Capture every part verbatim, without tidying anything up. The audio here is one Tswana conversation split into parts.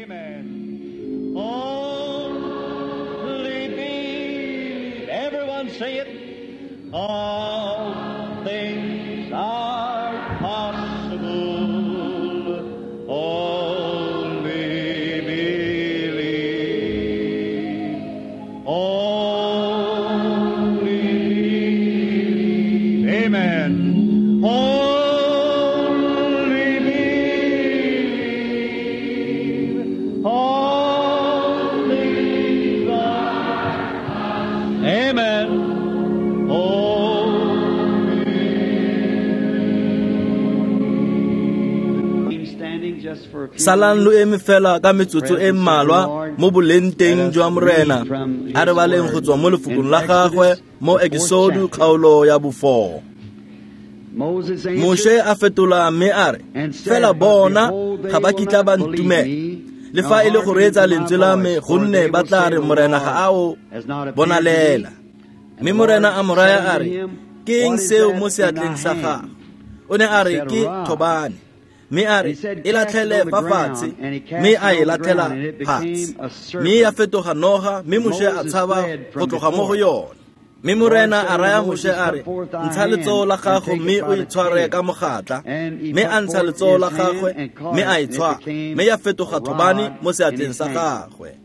Amen. Only believe. Everyone say it. All things are possible. Only believe. Only believe. Amen. Only believe. All things are. Amen. Salang lo eme fela ka metsotso e mmalwa mo boleng teng jwa Morena. A re baleng go tswa mo lefokong la gagwe mo Exodo kgaolo ya bofo. Moshe a fetola mme a re, fela bona ga ba kitla ba ntumela, le fa e le go reetsa lentswe la me, gonne ba tla re Morena ga a o bonalela. Mme Morena a mo raya a re, ke eng seo mo seatleng sa gago? O ne a re, ke thobane. Mme a re, e latlhele fa fatshe. Mme a e latlhela fatshe, mme ya fetoga noga, mme Moshe a tshaba go tloga mo go yone. Mme Morena a raya Moshe a re, ntsha letsogo la gago mme o e tshware ka mogatla. Mme a ntsha letsogo la gagwe mme a e tshwara, mme ya fetoga thobane mo seatleng sa gagwe.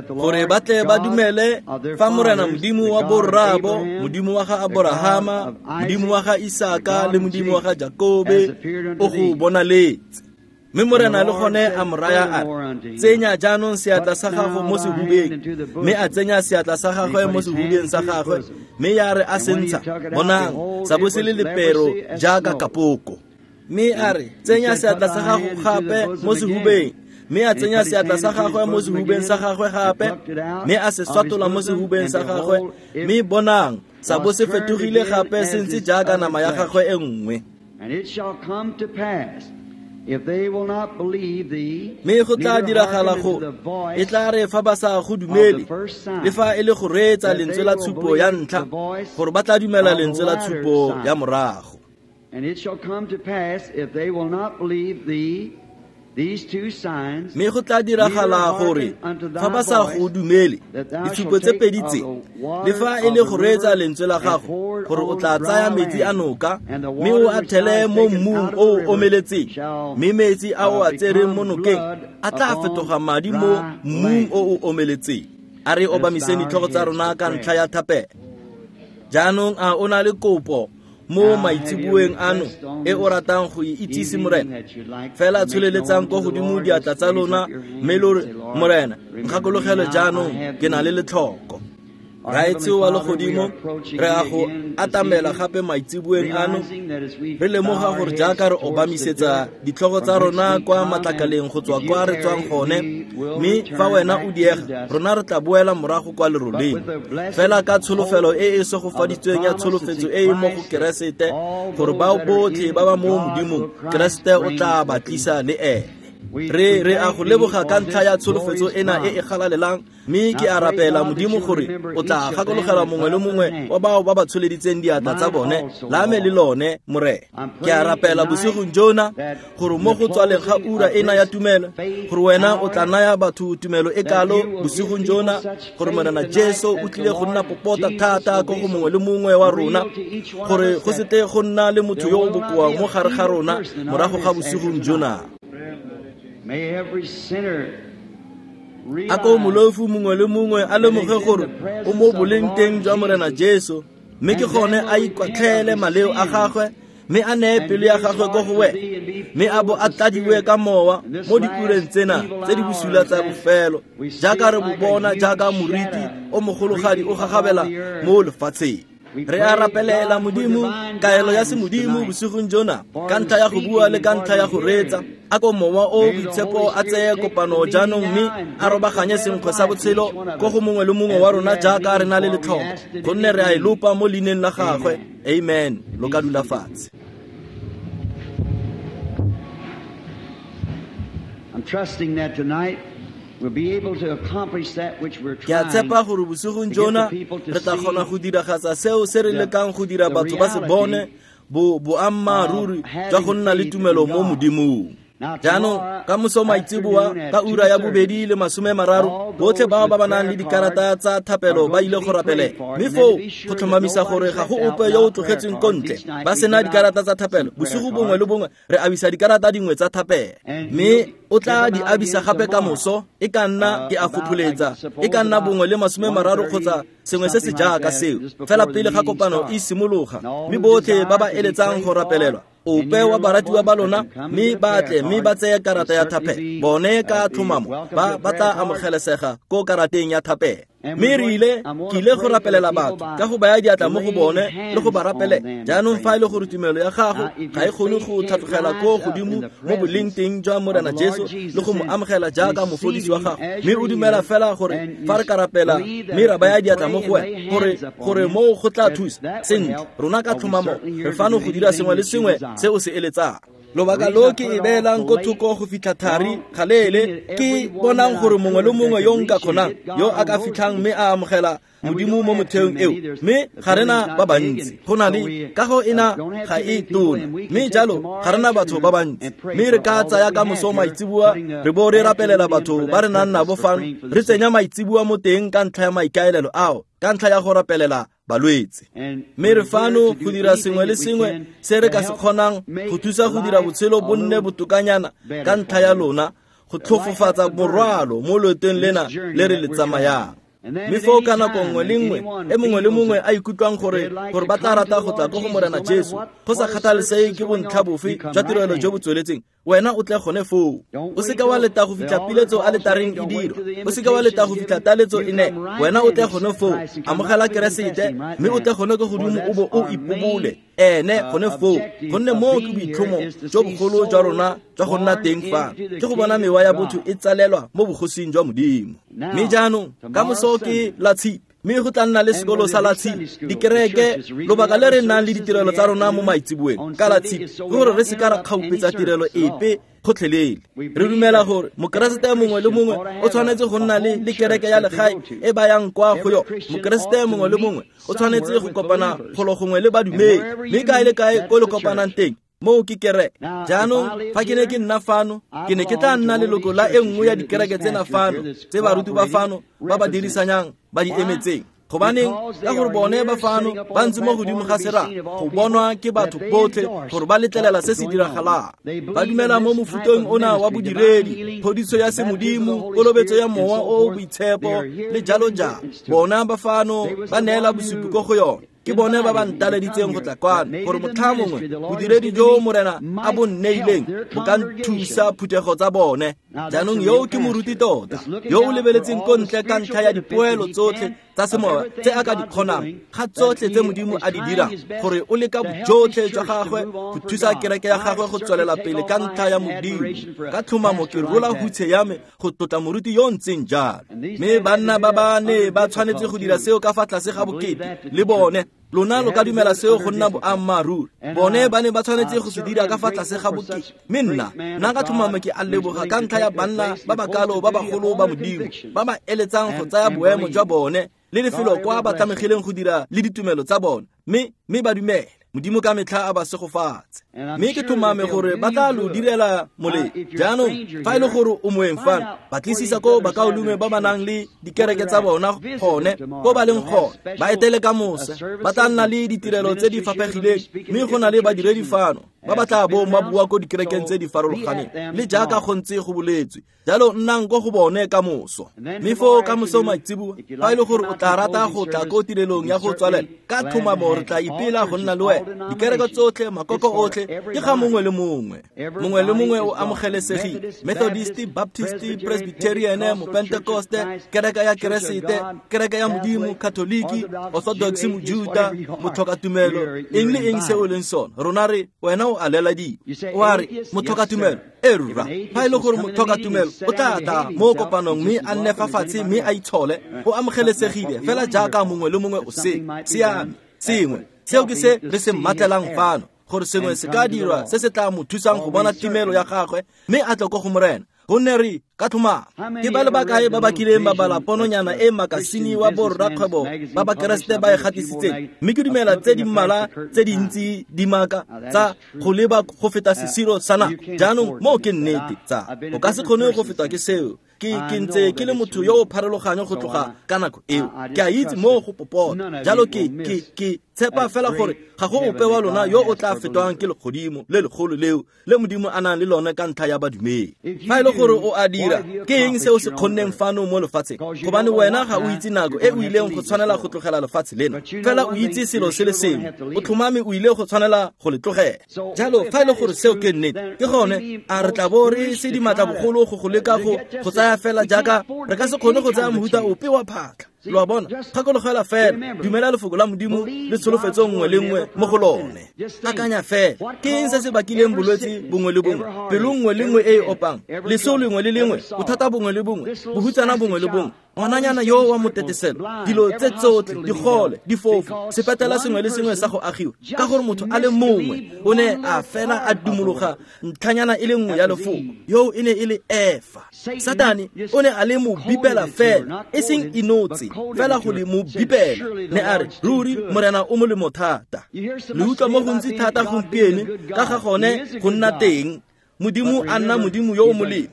Gore ba tle ba dumele fa Morena Modimo wa borraabo, Modimo wa ga Aborahama, Modimo wa ga Isaka le Modimo wa ga Jakobe o go bonaletse. Mme Morena le gone a mo raya a re, tsenya jaanong seatla sa gago mo sehubeng. Mme a tsenya seatla sa gagwe mo sehubeng sa gagwe, mme ya re a se ntsha, bonang, sa bo se le lepero jaaka kapoko. Mme a re, tsenya seatla sa gago gape mo sehubeng. Mme a tsenya seatla sa gagwe mo sehubeng sa gagwe gape, mme a se swatola mo sehubeng sa gagwe, mme bonang, sa bo se fetogile gape se ntse jaaka nama ya gagwe e nngwe. Mme go tla diragala go e tla re fa ba sa go dumele, le fa e le go reetsa lentswe la tshupo ya ntlha, gore ba tla dumela lentswe la tshupo ya morago. And it shall come to pass, if they will not believe thee, these two signs, Mme go tla diragala gore fa ba sa go dumele ditshupo tse pedi tse, le fa e le go reetsa lentswe la gago, gore o tla tsaya metsi a noka mme o a thele mo mmung o o omeletseng, mme metsi a o a tsereng mo nokeng a tla fetoga madi mo mmung o o omeletseng. A re obamiseng ditlhogo tsa rona ka ntlha ya thapelo. Jaanong a o na le kopo mo maitseboeng ano e o ratang go e itsise Morena? Fela tsholeletsang ko godimo diatla tsa lona mme lo re, Morena, nkgakologele jaanong ke na le letlhoko. Raetsho wa legodimo, re a go atamela gape maitseboeng ano, re lemoga gore jaaka re obamisetsa ditlhogo tsa rona kwa matlakaleng go tswa kwa re tswang gone, mme fa wena o diega, rona re tla boela morago kwa leroleng. Fela ka tsholofelo e e segofaditsweng ya tsholofetso e e mo go Keresete, gore bao botlhe ba ba mo Modimong, Keresete o tla ba tlisa le ene. Re re a go leboga ka ntlha ya tsholofetso ena e e galalelang, mme ke a rapela Modimo gore o tla gakologela mongwe le mongwe wa bao ba ba tsholeditseng diatla tsa bone, la me le lone, Morena. Ke a rapela bosigong jona gore mo go tswaleng ga ura ena ya tumelo, gore wena o tla naya batho tumelo e kalo bosigong jona, gore Morena Jesu o tlile go nna popota thata ko go mongwe le mongwe wa rona, gore go se tle go nna le motho yo o bokoa mo gare ga rona morago ga bosigong jona. May every sinner A ko molofu mongwe le mongwe a lemoge gore o mo boleng teng jwa Morena Jesu, mme ke gone a ikwatlhele maleo a gagwe, mme a neye pelo ya gagwe ko go wena, mme a bo a tladiwe ka mowa mo diureng tsena tse di bosula tsa bofelo, jaaka re bo bona jaaka moriti o mogologadi o gagabela mo lefatsheng. Re a rapelela Modimo kaelo ya semodimo bosigong jona, ka ntlha ya go bua le ka ntlha ya go reetsa. A ko mowa o boitshepo a tseye kopano jaanong mme a robaganye senkgwe sa botshelo ko go mongwe le mongwe wa rona jaaka re na le letlhoko, gonne re a e lopa mo leineng la gagwe. Amen. Lo ka dula fatshe. I'm trusting that tonight we'll be able to accomplish that which we're Ke a trying tshepa gore bosigong jona re tla kgona go diragatsa seo se re lekang go dira batho ba se bone, bo boammaaruri jwa go nna le tumelo mo Modimong. Jaanong ka moso maitseboa ka ura ya bobedi le masome mararo, botlhe bao ba ba nang le dikarata tsa thapelo ba ile go rapelela. Mme foo go tlhomamisa gore ga go ope yo o tlogetsweng ko ntle ba sena dikarata tsa thapelo. Bosigo bongwe le bongwe re abisa dikarata dingwe tsa thapelo, mme o tla di abisa gape ka moso. E ka nna ke a fopholetsa e ka nna bongwe le masome mararo kgotsa sengwe se se jaaka seo, fela pele ga kopano e simologa. Mme botlhe ba ba eletsang go rapelelwa, ope wa baratiwa ba lona, mme ba tle mme ba tseye karata ya thapelo, bone ka tlhomamo ba ba tla amogelesega ko karateng ya thapelo. Mme re ile ke ile go rapelela batho ka go baya diatla mo go bone le go ba rapelela. Jaanong fa e le gore tumelo ya gago ga e kgone go tlhatlogela ko godimo mo boleng teng jwa Morena Jesu le go mo amogela jaaka mofodisi wa gago, mme o dumela fela gore fa re ka rapela mme ra baya diatla mo go wena gore gore moo go tla thusa sentle, rona ka tlhomamo re fano go dira sengwe le sengwe se o se eletsang. Lobaka lo ke e beelang ko thoko go fitlha thari galeele, ke bonang gore mongwe le mongwe yo nka kgonang yo a ka fitlhang mme a amogela Modimo mo motheong eo. Mme ga rena ba bantsi, go na le kago ena ga e tona, mme jalo ga rena batho ba bantsi. Mme re ka tsaya ka moso maitseboa re bo re rapelela batho ba re nang nabo fano, re tsenya maitseboa mo teng ka ntlha ya maikaelelo ao, ka ntlha ya go rapelela balwetse. Mme re fano go dira sengwe le sengwe se re ka se kgonang go thusa go dira botshelo bo nne botokanyana ka ntlha ya lona, go tlhofofatsa morwalo mo loetong lena le re le tsamayang. Mme foo ka nako nngwe le nngwe e mongwe le mongwe a ikutlwang gore gore ba tla rata go tla ko go Morena Jesu, go sa kgathalesege ke bontlha bofe jwa tirelo jo bo tsweletseng, wena o tle gone foo. O seka wa leta go fitlha piletso aletareng e dirwa, o seka wa leta go fitlha taletso e ne, wena o tle gone foo. Amogela Keresete mme o tle gone ko godimo o bo o ipobole ene gone foo, gonne moo ke boitlhomo jo bogolo jwa rona jwa go nna teng fa, ke go bona mewa ya botho e tsalelwa mo bogosing jwa Modimo. Mme jaanong ka moso ke la Tshipi, mme go tla nna le sekolo sa la Tshipi, dikereke, lobaka le re nang le ditirelo tsa rona mo maitseboeng ka la Tshipi, ke gore re se ka ra kgaupetsa tirelo epe gotlhelele. Re dumela gore mokeresete mongwe le mongwe o tshwanetse go nna le le kereke ya legae e ba yang kwa go yone. Mokeresete mongwe le mongwe o tshwanetse go kopana golo gongwe le badumedi, mme kae le kae ko le kopanang teng, moo ke kereke. Jaanong fa ke ne ke nna fano, ke ne ke tla nna leloko la e nngwe ya dikereke tsena fano tse baruti ba fano ba ba dirisanyang ba di emetseng. Gobaneng? Ka gore bone ba fano ba ntse mo godimo ga sera go bonwa ke batho botlhe gore ba letlelela se se diragalang. Ba dumela mo mofuteng ona wa bodiredi, phodiso ya semodimo, kolobetso ya mowa o o boitshepo le jalo jalo. Bona ba fano ba neela bosupi ko go yone. Ke bone ba ba ntaleditseng go tla kwano gore motlha mongwe bodiredi jo Morena a bo nneileng bo ka nthusa phuthego tsa bone. Jaanong yo ke moruti tota yo o lebeletseng ko ntle ka ntlha ya dipoelo tsotlhe tsa semoya tse a ka di kgonang, ga tsotlhe tse Modimo a di dirang, gore o leka bojotlhe jwa gagwe go thusa kereke ya gagwe go tswelela pele ka ntlha ya Modimo. Ka tlhomamo ke rola hutshe ya me go tlotla moruti yo o ntseng jalo. Mme banna ba ba ne ba tshwanetse go dira seo ka fa tlase ga bokete le bone. Lona lo ka dumela seo go nna boammaaruri. Bone ba ne ba tshwanetse go se dira ka fa tlase ga bokete. Mme nna nna ka tlhomamo ke a leboga ka ntlha ya banna ba ba kalo ba bagolo ba Modimo ba ba eletsang go tsaya boemo jwa bone le lefelo kwa ba tlamegileng go dira le ditumelo tsa bone, mme mme ba dumele Modimo ka metlha a ba segofatse. Mme ke tlhomame gore ba tla lo direla molemo. Jaanong fa e le gore o moeng fano, batlisisa ko bakaulengwe ba ba nang le dikereke tsa bona gone ko ba leng gone, ba etele ka mosa. Ba tla nna le ditirelo tse di faphegileng, mme go na le badiredi fano ba ba tla bong ba bua ko dikerekeng tse di farologaneng le jaaka go ntse go boletswe. Jalo nnang ko go bone ka moso. Mme foo ka moso maitseboa, fa e le gore o tla rata go tla ko tirelong ya go tswalela, ka tlhomamo re tla ipela go nna le wena. Dikereke tsotlhe, makoko otlhe, ke ga mongwe le mongwe. Mongwe le mongwe o amogelesegile. Methodist, Baptist, Presbyterian, Mopentekoste, kereke ya Keresete, kereke ya Modimo, Katoliki, Orthodox, Mojuta, motlhokatumelo, eng le eng se o leng sone. Rona re wena o a leladiwa. O a re motlhokatumelo, e rra. Fa e le gore motlhokatumelo o tla tla mo kopanong mme a nne fa fatshe mme a itshole, o amogelesegile fela jaaka mongwe le mongwe o se siame. Sengwe seo ke se re se mmatlelang fano, gore sengwe se ka dirwa se se tla mo thusang go bona timelo ya gagwe mme a tle ko go Morena. Gonne re Ka tlhomamo ke ba le bakae ba ba kileng ba bala pononyana e makasine wa borrakgwebo ba Bakeresete ba e gatisitseng, mme ke dumela tse di mmalwa tse dintsi di maaka tsa go leba go feta sesiro sa nako. Jaanong moo ke nnete tsa o ka se kgone go fetwa ke seo. Ke ke ntse ke le motho yo o pharologanyo go tloga ka nako eo. Ke a itse moo go popota. Jalo ke ke ke tshepa fela gore ga go ope wa lona yo o tla fetwang ke legodimo le legolo leo le Modimo a nang le lone ka ntlha ya badumedi. Fa e le gore o a dira, ke eng se o se kgonneng fano mo lefatsheng? Gobane wena ga o itse nako e o ileng go tshwanela go tlogela lefatshe lena. Fela o itse selo se le sengwe, o tlhomame o ile go tshwanela go le tlogela. Jalo fa e le gore seo ke nnete, ke gone a re tla bo re se dimatla bogolo go go leka go go tsaya fela jaaka re ka se kgone go tsaya mohuta ope wa phatlha. Lo a bona, gakologela fela, dumela lefoko la Modimo le tsholofetso nngwe le nngwe mo go lone. Akanya fela, ke eng se se bakileng bolwetse bongwe le bongwe, pelo nngwe le nngwe e e opang, leso lengwe le lengwe, bothata bongwe le bongwe, bohutsana bongwe le bongwe, ngwananyana yo wa moteteselo, dilo tse tsotlhe, digole, difofu, sepetela sengwe le sengwe sa go agiwa, ka gore motho a le mongwe o ne a fela a dumologa ntlhanyana e le nngwe ya lefoko, yo e ne e le Efa. Satane o ne a le mo bipela fela, e seng inotse, fela go le mo bipela. Ne a re, ruri Morena o molemo thata. Le utlwa mo gontsi thata gompieno ka ga gone go nna teng Modimo a nna Modimo yo o molemo.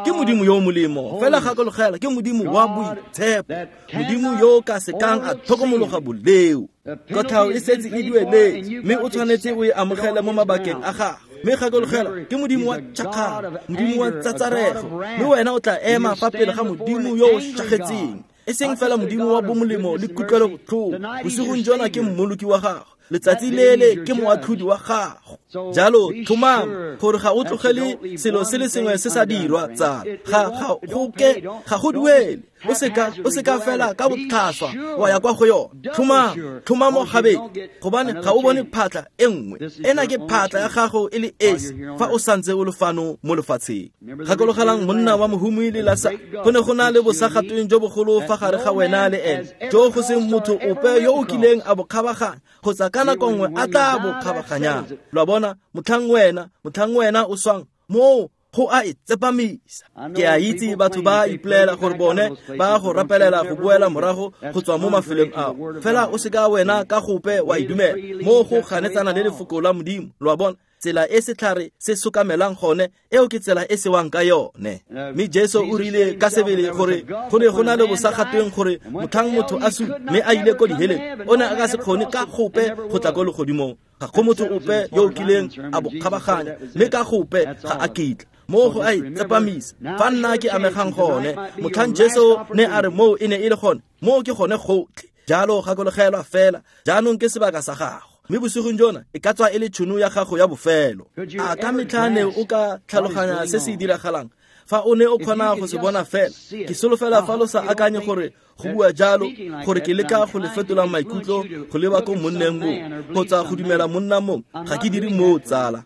Ke Modimo yo o molemo, fela gakologela ke Modimo wa boitshepo, Modimo yo ka sekang a tlhokomologa boleo. Kotlhao e setse e dueletse, mme o tshwanetse o e amogele mo mabakeng a gago. Mme gakologela ke Modimo wa tšhakgalo, Modimo wa tsatsarego, mme wena o tla ema fa pele ga Modimo yo o šakgetseng. E seng fela Modimo wa bomolemo le kutlwelobotlhoko. Bosigong jona ke mmoloki wa gago, letsatsi lele ke moatlhodi wa gago. Jalo tlhomama gore ga o tlogele selo se le sengwe se sa dirwa tsala. Ga ga go ke ga go duele. O seka o seka fela ka botlhaswa wa ya kwa go yone. Tlhomama, tlhomamo gabedi, gobane ga o bone phatla e nngwe. Ena ke phatla ya gago e le esi fa o santse o le fano mo lefatsheng. Gakologelang monna wa mohumi le Lasa, go ne go na le bosagatweng jo bogolo fa gare ga wena le ene, jo go seng motho ope yo o kileng a bo kgabaganya kgotsa ka nako nngwe a tla bo kgabaganyang. Lo a bona, motlhang wena, motlhang wena o swang moo go a e tsepamisa. Ke a itse batho ba ipolela gore bone ba go rapelela go boela morago go tswa mo mafelong ao, fela o seka wena ka gope wa e dumela. Moo go ganetsana le lefoko la Modimo. Lo a bona, tsela e setlhare se sokamelang gone, eo ke tsela e sewang ka yone. Mme Jesu o rile ka sebele gore go ne go na le bosagatweng gore motlhang motho a sule mme a ile ko diheleng, o ne a ka se kgone ka gope go tla ko legodimong. Ga go motho ope yo o kileng a bo kgabaganya, mme ka gope ga a kitla. Moo go a e tsepamisa. Fa nna ke amegang gone, motlhang Jesu ne a re moo e ne e le gone, moo ke gone gotlhe. Jalo gakologelwa fela, jaanong ke sebaka sa gago. Mme bosigong jona e ka tswa e le tšhono ya gago ya bofelo. A ka metlha ne o ka tlhaloganya se se diragalang fa o ne o kgona go se bona fela? Ke solofela fa lo sa akanye gore go bua jalo gore ke leka go le fetola maikutlo go leba ko monneng mongwe kgotsa go dumela monna mongwe. Ga ke dire moo tsala.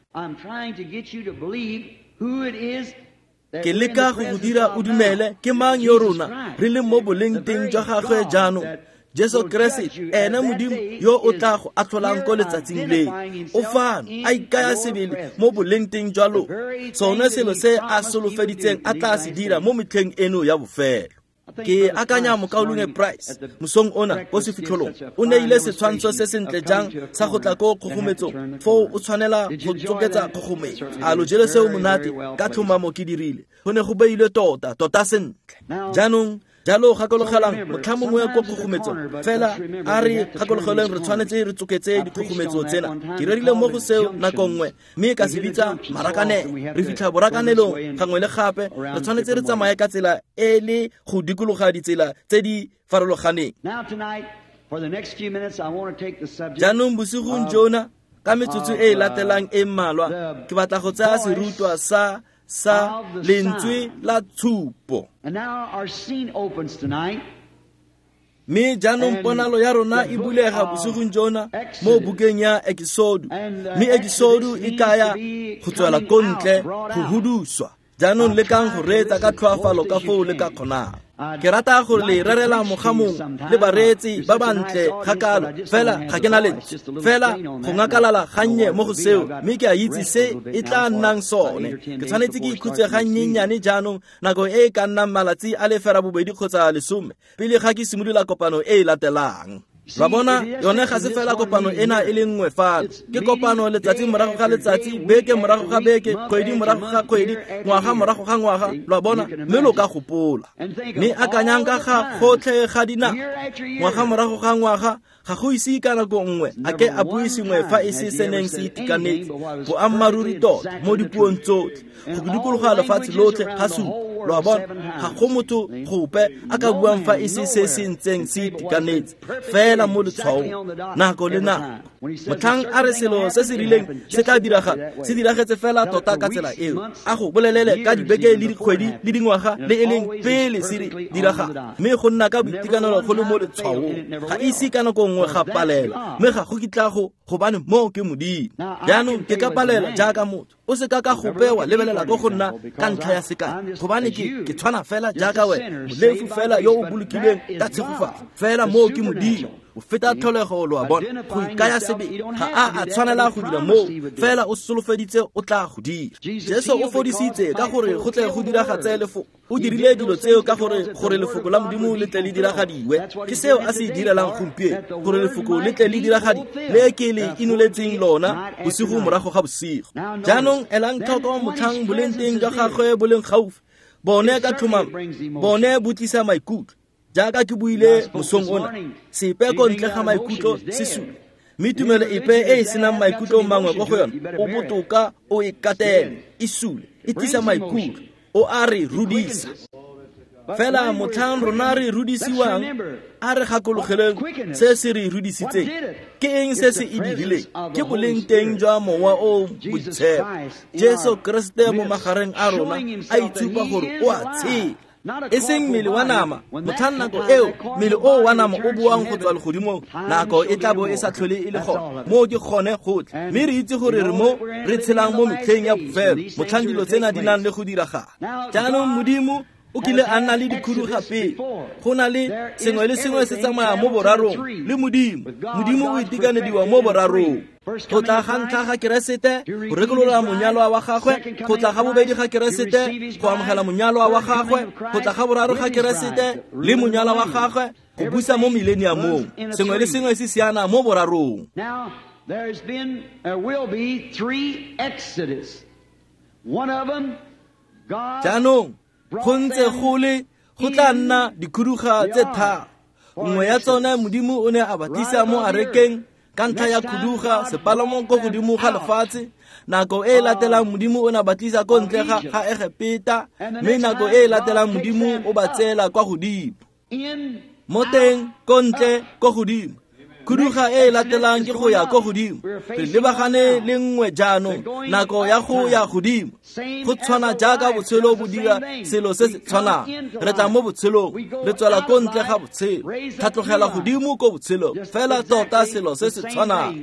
Ke leka go go dira o dumele ke mang yo rona re leng mo boleng teng jwa gagwe jaanong. Jesu Keresete, ene Modimo yo o tla go atlholang ko letsatsing leo, o fano a ikaya sebele mo boleng teng jwa lona. Sone selo se a solofeditseng a tla se dira mo metlheng eno ya bofelo. Ke akanya mokaulengwe Price mosong ona ko sefitlholong o neile setshwantsho se sentle jang sa go tla ko kgogometsong, foo o tshwanela go tsoketsa kgogometso. A lo jele seo monate? Ka tlhomamo ke dirile. Go ne go beilwe tota tota sentle. Jaanong jalo gakologelang motlha mongwe ko kgogometsong, fela a re gakologeleng re tshwanetse re tsoketse dikgogometso tsena. Ke rerile mo go seo nako nngwe, mme ka se bitsa marakanelo. Re fitlha borakanelong gangwe le gape, re tshwanetse re tsamaye ka tsela e le go dikologa ditsela tse di farologaneng. Jaanong bosigong jona ka metsotso e e latelang e mmalwa, ke batla go tsaya serutwa sa sa lentswe la tshupo. Mme jaanong ponalo ya rona e bulega bosigong jona mo bukeng ya Ekisodo. Mme Ekisodo e kaya go tswela ko ntle, go huduswa. Jaanong lekang go reetsa ka tlhoafalo ka foo le ka kgonang. Ke rata gore le rerela mogamong le bareetsi ba bantle ga kalo, fela ga ke na lentswe, fela go ngakalala gannye mo go seo, mme ke a itse se e tla nnang sone. Ke tshwanetse ke ikhutse gannyenyane jaanong nako e e ka nnang malatsi a le ferabobedi kgotsa lesome pele ga ke simolola kopano e e latelang. Lwa bona, yone ga se fela kopano ena e le nngwe fano. Ke kopano letsatsi morago ga letsatsi, beke morago ga beke, kgwedi morago ga kgwedi, ngwaga morago ga ngwaga, lwa bona, mme lo ka gopola. Mme akanyang ka ga gotlhe ga dinako, ngwaga morago ga ngwaga, ga go ise ka nako nngwe a ke a bue sengwe fa e se se neng se itekanetse, boammaaruri tota mo dipuong tsotlhe, go dikologa lefatshe lotlhe ga supa. Lwa bona, ga go motho gope a ka buang fa e se se se ntseng se itekanetse, fela mo letshwaong nako le nako. Motlhang a re selo se se rileng se tla diragala, se diragetse fela tota ka tsela eo. A go bolelele ka dibeke le dikgwedi le dingwaga le e leng pele se diragala, mme go nna ka boitekanelo go le mo letshwaong. Ga ise ka nako nngwe ga palela, mme ga go kitla go, gobane moo ke Modimo. Jaanong ke ka palela jaaka motho. O se ka ka gope wa lebelela ko go nna ka ntlha ya sekai, gobane ke ke tshwana fela jaaka wena, molefu fela yo o bolokilweng ka tshegofatso. Fela moo ke Modimo. O feta tlholego, lo a bona, go ikaya sebe ga a a tshwanela go dira moo, fela o solofeditse o tla go dira. Jesu o fodisitse ka gore go tle go diragatse lefoko. O dirile dilo tseo ka gore gore lefoko la Modimo le tle le diragadiwe. Ke seo a se direlang gompieno, gore lefoko le tle le diragadiwe, le ke le inoletseng lona bosigo morago ga bosigo. Jaanong elang tlhoko motlhang boleng teng jwa gagwe bo leng gaufi, bone ka tlhomamo, bone bo tlisa maikutlo. Jaaka ke buile mosong ona, sepe ko ntle ga maikutlo se sule, mme tumelo epe e e senang maikutlo mangwe ko go yone, o botoka o e katele, e sule, e tlisa maikutlo, o a re rudisa. Fela motlhang rona re rudisiwang, a re gakologeleng se se re rudisitseng. Ke eng se se e dirileng? Ke boleng teng jwa Mowa o Boitshepo, Jesu Keresete mo magareng a rona, a itshupa gore o a tshela. E seng mmele wa nama, motlhang nako eo mmele o wa nama o boang go tswa legodimong, nako e tla bo e sa tlhole e le gone. Moo ke gone gotlhe, mme re itse gore re mo re tshelang mo metlheng ya bofelo, motlhang dilo tsena di nang le go diragala. Jaanong Modimo o kile a nna le dikhuduga pele. Go na le sengwe le sengwe se tsamaya mo borarong le Modimo. Modimo o itekanediwa mo borarong. Go tla ga ntlha ga Keresete go rekolola monyalwa wa gagwe, go tla ga bobedi ga Keresete go amogela monyalwa wa gagwe, go tla ga boraro ga Keresete le monyalwa wa gagwe go busa mo millenniumong. Sengwe le sengwe se siana mo borarong. Now there's been there will be three exodus. One of them, God Jaanong go ntse go le go tla nna dikhuduga tse tharo. Nngwe ya tsone Modimo o ne a ba tlisa mo arekeng ka ntlha ya khuduga, sepalamo ko godimo ga lefatshe. Nako e e latelang Modimo o ne a ba tlisa ko ntle ga ga Egepeta, mme nako e e latelang Modimo o ba tseela kwa godimo. Mo teng ko ntle ko godimo. Khuduga e e latelang ke go ya ko godimo. Re lebagane le nngwe jaanong, nako ya go ya godimo. Go tshwana jaaka botshelo bo dira selo se se tshwanang. Re tla mo botshelong, re tswela ko ntle ga botshelo, tlhatlogela godimo ko botshelong, fela tota selo se se tshwanang.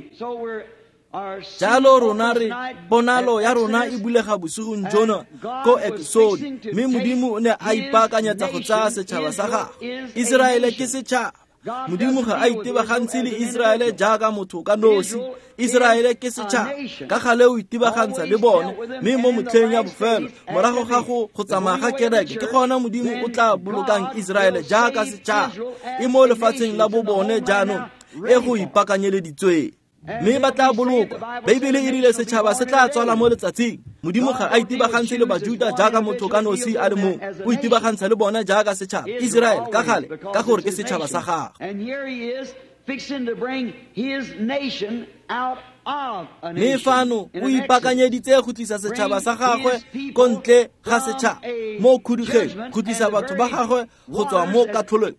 Jalo rona re ponalo ya rona e bulega bosigong jono ko Exodus, mme Modimo o ne a ipaakanyetsa go tsaya setšhaba sa gagwe. Iseraele ke setšhaba. Modimo ga a itebagantse le Iseraele jaaka motho ka nosi. Iseraele ke setšhaba, ka gale o itebagantsha le bone, mme mo motlheng ya bofelo morago ga go go tsamaya ga kereke, ke gona Modimo o tla bolokang Iseraele jaaka setšhaba e mo lefatsheng la bo bone jaanong e go ipaakanyeleditsweng. Mme ba tla bolokwa. Beibele e rile setšhaba se tla tswala mo letsatsing. Modimo ga a itebagantshe le Bajuda jaaka motho ka nosi a le mongwe, o itebagantsha le bona jaaka setšhaba. Iseraele ka gale, ka gore ke setšhaba sa gagwe. Mme fano o ipaakanyeditse go tlisa setšhaba sa gagwe ko ntle ga setšhaba mo khudugeng, go tlisa batho ba gagwe go tswa mo katlholong.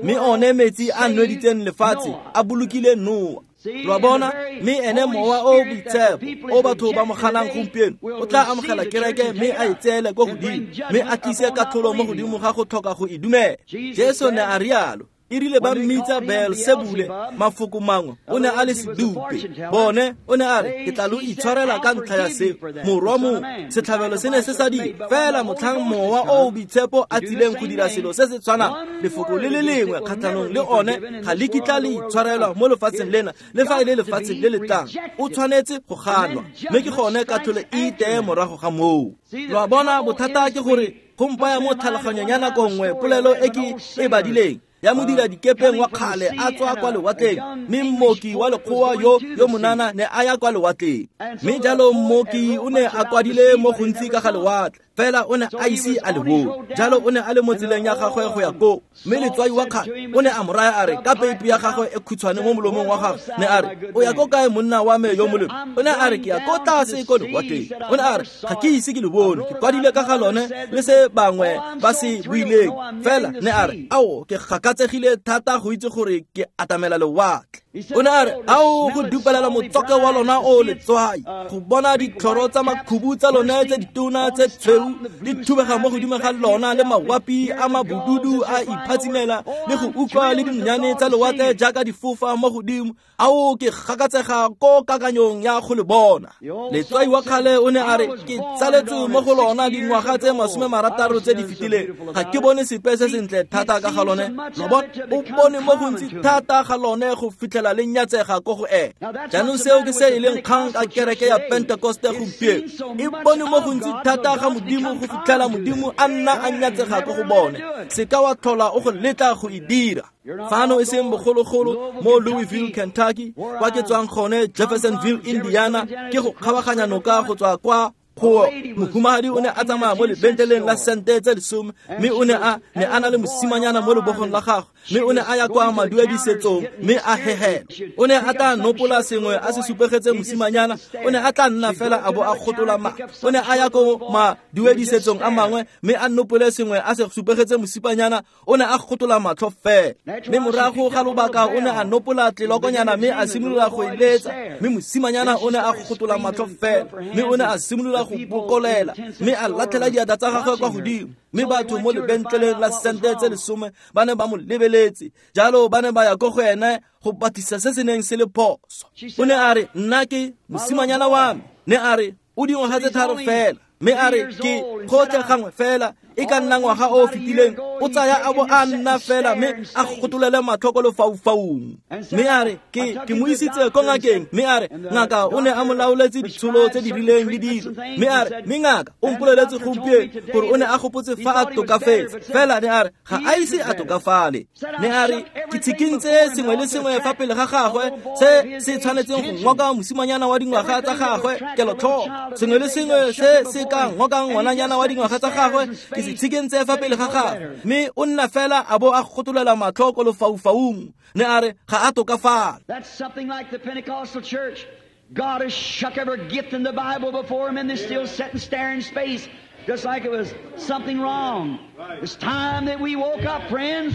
Mme one metsi a nweditseng lefatshe a bolokile Noa. Lwa bona, mme ene Mowa o Boitshepo o batho ba mo ganang gompieno o tla amogela kereke mme a e tseele ko godimo, mme a tlise katlholo mo godimo ga go tlhoka go e dumela. Jesu ne a rialo. E rile ba mmitsa Beelsebule, mafoko mangwe, o ne a le sedupe. Bone o ne a re, ke tla lo itshwarela ka ntlha ya seo. Morwa mongwe, setlhabelo se ne se sa dire, fela motlhang Mowa o o Boitshepo a tsileng go dira selo se se tshwanang, lefoko le le lengwe kgatlhanong le one ga le kitla le itshwarelwa mo lefatsheng lena le fa e le lefatsheng le le tlang. O tshwanetse go ganwa, mme ke gone katlholo e iteye morago ga moo. Lo a bona, bothata ke gore go mpaya mo tlhaloganyong ya nako nngwe polelo e ke e badileng ya modira dikepeng wa kgale a tswa kwa lewatleng, mme mmoki wa lekgowa yo yo monana ne a ya kwa lewatleng. Mme jalo mmoki o ne a kwadile mo gontsi ka ga lewatle, fela o ne a ise a le bone. Jalo o ne a le mo tseleng ya gagwe go ya koo, mme letswai wa kgale o ne a mo raya a re, ka peipi ya gagwe e khutshwane mo molomong wa gagwe, ne a re, o ya ko kae monna wa me yo molemo? O ne a re, ke ya ko tlase ko lewatleng. O ne a re, ga ke ise ke le bone, ke kwadile ka ga lone le se bangwe ba se buileng. Fela ne a re, ao, ke gakatsegile thata go itse gore ke atamela lewatle. O ne a re, ao, go dupelela motswako wa lona o letswai, go bona ditlhoro tsa makhubu tsa lone tse ditona tse tshweu di thubega mo godimo ga lona, le mawapi a mabududu a iphatsimela, le go utlwa le dinonyane tsa lewatle jaaka di fofa mo godimo. Ao, ke gakatsega ko kakanyong ya go le bona. Letswai wa kgale o ne a re, ke tsaletswe mo go lona dingwaga tse masome marataro tse di fetileng, ga ke bone sepe se sentle thata ka ga lone. Lo bona, o bone mo gontsi thata ga lone go fitlhela le nyatsega ko go ene. Jaanong seo ke se e leng kgang ka kereke ya Pentekoste gompieno, e bone mo gontsi thata ga Modimo go fitlhela Modimo a nna a nyatsega ko go bone. Se ka wa tlhola o go letla go e dira. Fano e seng bogologolo mo Louisville, Kentucky, kwa ke tswang gone Jeffersonville, Indiana, ke go kgabaganya noka go tswa kwa go mohumagadi o ne a tsamaya mo lebentleleng la sente tse lesome, mme o ne a ne a na le mosimanyana mo lebogong la gagwe, mme o ne a ya kwa maduedisetsong mme a hehela. O ne a tla nopola sengwe a se supegetse mosimanyana, o ne a tla nna fela a bo a kgotola ma. O ne a ya ko maduedisetsong a mangwe mme a nopole sengwe a se supegetse mosimanyana, o ne a kgotola matlho fela. Mme morago ga lobaka o ne a nopola tlelokonyana mme a simolola go e letsa, mme mosimanyana o ne a kgotola matlho fela, mme o ne a simolola go bokolela, mme a latlhela diatla tsa gagwe kwa godimo. Mme batho mo lebentleleng la sente tse lesome ba ne ba mo lebeletse, jalo ba ne ba ya ko go ene go batlisa se se neng se le phoso. O ne a re, nna ke mosimanyana wa me, ne a re, o dingwaga tse tharo fela, mme a re, ke gotlhe gangwe fela e ka nna ngwaga o o fetileng o tsaya a bo a nna fela mme a gotolele matlho ko lefaufaung. Mme a re, ke ke mo isitse ko ngakeng, mme a re, ngaka o ne a mo laoletse ditsholo tse di rileng le dilo. Mme a re, mme ngaka o mpoleletse gompieno gore o ne a gopotse fa a tokafetse, fela ne a re, ga a ise a tokafale. Ne a re, ke tshikintse sengwe le sengwe fa pele ga gagwe se se tshwanetseng go ngoka mosimanyana wa dingwaga tsa gagwe kelotlhoko, sengwe le sengwe se se ka ngokang ngwananyana wa dingwaga tsa gagwe ke se tshikentse fa pele ga gagwe, mme o nna fela a bo a gotolela matlho ko lefaufaung. Ne a re, ga a tokafala. That's something like the Pentecostal church. God has shook every gift in the Bible before him, and they still sit and stare in space, just like it was something wrong. It's time that we woke up, friends.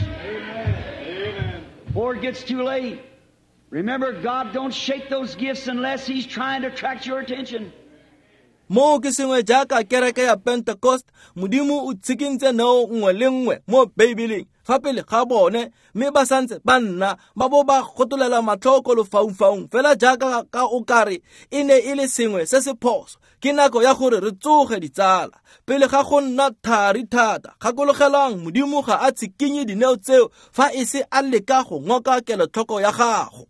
Before it gets too late. Remember, God don't shake those gifts unless He's trying to attract your attention. Mo ke sengwe jaaka kereke ya Pentecost, Modimo o tshikintse neo nngwe le nngwe mo Beibeleng fa pele ga bone, mme ba santse ba nna ba bo ba gotolela matlho ko lefaufaung fela jaaka ka o kare e ne e le sengwe se se phoso. Ke nako ya gore re tsoge ditsala pele ga go nna thari thata. Gakologelang, Modimo ga a tshikinye dineo tseo fa e se a leka go ngoka kelotlhoko ya gago.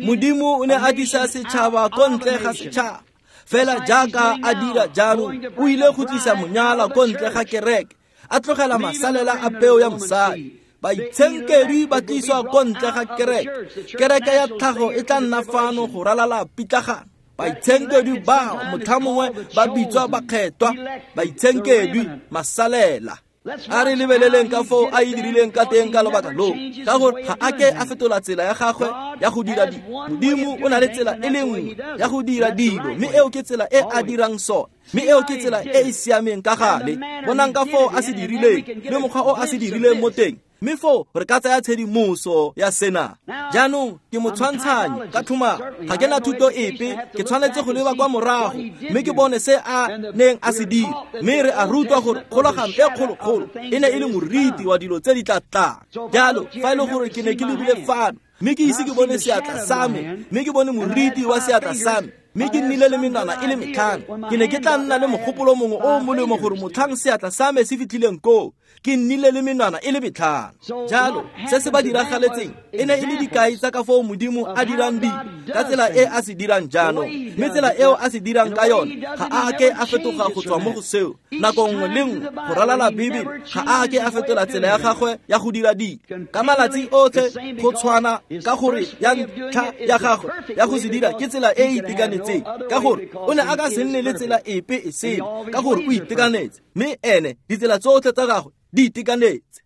Modimo o ne a tlisa setšhaba ko ntle ga setšhaba, fela jaaka a dira jaanong, o ile go tlisa monyala ko ntle ga kereke, a tlogela masalela a peo ya mosadi. Baitshenkedwi ba tliswa ko ntle ga kereke. Kereke ya tlhago e tla nna fano go ralala pitlagano. Baitshenkedwi bao motlhamongwe ba bitswa bakgethwa, baitshenkedwi masalela. A re lebeleleng ka foo a e dirileng ka teng ka lobaka loo, ka gore ga a ke a fetola tsela ya gagwe ya go dira dilo. Modimo o na le tsela e le nngwe ya go dira dilo, mme eo ke tsela e a dirang sone. Mme eo ke tsela e e siameng ka gale. Bonang ka foo a se dirileng le mokgwa o a se dirileng mo teng. Mme foo re ka tsaya tshedimoso ya sena. Jaanong ke motshwantshanyi ka tlhomamo, ga ke na thuto epe, ke tshwanetse go leba kwa morago mme ke bone se a neng a se dira. Mme re a rutwa gore kgolagano e kgolokgolo e ne e le moriti wa dilo tse di tla tlang. Jalo fa e le gore ke ne ke lebile fano mme ke ise ke bone seatla sa me, mme ke bone moriti wa seatla sa me, mme ke nnile le menwana e le metlhano, ke ne ke tla nna le mogopolo mongwe o o molemo gore motlhang seatla sa me se fitlhileng koo, ke nnile le menwana e le metlhano. Jalo se se ba diragaletseng e ne e le dikai tsa ka foo Modimo a dirang dilo ka tsela e a se dirang jaanong. Mme tsela eo a se dirang ka yone ga a ke a fetoga go tswa mo go seo. Nako nngwe le nngwe go ralala Bibele ga a ke a fetola tsela ya gagwe ya go dira dilo. Ka malatsi otlhe go tshwana, ka gore ya ntlha ya gagwe ya go se dira ke tsela e e itekanetseng, ka gore o ne a ka se nne le tsela epe e sele, ka gore o itekanetse, mme ene ditsela tsotlhe tsa gagwe di itekanetse.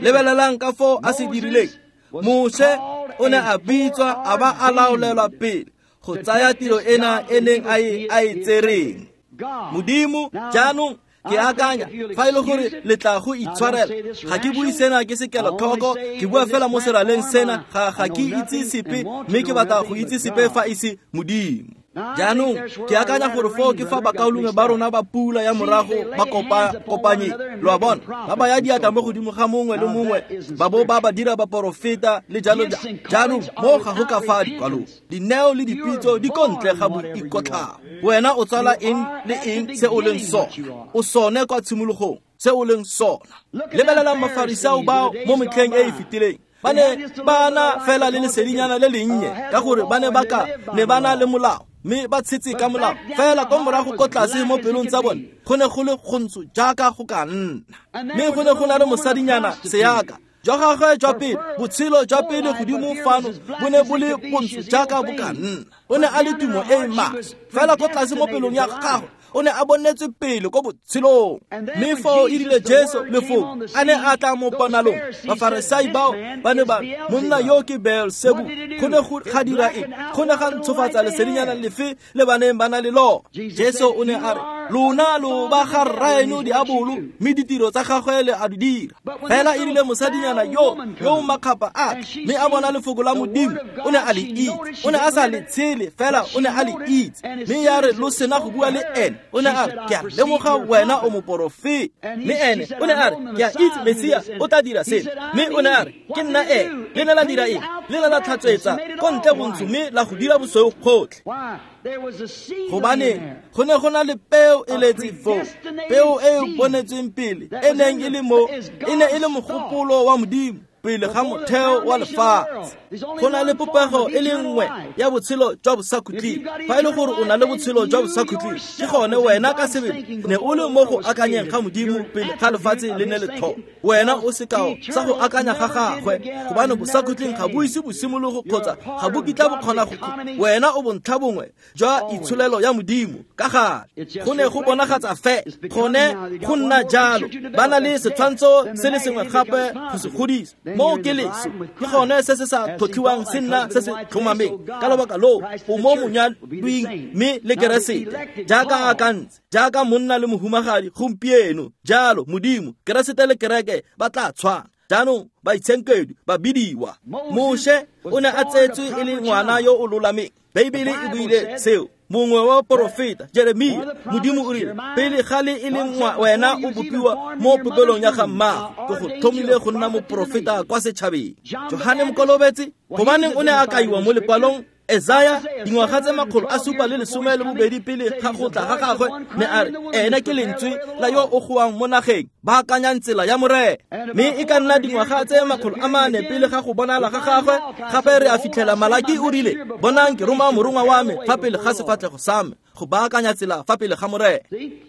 Lebelelang ka foo a se dirileng. Moshe o ne a bitswa a ba a laolelwa pele go tsaya tiro ena e neng a e a e tsereng. Modimo jaanong ke akanya fa e le gore le tla go itshwarela, ga ke bue sena ke se kelotlhoko, ke bua fela mo seraleng sena, ga ga ke itse sepe, mme ke batla go itse sepe fa e se Modimo. Jaanong ke akanya gore foo ke fa bakaulengwe ba rona ba pula ya morago ba kopa kopanye, lo a bona, ba baya diatla mo godimo ga mongwe le mongwe, ba bo ba ba dira baporofeta le jalo jalo. Jaanong mo ga go ka fa dikwalong, dineo le dipitso di ko ntle ga boikotlhao. Wena o tsala eng le eng se o leng sona, o sone kwa tshimologong se o leng sona. Lebelelang Mafarisao bao mo metlheng e e fetileng. Ba ne ba na fela le lesedinyana le lennye, ka gore ba ne ba ka ne ba na le molao, mme ba tshetse ka molao. Fela kwa morago ko tlase mo pelong tsa bone go ne go le gontsho jaaka go ka nna. Mme go ne go na le mosadinyana seaka jwa gagwe jwa pele, botshelo jwa pele godimo fano bo ne bo le bontsho jaaka bo ka nna. O ne a le tumo e e maswe, fela ko tlase mo pelong ya gagwe o ne a bonetswe pele ko botshelong. Mme foo e rile Jesu lefoko a ne a tla mo ponalong, Bafarisai bao ba ne ba monna yo ke Beelzebub. Go ne go ga dira eng? Go ne ga ntshofatsa lesedinyana lefe le ba neng ba na le lona. Jesu o ne a re, lona lo ba ga rraeno diabolo, mme ditiro tsa gagwe le a di dira. Fela e rile mosadinyana yo yo makgapa a mme a bona lefoko la Modimo, o ne a le itse. O ne a sa le tshele, fela o ne a le itse. Mme ya re lo sena go bua le ene, o ne a re, ke a lemoga wena o moporofeta. Mme ene o ne a re, ke a itse Mesia o tla dira sena. Mme o ne a re, ke nna ene. Le ne la dira eng? Le ne la tlhatswetsa ko ntle bontsho mme la go dira bosweu gotlhe. Gobane go ne go na le peo e letse foo, peo e e bonetsweng pele, e neng e le mo, e ne e le mogopolo wa Modimo pele ga motheo wa lefatshe. Go na le popego e le nngwe ya botshelo jwa bosakhutleng. Fa e le gore o na le botshelo jwa bosakhutleng, ke gone wena ka sebele ne o le mo go akanyeng ga Modimo pele ga lefatshe le ne le thoma. Wena o sekao sa go akanya ga gagwe, gobane bosakhutleng ga bo ise bo simologo kgotsa ga bo kitla bo kgona go. Wena o bontlha bongwe jwa itsholelo ya Modimo ka gale. Go ne go bonagatsa fe gone go nna jalo. Ba na le setshwantsho se le sengwe gape go se godisa. Mo ke leso, ke gone se se sa tlhotlhiwang se nna se se tlhomameng. Ka lobaka loo o mo monyadwing mme le Keresete, jaaka a akantse, jaaka monna le mohumagadi gompieno. Jalo Modimo, Keresete le kereke ba tla tshwana. Jaanong baitshenkedwi ba bidiwa. Moshe o ne a tsetswe e le ngwana yo o lolameng. Beibele e buile seo. Mongwe wa porofeta Jeremia, Modimo o rile, pele ga le e leng wena o bopiwa mo popelong ya ga mmago, ke go tlhomile go nna moporofeta kwa setšhabeng. Johane Mokolobetsi, gobaneng o ne a kaiwa mo lekwalong Esaya dingwaga tse makgolo a supa le lesome le bobedi pele ga go tla ga gagwe, ne a re ene ke lentswe la yo o goang mo nageng, baakanyang tsela ya Morena. Mme e ka nna dingwaga tse makgolo a mane pele ga go bonala ga gagwe, gape re a fitlhela Malaki o rile, bonang ke roma morongwa wa me fa pele ga sefatlhego sa me go baakanya tsela fa pele ga Morena.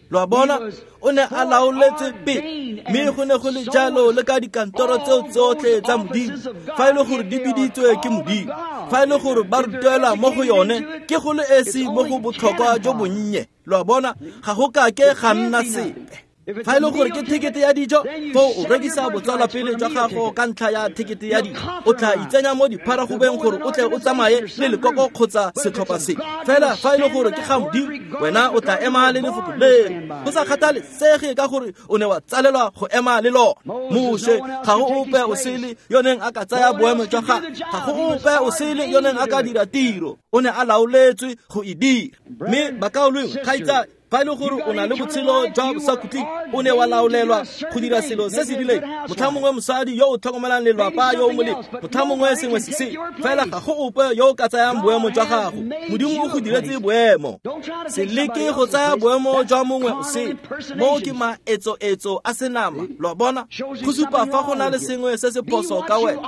Lo a bona, o ne a laoletswe pele, mme go ne go le jalo le ka dikantoro tseo tsotlhe tsa Modimo. Fa e le gore di biditswe ke Modimo, fa e le gore ba rutelwa mo go yone, ke go le esi mo go botlhokwa jo bonnye. Lo a bona, ga go kake ga nna sepe. Fa e le gore ke thekete ya dijo, foo o rekisa botsalwapele jwa gago ka ntlha ya thekete ya dijo. O tla itsenya mo dipharagobeng gore o tle o tsamaye le lekoko kgotsa setlhopha se. Fela fa e le gore ke ga Modimo, wena o tla ema le lefoko leo. Go sa kgathalesege ka gore o ne wa tsalelwa go ema le lona. Moshe, ga go ope o sele yo neng a ka tsaya boemo jwa gagwe. Ga go ope o sele yo neng a ka dira tiro. O ne a laoletswe go e dira. Mme bakaulengwe, kgaitsadi, fa e le gore o na le botshelo jwa bosakhutleng, o ne wa laolelwa go dira selo se se rileng. Motlha mongwe mosadi yo o tlhokomelang lelapa yo o molemo, motlha mongwe sengwe se se. Fela ga go ope yo o ka tsayang boemo jwa gago. Modimo o go diretse boemo. Se leke go tsaya boemo jwa mongwe o sele. Moo ke maetsoetso a senama, lo a bona? Go supa fa go na le sengwe se se phoso ka wena.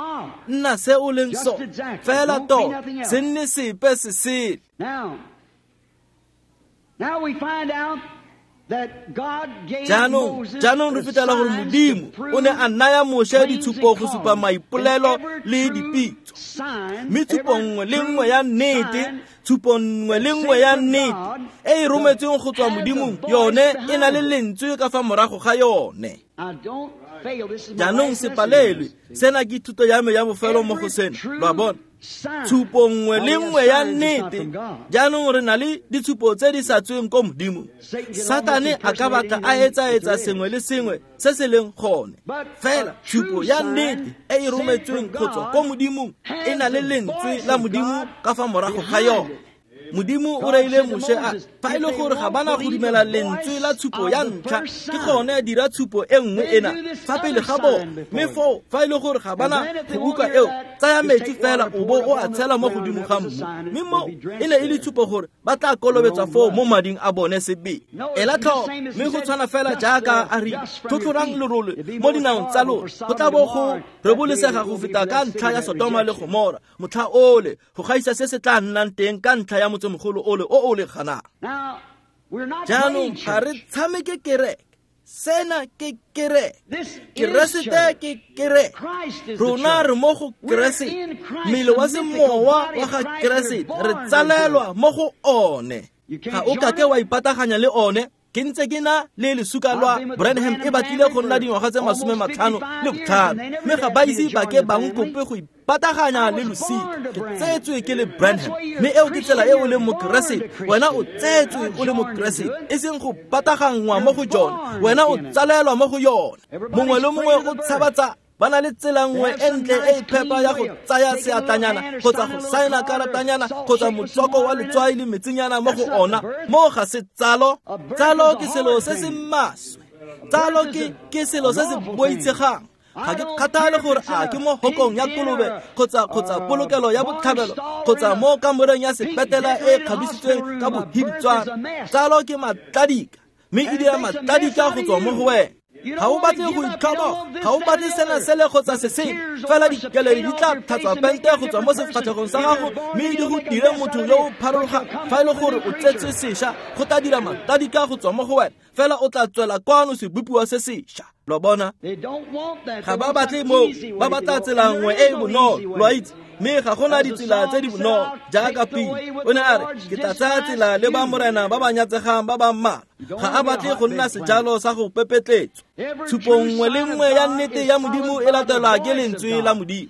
Nna se o leng sone, fela tota, se nne sepe se sele. Jaanong, jaanong re fetela gore Modimo o ne a naya Moshe ditshupo go supa maipolelo le dipitso. Mme tshupo nngwe le nngwe ya nnete, tshupo nngwe le nngwe ya nnete e e rometsweng go tswa Modimong, yone e na le lentswe ka fa morago ga yone. Jaanong se palelwe, sena ke thuto ya me ya bofelo mo go sena, lo a bona? Tshupo nngwe le nngwe ya nnete. Jaanong re na le ditshupo tse di sa tsweng ko Modimong. Satane a ka batla a etsaetsa sengwe le sengwe se se leng gone. Fela tshupo ya nnete e e rometsweng go tswa ko Modimong e na le lentswe la Modimo ka fa morago ga yone. Modimo o reile Moshe a fa e le gore ga bana go dumela lentswe la tshupo ya ntlha, ke gone dira tshupo e nngwe ena fa pele ga bone. Mme foo fa e le gore ga bana go utlwa eo, tsaya metsi fela o bo o a tshela mo godimo ga mmu. Mme mo e ne e le tshupo gore ba tla kolobetswa foo mo mading a bone sebele. Ela tlhoko, mme go tshwana fela jaaka a rile, tlhotlhorang lerole mo dinaong tsa lona, go tla bo go rebolesega go feta ka ntlha ya Sodoma le Gomora motlha ole, go gaisa se se tla nnang teng ka ntlha ya motsemogolo ole o o le ganang. Jaanong ga re tshameke kereke. Sena ke kereke. Keresete ke kereke. Rona re mo go Keresete. Mmele wa semowa wa ga Keresete re tsalelwa mo go one. Ga o kake wa ipataganya le one. Ke ntse ke na le lesuka lwa Branham e batlile go nna dingwaga tse masome matlhano le botlhano, mme ga ba ise ba ke ba nkope go ipataganya le losika. Ke tsetswe ke le Branham, mme eo ke tsela e o leng Mokeresete. Wena o tsetswe o le Mokeresete, e seng go pataganngwa mo go jone. Wena o tsalelwa mo go yone. Mongwe le mongwe o tshaba tsa ba na le tsela nngwe e ntle e e phepa ya go tsaya seatlanyana kgotsa go saena karatanyana kgotsa motswako wa letswai le metsinyana mo go ona. Mo ga se tsalo. Tsalo ke selo se se maswe. Tsalo ke ke selo se se boitshegang. Ga ke kgathale gore a ke mo hokong ya kolobe kgotsa kgotsa polokelo ya botlhabelo kgotsa mo kamoreng ya sepetela e e kgabisitsweng ka bohibitswana. Tsalo ke matladika, mme e dira matladika go tswa mo go wena. Ga o batle go itlhoboga, ga o batle sena sele kgotsa se sengwe, fela dikeledi di tla tlhatswa pente go tswa mo sefatlhegong sa gago, mme di go dire motho yo o pharologang. Fa e le gore o tsetswe sešwa, go tla dira matladika go tswa mo go wena, fela o tla tswela kwano sebopiwa se sešwa. Lo bona? Ga ba batle moo, ba batla tsela nngwe e e bonolo, lo a itse. Mme ga gona ditsela tse di bonolo jaaka pele. O ne a re, ke tla tsaya tsela le ba morena ba ba nyatsegang ba ba mmalwa. Ga a batle go nna sejalo sa go pepetletswa. Tshupo nngwe le nngwe ya nnete ya Modimo e latelwa ke lentswe la Modimo.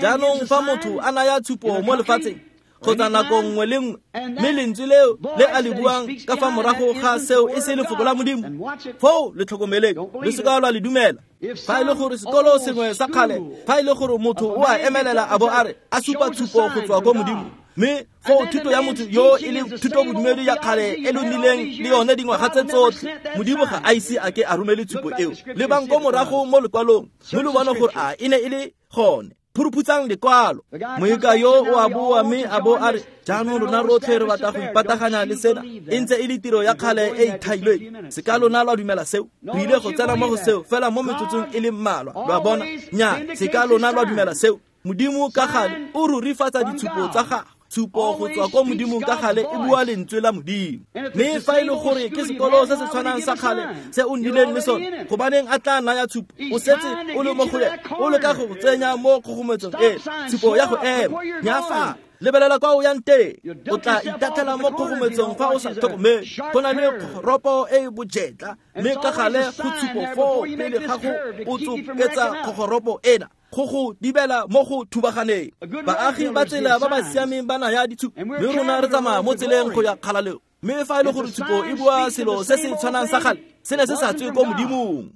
Jaanong fa motho a naya tshupo mo lefatsheng kgotsa nako nngwe le nngwe, mme lentswe leo le a le buang ka fa morago ga seo e se lefoko la Modimo, foo le tlhokomeleng, le seka lwa le dumela. Fa e le gore sekolo sengwe sa kgale, fa e le gore motho o a emelela a bo a re a supa tshupo go tswa ko Modimo, mme foo thuto ya motho yo e leng thuto bodumedi ya kgale e lo nnileng le yone dingwaga tse tsotlhe, Modimo ga a ise a ke a romele tshupo eo. Lebang ko morago mo lekwalong, mme lo bone gore a e ne e le gone. Phuruphutsang lekwalo. Moeka yo o a boa mme a bo a re, jaanong rona rotlhe re batla go ipataganya le sena, e ntse e le tiro ya kgale e ithailweng. Se ka lona lwa dumela seo. Re ile go tsena mo go seo fela mo metsotsong e le mmalwa, lo a bona? Nnyaa, se ka lona lwa dumela seo. Modimo ka gale o rurifatsa ditshupo tsa gagwe. Tshupo go tswa ko Modimong ka gale e bua lentswe la Modimo. Mme fa e le gore ke sekolo se se tshwanang sa kgale se o nnileng le sone, gobaneng a tla naya tshupo? O setse o le mo go yena, o leka go tsenya mo kgogometsong e tshupo ya go ema. Nya fa Lebelela kwa o yang teng. O tla itatlhela mo kgogometsong fa o sa tlhokomele. Go na le kgoropo e e bojetla, mme ka gale go tshupo foo pele ga go o tsoketsa kgogoropo ena go go dibela mo go thubaganeng. Baagi ba tsela ba ba siameng ba naya ditshupo, mme rona re tsamaya mo tseleng go ya kgalaleng. Mme fa e le gore tshupo e bua selo se se tshwanang sa gale, se ne se sa tswe ko Modimong.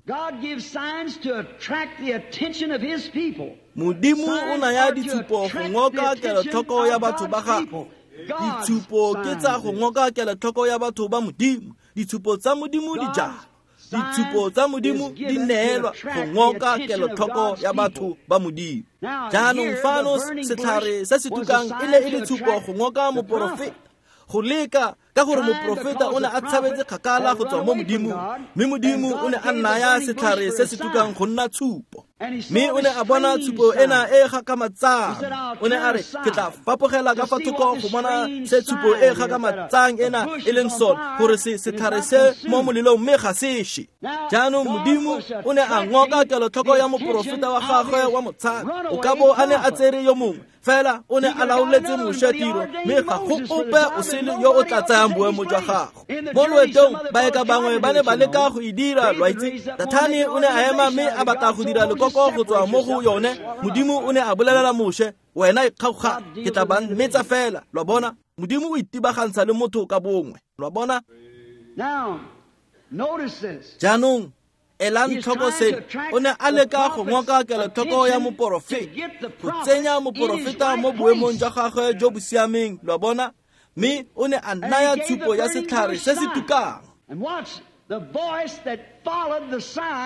Modimo o naya ditshupo go ngoka kelotlhoko ya batho ba gagwe. Ditshupo ke tsa go ngoka kelotlhoko ya batho ba Modimo. Ditshupo tsa Modimo di jalo. Ditshupo tsa Modimo di neelwa go ngoka kelotlhoko ya batho ba Modimo. Jaanong fano setlhare se se tukang e ne e le tshupo go ngoka moporofeta, go leka ka gore moporofeta o ne a tshabetse kgakala go tswa mo Modimong, mme Modimo o ne a naya setlhare se se tukang go nna tshupo. Mme o ne a bona tshupo ena e gakgamatsang. O ne a re, ke tla fapogela ka fa thoko go bona se tshupo e gakgamatsang ena e leng sone, gore se setlhare se mo molelong mme ga se she. Jaanong Modimo o ne a ngoka kelotlhoko ya moporofeta wa gagwe wa motshabi. O ka bo a ne a tsere yo mongwe, fela o ne a laoletse Moshe tiro, mme ga go ope o sele yo o tla tsayang boemo jwa gagwe. Mo loetong baeka bangwe ba ne ba leka go e dira, lo a itse. Dathane o ne a ema mme a batla go dira lekoko go tswa mo go yone. Modimo o ne a bolelela Moshe, wena ikgaoga, ke tla ba metsa fela. Lo a bona, Modimo o itibagantsha le motho ka bongwe. Lo a bona? Jaanong elang tlhoko seno. O ne a leka go ngoka kelotlhoko ya moporofeta, go tsenya moporofeta mo boemong jwa gagwe jo bo siameng. Lo a bona? Mme o ne a naya tshupo ya setlhare se se tukang.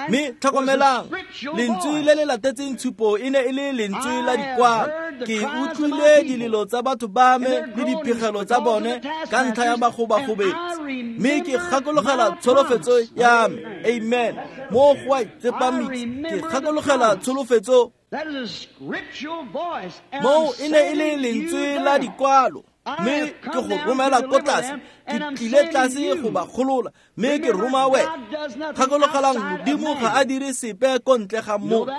Mme tlhokomelang, lentswe le le latetseng tshupo e ne e le lentswe la dikwalo. Ke utlwile dilelo tsa batho ba me le diphegelo tsa bone ka ntlha ya bagobagobetsi, mme ke gakologela tsholofetso ya me. Amen. Mo go a itsepamisa, ke gakologela tsholofetso. Moo e ne e le lentswe la dikwalo, mme ke go romela ko tlase. Ke tlile tlase go ba golola, mme ke roma wena. Gakologelang, Modimo ga a dire sepe ko ntle ga motho.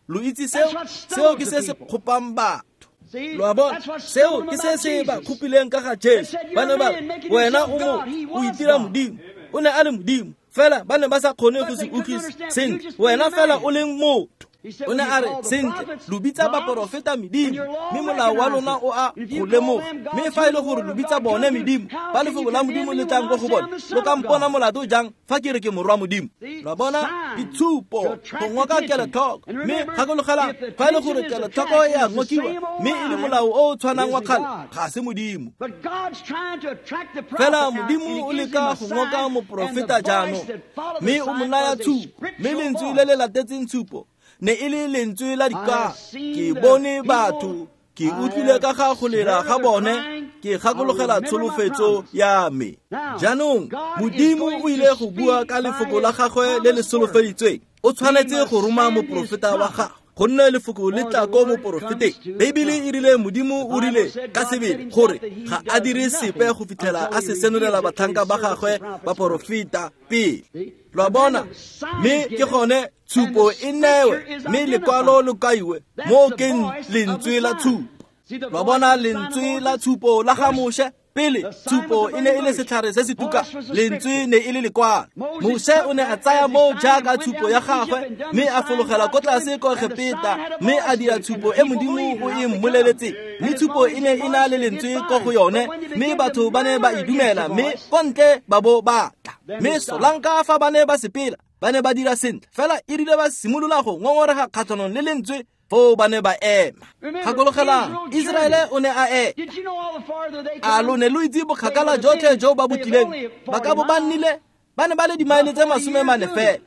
Lo itse seo? Seo ke se se kgopang batho. Lo a bona? Seo ke se se ba kgopileng ka ga Jesu. Ba ne ba re, wena o motho, o itira Modimo. O ne a le Modimo, fela ba ne ba sa kgone go se utlwisa sentle. Wena fela o leng motho. O ne a re, sentle, lo bitsa baporofeta medimo, mme molao wa lona o a go lemoga. Mme fa e le gore lo bitsa bone medimo, ba lefoko la Modimo le tlang ko go bone, lo ka mpona molato jang fa ke re ke morwa Modimo? Lo a bona? Ditshupo go ngoka kelotlhoko. Mme gakologelang, fa e le gore kelotlhoko e a ngokiwa, mme e le molao o o tshwanang wa kgale, ga se Modimo. Fela Modimo o leka go ngoka moporofeta jaanong, mme o mo naya tshupo, mme lentswe le le latetseng tshupo ne e le lentswe la dikwalo. Ke bone batho, ke utlwile ka ga go lela ga bone, ke gakologela tsholofetso ya me. Jaanong Modimo o ile go bua ka lefoko la gagwe le le solofeditsweng. O tshwanetse go roma moporofeta wa gagwe, gonne lefoko le tla ko moporofeteng. Beibele e rile Modimo o rile ka sebele gore ga a dire sepe go fitlhela a se senolela batlhanka ba gagwe baporofeta pele. Lo a bona? Mme ke gone tshupo e newe, mme lekwalo lo kaiwe mo ke lentswe la tshupo. Lo a bona lentswe la tshupo la ga Moshe? Pele tshupo e ne e le setlhare se se tukang, lentswe ne e le lekwalo. Moshe o ne a tsaya moo jaaka tshupo ya gagwe, mme a fologela ko tlase ko Egepeta, mme a dira tshupo e Modimo o e mmoleletseng. Mme tshupo e ne e na le lentswe ko go yone, mme batho ba ne ba e dumela, mme ko ntle ba bo ba tla. Mme solanka fa ba ne ba sepela, ba ne ba dira sentle, fela e rile ba simolola go ngongorega kgatlhanong le lentswe, foo ba ne ba ema. Gakologelang, Iseraele o ne a eta. A lo ne lo itse bokgakala jotlhe jo ba bo tlileng? Ba ka bo ba nnile, ba ne ba le dimaele tse masome mane fela,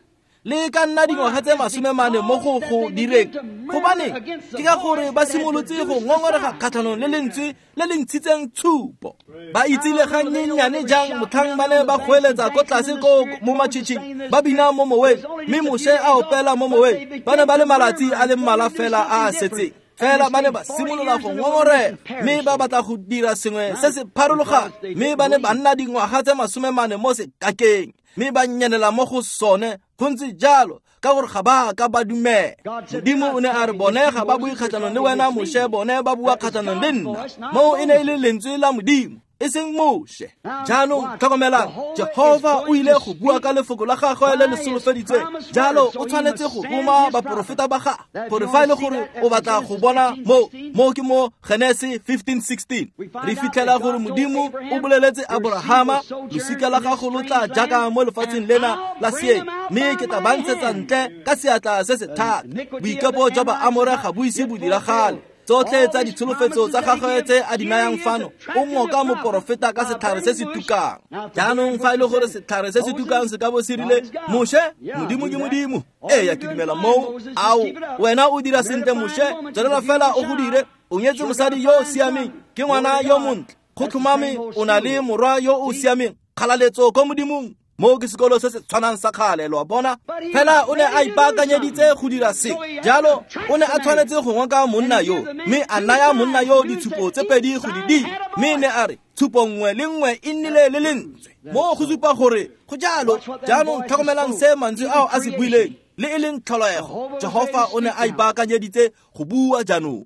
le ka nna dingwaga tse masome mane mo go go direng. Gobane ke ka gore ba simolotse go ngongorega kgatlhanong le lentswe le le ntshitseng tshupo. Ba itsile gannyenyane jang motlhang ba ne ba goeletsa ko tlase ko mo matšhitšhing, ba bina mo moweng, mme Moshe a opela mo moweng. Ba ne ba le malatsi a le mmalwa fela a a setseng. Fela ba ne ba simolola go ngongorega, mme ba batla go dira sengwe se se pharologano, mme ba ne ba nna dingwaga tse masome mane mo sekakeng, mme ba nyenela mo go sone Go ntse jalo ka gore ga ba ka ba dumela. Modimo o ne a re bone ga ba bue kgatlhanong le wena Moshe, bone ba bua kgatlhanong le nna. Moo e ne e le lentswe la Modimo, e seng Moshe. Jaanong tlhokomelang, Jehofa o ile go bua ka lefoko la gagwe le le solofeditsweng. Jalo o tshwanetse go roma baporofeta ba gagwe gore fa e le gore o batla go bona mo mo ke mo Genese fifteen sixteen. Re fitlhela gore Modimo o boleletse Abrahama, losika la gago lo tla jaaka mo lefatsheng lena la seeng, mme ke tla ba ntshetsa ntle ka seatla se se thata. Boikepo jwa Baamore ga bo ise bo diragale. Tsotlhe tsa ditsholofetso tsa gagwe tse a di nayang fano, o ngoka moporofeta ka setlhare se se tukang. Jaanong fa e le gore setlhare se se tukang se ka bo se rile, Moshe, Modimo ke Modimo. Ee, ke dumela moo. Ao, wena o dira sentle Moshe, tswelela fela o go dire. O nyetse mosadi yo o siameng, ke ngwana yo montle. Go tlhomame o na le morwa yo o siameng. Kgalaletso ko Modimong. Mo ke sekolo se se tshwanang sa kgale, lo a bona. Fela o ne a ipaakanyeditse go dira se. Jalo o ne a tshwanetse go ngoka monna yo, mme a naya monna yo ditshupo tse pedi go di dira. Mme ne a re tshupo nngwe le nngwe e nnile le lentswe. Mo go supa gore go jalo. Jaanong tlhokomelang se mantswe ao a se buileng, le e leng tlholego. Jehofa o ne a ipaakanyeditse go bua jaanong.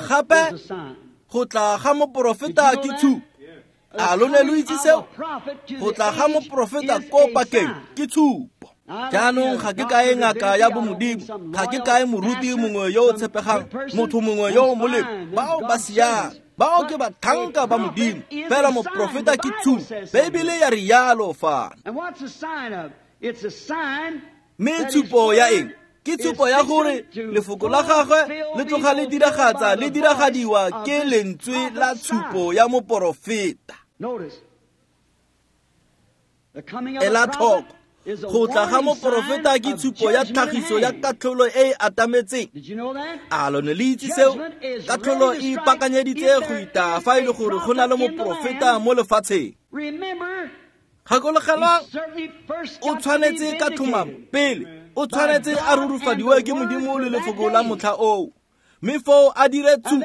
Gape go tla ga moporofeta ke tshupo. A lo ne lo itse seo? Go tla ga moporofeta ko pakeng ke tshupo. Jaanong ga ke kae ngaka ya bomodimo, ga ke kae moruti mongwe yo o tshepegang, motho mongwe yo o molemo. Bao ba siame, bao ke batlhanka ba Modimo. Fela moporofeta ke tshupo. Beibele ya rialo fano. Mme tshupo ya eng? Ke tshupo ya gore lefoko la gagwe le tloga le diragatsa le diragadiwa ke lentswe la tshupo ya moporofeta. Ela tlhoko, go tla ga moporofeta ke tshupo ya tlhagiso ya katlholo e e atametseng. A lo ne le itse seo? Katlholo e ipaakanyeditse go itaya fa e le gore go na le moporofeta mo lefatsheng. Gakologelwang, o tshwanetse ka tlhomamo pele, o tshwanetse a rurufadiwe ke Modimo le lefoko la motlha oo. Mme foo a dire tshupo,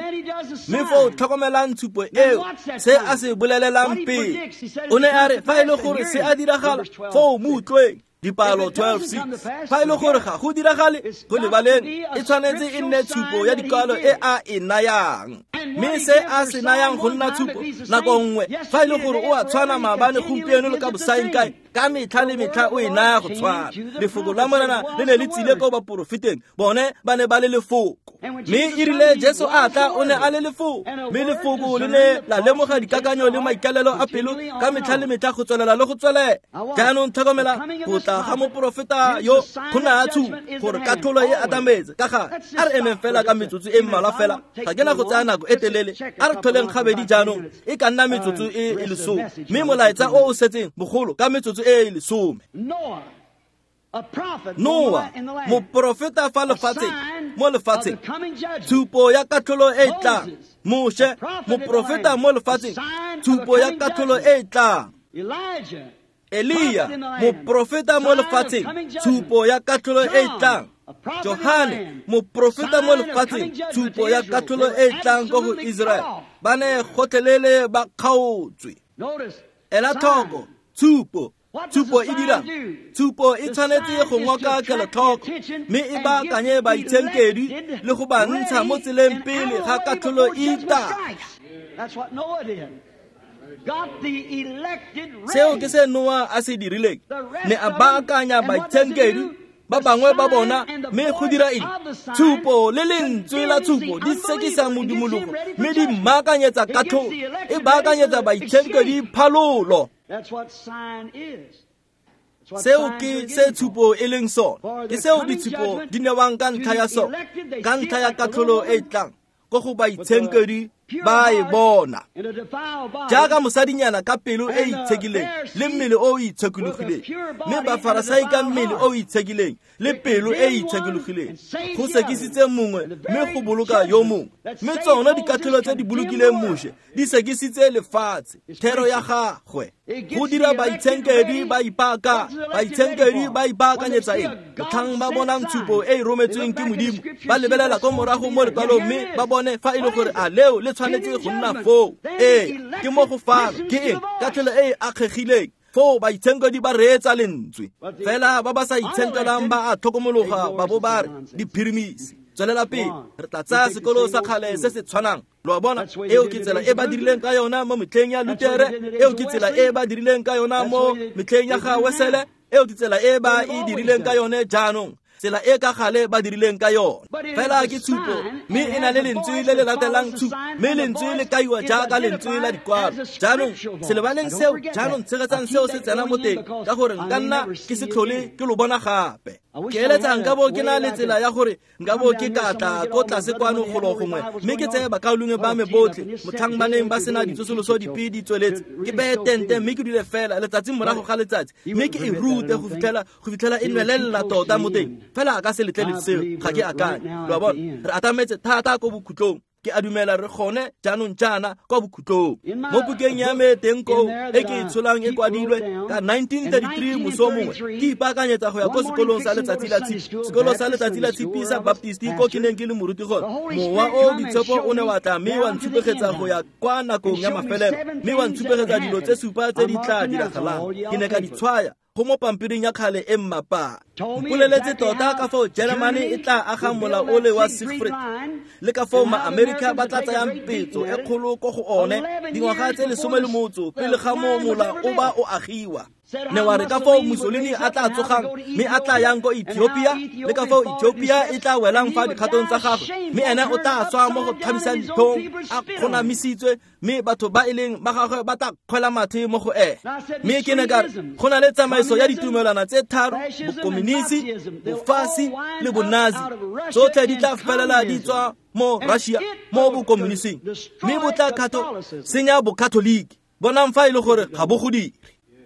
mme foo tlhokomelang tshupo eo, se a se bolelelang pele. O ne a re fa e le gore se a diragala, foo mo utlweng. Dipalo twelve six. Fa e le gore ga go diragale, go lebaleng, e tshwanetse e nne tshupo ya dikwalo e a e nayang. Mme se a se nayang go nna tshupo nako nngwe, fa e le gore o a tshwana maabane, gompieno le ka bosaengkae, ka metlha le metlha o e naya go tshwana. Lefoko la Morena le ne le tsile ko baporofeteng, bone ba ne ba le lefoko. Mme e rile Jesu a tla, o ne a le lefoko. Mme lefoko le ne la lemoga dikakanyo le maikalelo a pelo ka metlha le metlha go tswelela le go tswelela. Jaanong tlhokomela go tla ga moporofeta yo go naya tshupo gore katlholo e atametse. Ka gale a re emeng fela ka metsotso e mmalwa fela, ga ke na go tsaya nako e telele. A re tlholeng gabedi jaanong, e ka nna metsotso e e lesome, mme molaetsa o o setseng bogolo ka metsotso e e lesome. Noa, moporofeta fa lefatsheng, mo lefatsheng, tshupo ya katlholo e e tlang. Moshe, moporofeta mo lefatsheng, tshupo ya katlholo e e tlang. Elia, moporofeta mo lefatsheng, tshupo ya katlholo e e tlang. Johane, moporofeta mo lefatsheng, tshupo ya katlholo e e tlang ko go Israel. Ba ne gotlhelele ba kgaotswe. Ela tlhoko, tshupo. Tshupo e dira, tshupo e tshwanetse go ngoka kelotlhoko, mme e baakanye baitshenkedwi le go ba ntsha mo tseleng pele ga katlholo e itaya. Seo ke se Noa a se dirileng, ne a baakanya baitshenkedwi ba bangwe ba bona, mme go dira eng? Tshupo le lentswe la tshupo di sekisa modumologo, mme di mmaakanyetsa katlholo, e baakanyetsa baitshenkedwi phalolo. Seo ke se tshupo e leng sone, ke seo ditshupo di newang ka ntlha ya sone, ka ntlha ya katlholo e e tlang ko go baitshenkedwi ba e bona. Jaaka mosadinyana ka pelo e itshekileng le mmele o o itshekologileng, mme Bafarasai ka mmele o o itshekileng le pelo e itshekologileng, go sekisitse mongwe mme go boloka yo mongwe. Mme tsona dikatlholo tse di bolokileng Moshe di sekisitse lefatshe, thero ya gagwe. Go dira baitshenkedwi ba ipaaka, baitshenkedwi ba ipaakanyetsa eng? Motlhang ba bonang tshupo e e rometsweng ke Modimo, ba lebelela ko morago mo lekwalong mme ba bone fa e le gore a leo le tshwanetse go nna foo. Ee, ke mo go fano. Ke eng? Katlholo e e akgegileng. Foo baitshenkedi ba reetsa lentswe fela ba ba sa itshenkelang ba a tlhokomologa ba bo ba re diphirimisi. Tswelela pele, re tla tsaya sekolo sa kgale se se tshwanang. Lo a bona, eo ke tsela e ba dirileng ka yona mo metlheng ya Lutere, eo ke tsela e ba dirileng ka yona mo metlheng ya ga Wesele, eo ke tsela e ba e dirileng ka yone jaanong, tsela e ka gale ba dirileng ka yone. Fela ke tshupo, mme e na le lentswe le le latelang tshupo, mme lentswe le kaiwa jaaka lentswe la dikwalo. Jaanong se lebaleng seo, jaanong tshegetsang seo se tsena mo teng, ka gore nka nna ke se tlhole ke lo bona gape. Ke eletsa nka bo ke na le tsela ya gore nka bo ke ka tla ko tlase kwano golo gongwe, mme ke tseye bakaulengwe ba me botlhe motlhang ba neng ba sena ditsosoloso dipe di tsweletse, ke beye tente mme ke dule fela letsatsi morago ga letsatsi, mme ke e rute go fitlhela go fitlhela e nwelelela tota mo teng. Fela a ka se letlele seo, ga ke akanye. Lo a bona, re atametse thata ko bokhutlong. Ke a dumela re gone jaanong jaana kwa bokhutlong. Mo bukeng ya me teng koo e ke e tsholang e kwadilwe ka nineteen thirty-three moso mongwe, ke ipaakanyetsa go ya ko sekolong sa letsatsi la tshipi, sekolo sa letsatsi la tshipi sa Baptist ko ke neng ke le moruti gone. Mowa o boitshepo o ne wa tla mme wa ntshupegetsa go ya kwa nakong ya mafelelo, mme wa ntshupegetsa dilo tse supa tse di tla diragalang. Ke ne ka di tshwaya go mo pampiring ya kgale e mmapa. Mpoleletse tota ka foo Germany e tla agang mola ole wa Siegfried, le ka foo ma-Amerika ba tla tsayang petso e kgolo ko go one dingwaga tse lesome le motso pele ga mo mola o ba o agiwa. Ne wa re ka foo Mussolini a tla tsogang mme a tla yang ko Ethiopia, le ka foo Ethiopia e tla welang fa dikgatong tsa gagwe, mme ene o tla tswa mo go thabisang ditlhong a kgonamisitswe, mme batho ba e leng ba gagwe ba tla kgwela mathe mo go ene. Mme ke ne ka re go na le tsamaiso ya ditumelwana tse tharo, bokomonisi, bofasi le bonazi, tsotlhe di tla felela di tswa mo Russia mo bokomonising, mme bo tla khatho senya bokatholiki. Bonang fa e le gore ga bo go dire.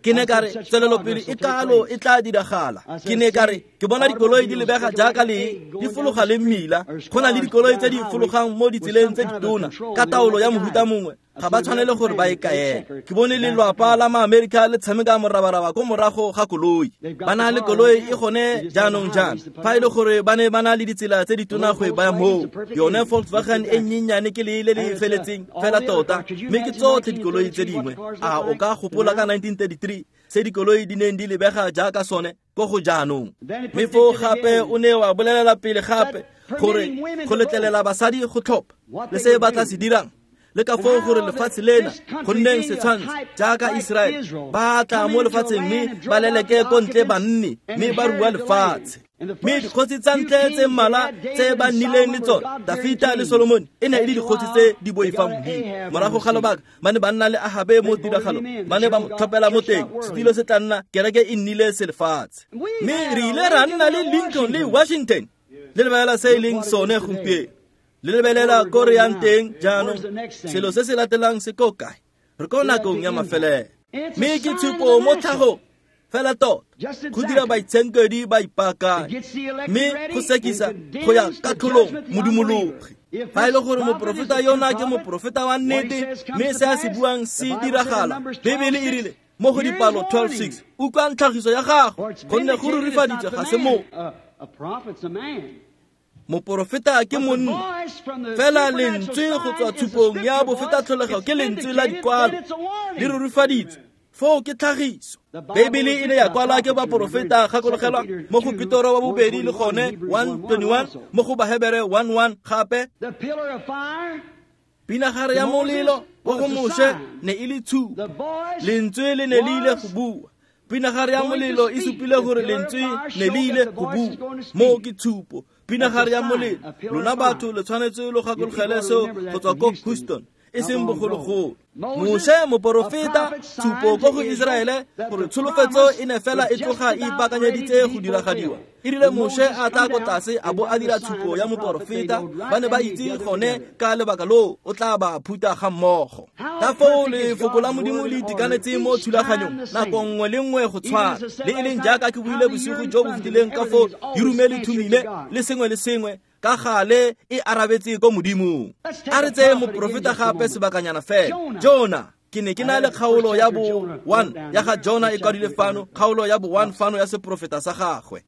Ke ne ka re tswelelopele e kalo e tla diragala. Ke ne ka re ke bona dikoloi di lebega jaaka lee di fologa le mmila. Go na le dikoloi tse di fologang mo ditseleng tse ditona ka taolo ya mohuta mongwe, ga ba tshwanele gore ba e kaele. Ke bone lelwapa la ma-Amerika le tshameka morabaraba ko morago ga koloi. Ba na le koloi e gone jaanong jaana, fa e le gore ba ne ba na le ditsela tse ditona go e baya moo. Yone Volkswagen e nnyenyane ke lee le le feletseng fela tota, mme ke tsotlhe dikoloi tse dingwe. A o ka gopola ka nineteen thirty-three se dikoloi di neng di lebega jaaka sone ko go jaanong? Mme foo gape o ne wa bolelela pele gape gore go letlelela basadi go tlhopha le se ba tla se dirang, le ka foo gore lefatshe lena go nneng setshwantsho jaaka Israele ba tla mo lefatsheng mme ba leleke ko ntle banni mme ba rua lefatshe. Mme dikgosi tsa ntle tse mmalwa tse ba nnileng le tsone, Dafita le Solomone, e ne e le dikgosi tse di boifang Modimo. Morago ga lobaka ba ne ba nna le Ahabe mo tiragalong, ba ne ba mo tlhophela mo teng, setilo se tla nna kereke e nnile selefatshe. Mme re ile ra nna le Lincoln le Washington, le lebelela se e leng sone gompieno. Le lebelela ko re yang teng jaanong, selo se se latelang se ko kae? Re ko nakong ya mafelelo. Mme ke tshupo mo tlhagong fela tota go dira baitshenkedi ba ipaakanye, mme go sekisa go ya katlholong modumologi. Fa e le gore moporofeta yona ke moporofeta wa nnete, mme se a se buang se diragala, Bebele e rile mo go dipalo twelve six, utlwang tlhagiso ya gago, gonne go rurifaditswe ga se mo. Moporofeta ke monna, fela lentswe go tswa tshupong ya bofetatlholego ke lentswe la dikwalo le rurifaditswe. Foo ke tlhagiso. Bebele e ne ya kwalwa ke baporofeta, gakologelwa mo go Petoro wa bobedi le gone one twenty-one, mo go Bahebere one one gape. Pinagare ya molelo wa go Moshe ne e le tshupo, lentswe le ne le ile go bua. Pinagare ya molelo e supile gore lentswe ne le ile go bua, mo ke tshupo. Pinagare ya molelo, lona batho le tshwanetse lo gakologele seo go tswa ko Houston, e seng bogologolo. Moshe moporofeta, tshupo ko go Israele gore tsholofetso e ne fela e tloga e ipaakanyeditse go diragadiwa. E rile Moshe a tla ko tlase a bo a dira tshupo ya moporofeta, ba ne ba itse gone ka lebaka loo o tla ba phuta ga mmogo. Ka foo lefoko la Modimo le itekanetse mo thulaganyong nako nngwe le nngwe go tshwana, le e leng jaaka ke buile bosigo jo bo fetileng ka foo Urim le Thumime le sengwe le sengwe ka gale e arabetse ko Modimong. A re tseye moporofeta gape sebakanyana fela, Jona. Ke ne ke na le kgaolo ya bo one ya ga Jona e kwadilwe fano, kgaolo ya bo one fano ya seporofeta sa gagwe.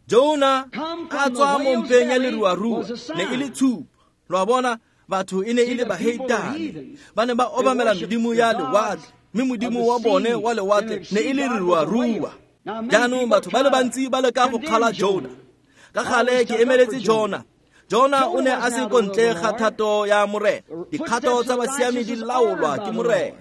Jona a tswa mo mpeng ya leruarua, ne e le tshupo. Lo a bona, batho e ne e le baheitane, ba ne ba obamela medimo ya lewatle. mme modimo wa bone wa lewatle ne e le leruarua. Jaanong batho ba le bantsi ba leka go kgala Jona. Ka gale ke emeletse Jona. Jona o ne a se ko ntle ga thato ya Morena. Dikgato tsa basiami di laolwa ke Morena.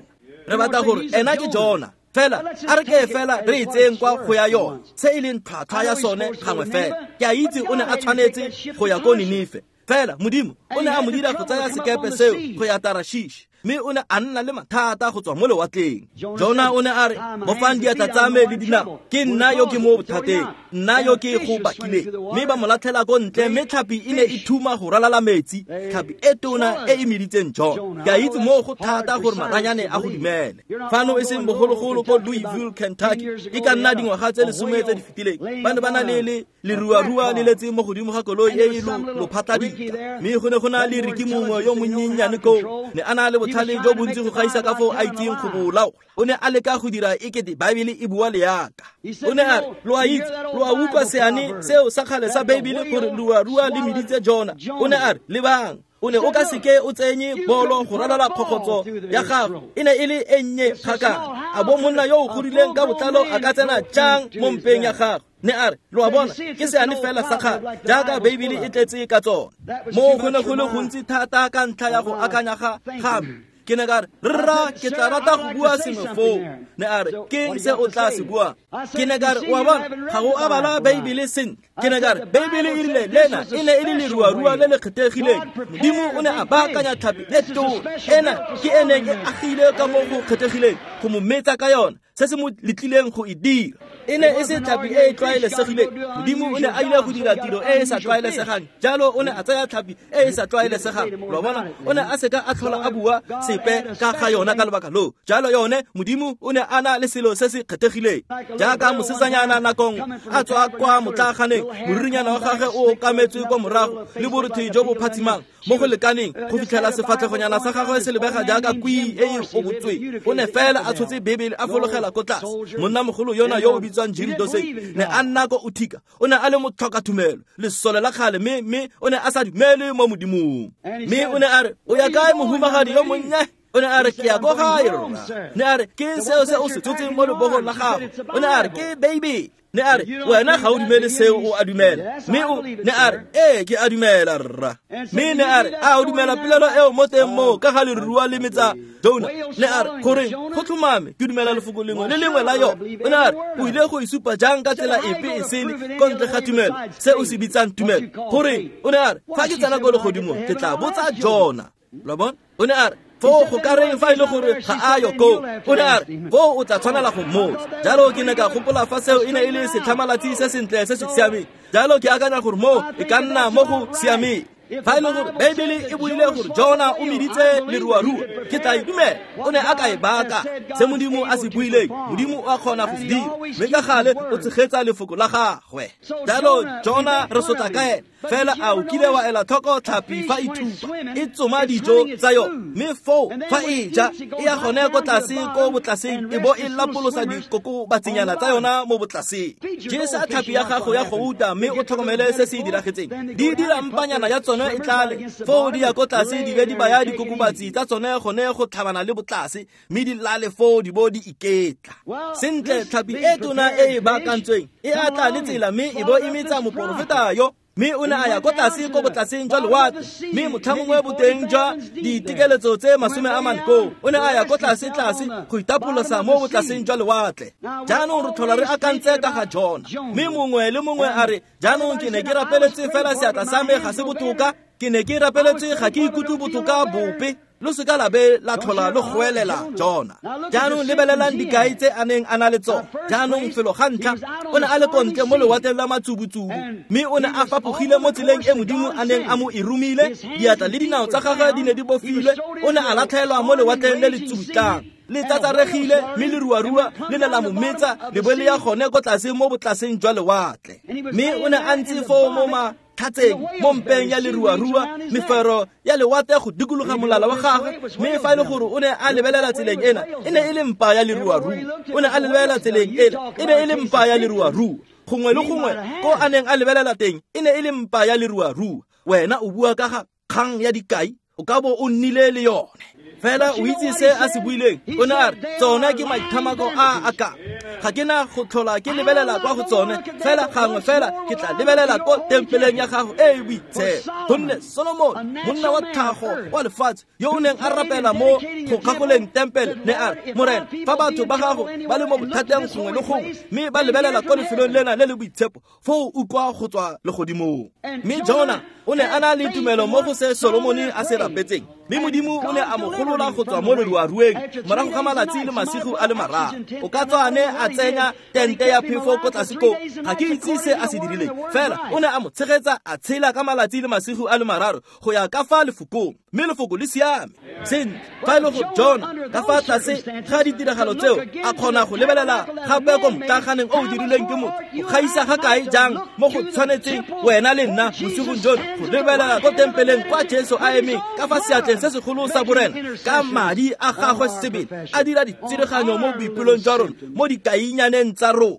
Re batla gore ena ke Jona. Fela a re ke fela re e tseyeng kwa go ya yone se e leng tlhwatlhwa ya sone gangwe fela. Ke a itse o ne a tshwanetse go ya ko Ninife. Fela Modimo o ne a mo dira go tsaya sekepe seo go ya Tarashish, mme o ne a nna le mathata go tswa mo lewatleng. Jona o ne a re, bofang diatla tsa me le dinao, ke nna yo ke mo bothateng, nna yo ke go bakileng. Mme ba mo latlhela ko ntle, mme tlhapi e ne e thuma go ralala metsi, tlhapi e tona e e meditseng Jona. Ke a itse moo go thata gore maranyane a go dumele. Fano e seng bogologolo ko Louisville, Kentucky, e ka nna dingwaga tse lesome tse di fetileng, ba ne ba na le le leruarua le letse mo godimo ga koloi e e lophatladika, mme go ne go na le Riki mongwe yo monyennyane koo, ne a na le botlhale jo bontsi go gaisa ka foo a itseng go bo laola. O ne a leka go dira ekete Baebele e bua leaka. O ne a re, lo a itse, lo a utlwa seane seo sa kgale sa Baebele gore leruarua le meditse Jona. O ne a re, lebang, o ne o ka seke o tsenye bolo go ralala kgokgotso ya gago, e ne e le e nnye kgakala. A bo monna yo o godileng ka botlalo a ka tsena jang mo mpeng ya gago? Ne a re, lo a bona, ke seane fela sa kgale jaaka Baebele e tletse ka tsone. Moo go ne go le gontsi thata ka ntlha ya go akanya ga ga me. Ke ne ka re, rra, ke tla rata go bua sengwe foo. Ne a re, ke se o tla se buang? Ke ne ka re, o a bona, ga o a bala Baebele sentle. Ke ne ka re, Baebele e rile lena e ne e le leruarua le le kgethegileng. Modimo o ne a baakanya tlhapi e tona ena ke e neng e agile ka mo go kgethegileng go mo metsa ka yona, se se mo letlileng go e dira. E ne e se tlhapi e e tlwaelesegileng. Modimo o ne a ile go dira tiro e e sa tlwaelesegang, jalo o ne a tsaya tlhapi e e sa tlwaelesegang. Lo a bona, o ne a seka a tlhola a bua sepe ka ga yona ka lebaka loo. Jalo yone Modimo o ne a na le selo se se kgethegileng. Jaaka mosetsanyana nakong a tswa kwa motlaaganeng, moririnyana wa gagwe o okametswe kwa morago le borothe jo bo phatsimang mo go lekaneng go fitlhela sefatlhegonyana sa gagwe se lebega jaaka kwii e e obotsweng. O ne fela a tshotse Bebele a fologela ko tlase. Monnamogolo yona yo o bitswang Jim Dorsey ne a nna ko Utica. O ne a le motlhokatumelo, lesole la kgale, mme mme o ne a sa dumele mo Modimong. Mme o ne a re, o ya kae mohumagadi yo monnye? O ne a re, ke ya ko gae rra. Ne a re, ke seo se o se tshotseng mo lebogong la gago? O ne a re, ke Baebele. Ne a re, wena ga o dumele seo, o a dumela. Mme o ne a re, ee, ke a dumela rra. Mme ne a re, a o dumela polelo eo mo teng moo ka ga lerua le metsa Jona? Ne a re, goreng go tlhomame ke dumela lefoko lengwe le lengwe la yone. O ne a re, o ile go e supa jang ka tsela epe e sele ko ntle ga tumelo, se o se bitsang tumelo? Goreng? O ne a re, fa ke tsena ko legodimong ke tla botsa Jona. Lo bona? O ne a re, foo go ka reng fa e le gore ga a yo koo? O ne a re, foo o tla tshwanela go mmotsa. Jalo ke ne ka gopola fa seo e ne e le setlhamalatsi se sentle se se siameng. Jalo ke akanya gore moo e ka nna mo go siameng. Fa e le gore Baebele e buile gore Jona o meditse leruarua, ke tla e dumela. O ne a ka e baka. Se Modimo a se buileng, Modimo o a kgona go se dira, mme ka gale o tshegetsa lefoko la gagwe. Jalo Jona re sotla ka ene. Fela a o kile wa ela tlhoko tlhapi fa e thupa, e tsoma dijo tsa yone, mme foo fa e ja e ya gone ko tlase ko botlaseng, e bo e lapolosa dikokobatsinyana tsa yona mo botlaseng. Jesa tlhapi ya gago ya gouta mme o tlhokomele se se diragetseng. Di dira mpanyana ya tsone e tlale, foo di ya ko tlase di be di baya dikokobatsi tsa tsone gone go tlhabana le botlase, mme di lale foo di bo di iketla. Sentle, tlhapi e tona e e baakantsweng e a tla le tsela mme e bo e metsa moporofeta yo. Mme o ne a ya ko tlase ko botlaseng jwa lewatle, mme motlhamongwe boteng jwa ditekeletso tse masome a mane koo. O ne a ya ko tlase tlase go itapolosa mo botlaseng jwa lewatle. Jaanong re tlhola re akantse ka ga Jona, mme mongwe le mongwe a re, jaanong ke ne ke rapeletse fela seatla sa me ga se botoka, ke ne ke rapeletse ga ke ikutlwe botoka bope. Lo seka la be la tlhola lo goelela Jona. Jaanong lebelelang dikai tse a neng a na le tsone. Jaanong felo ga ntlha o ne a le kontle mo lewatleng la matsubutsubu, mme o ne a fapogile mo tseleng e Modimo a neng a mo e romile. Diatla le dinao tsa gagwe di ne di bofilwe. O ne a latlhelwa mo lewatleng le le tsubutlang, le tsatsaregile, mme leruarua le ne la mo metsa le bo le ya gone ko tlase mo botlaseng jwa lewatle. Mme o ne a ntse foo mo matlhatseng mo mpeng ya leruarua, mefero ya lewatle go dikologa molala wa gagwe. Mme fa e le gore o ne a lebelela tseleng ena, e ne e le mpa ya leruarua. O ne a lebelela tseleng ena, e ne e le mpa ya leruarua. Gongwe le gongwe ko a neng a lebelela teng, e ne e le mpa ya leruarua. Wena o bua ka ga kgang ya dikai, o ka bo o nnile le yone. Fela o itse se a se buileng, o ne a re tsona ke maithamako a a ka. Ga ke na go tlhola ke lebelela kwa go tsone, fela gangwe fela ke tla lebelela ko tempeleng ya gago e e boitshepo. Gonne Solomon, monna wa tlhago wa lefatshe, yo o neng a rapela mo go kgakoleng tempele, ne a re, Morena, fa batho ba gago ba le mo bothateng gongwe le gongwe, mme ba lebelela ko lefelong lena le le boitshepo, foo utlwa go tswa legodimong. Mme Jona o ne a na le tumelo mo go se Solomone a se rapetseng, mme Modimo o ne a mo golola go tswa mo leruarueng morago ga malatsi le masigo a le mararo. O ka tswa a ne a tsenya tente ya phefo ko tlase koo, ga ke itse se a se dirileng, fela o ne a mo tshegetsa a tshela ka malatsi le masigo a le mararo go ya ka fa lefokong, mme lefoko le siame. Sentle, fa e le go Jona ka fa tlase ga ditiragalo tseo a kgona go lebelela gape ko motlaganeng o o dirilweng ke motho, go gaisa ga kae jang mo go tshwanetseng wena le nna bosigong jono go lebelela ko tempeleng kwa Jesu a emeng ka fa seatleng se segolo sa borena ka madi a gagwe sebele a dira ditsireganyo mo boipelong jwa rona mo dikainyaneng tsa rona.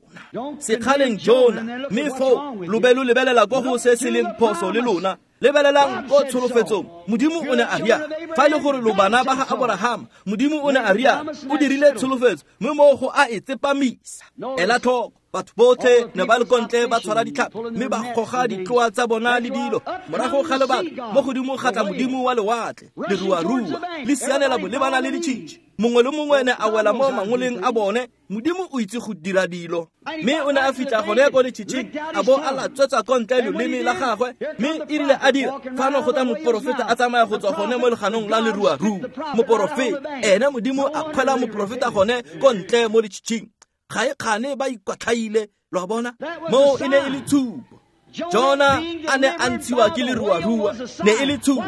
Sekgaleng Jona, mme foo lo be lo lebelela ko go se se leng phoso le lona. Lebelelang ko tsholofetsong. Modimo o ne a ria, fa e le gore lo bana ba ga Aborahama, Modimo o ne a ria, o dirile tsholofetso, mme mo go a e tsepamisa. Ela tlhoko, batho botlhe ne ba le kontle ba tshwara ditlhapi, mme ba goga ditloa tsa bona le dilo. Morago ga lebaka, mo godimo ga tla Modimo wa lewatle, leruarua le sianela bolebana le ditšhitšhi. Mongwe le mongwe ne a wela mo mangoleng a bone. Modimo o itse go dira dilo. Mme o ne a fitlha gone ko letšhitšhing, a bo a latswetsa ko ntle loleme la gagwe, mme e rile a dira fano go tla moporofeta a tsamaya go tswa gone mo leganong la leruarua. Moporofeta ene Modimo a kgwela moporofeta gone ko ntle mo letšhitšhing. Ga e kgane ba ikwatlhaile, lo a bona? Moo e ne e le tshupo. Jona a ne a ntshiwa ke leruarua, ne e le tshupo.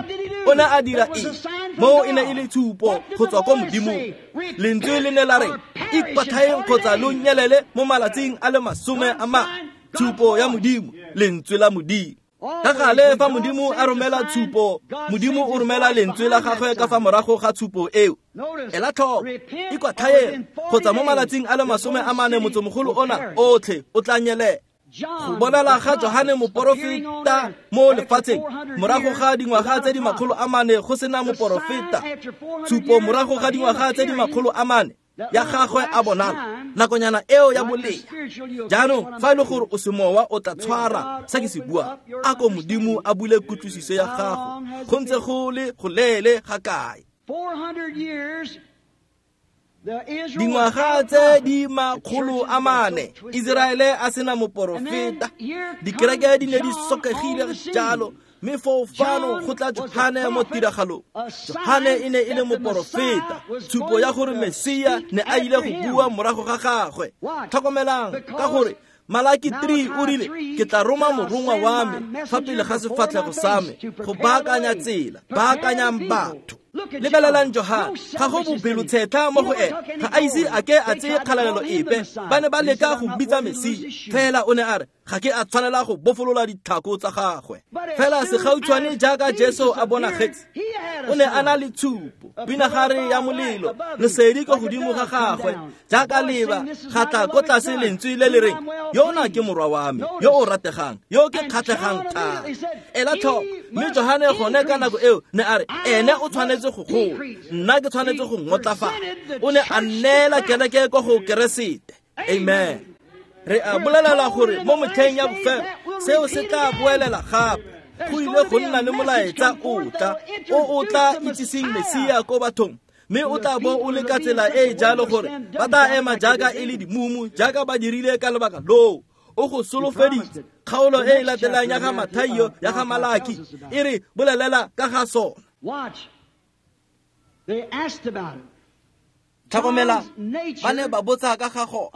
O ne a dira eng? Moo e ne e le tshupo go tswa ko Modimong. Lentswe le ne la re, ikwatlhaeng kgotsa lo nyelele mo malatsing a le masome a mane. Tshupo ya Modimo, lentswe la Modimo. Ka gale fa Modimo a romela tshupo, Modimo o romela lentswe la gagwe ka fa morago ga tshupo eo. Ela tlhoko, ikwatlhaeng kgotsa mo malatsing a le masome a mane motsemogolo ona otlhe o tla nyelela. Go bonala ga Johane moporofeta mo lefatsheng morago ga dingwaga tse di makgolo a mane go sena moporofeta. Tshupo morago ga dingwaga tse di makgolo a mane ya gagwe a bonala nakonyana eo ya bolea. Jaanong fa e le gore o semowa o tla tshwara se ke se buang, a ko Modimo a bule kutlwisiso ya gago, go ntse go le go leele ga kae. Dingwaga tse di makgolo a mane Iseraele a sena moporofeta, dikereke di ne di sokegile jalo, mme foo fano go tla Johane mo tiragalong. Johane e ne e le moporofeta, tshupo ya gore Mesia ne a ile go bua morago ga gagwe. Tlhokomelang, ka gore Malaki three o rile, ke tla roma morongwa wa me fa pele ga sefatlhego sa me go baakanya tsela, baakanyang batho. Lebelelang Johane, ga go bopelotshetlha mo go ene, ga a ise a ke a tseye kgalalelo epe. Ba ne ba leka go bitsa Mesia, fela o ne a re, ga ke a tshwanela go bofolola ditlhako tsa gagwe. Fela segautshwane jaaka Jesu a bonagetse, o ne a na le tshupo, pinagare ya molelo, lesedi ko godimo ga gagwe, jaaka leba ga tla ko tlase lentswe le le reng, yona ke morwa wa me, yo o rategang, yo ke kgatlhegang thata. Ela tlhoko, mme Johane gone ka nako eo ne a re, ene o tshwanetse go gola, nna ke tshwanetse go ngotlafala. O ne a neela kereke ko go Keresete. Amen. Re a bolelela gore mo motlheng ya bofelo seo se tla boelela gape. Go ile go nna le molaetsa o tla o o tla itsiseng Mesia ko bathong, mme o tla bo o le ka tsela e e jalo gore ba tla ema jaaka e le dimumu, jaaka ba dirile ka lebaka loo. O go solofeditse. Kgaolo e e latelang ya ga Mathaio ya ga Malaki e re bolelela ka ga sona. Tlhokomela, ba ne ba botsa ka ga go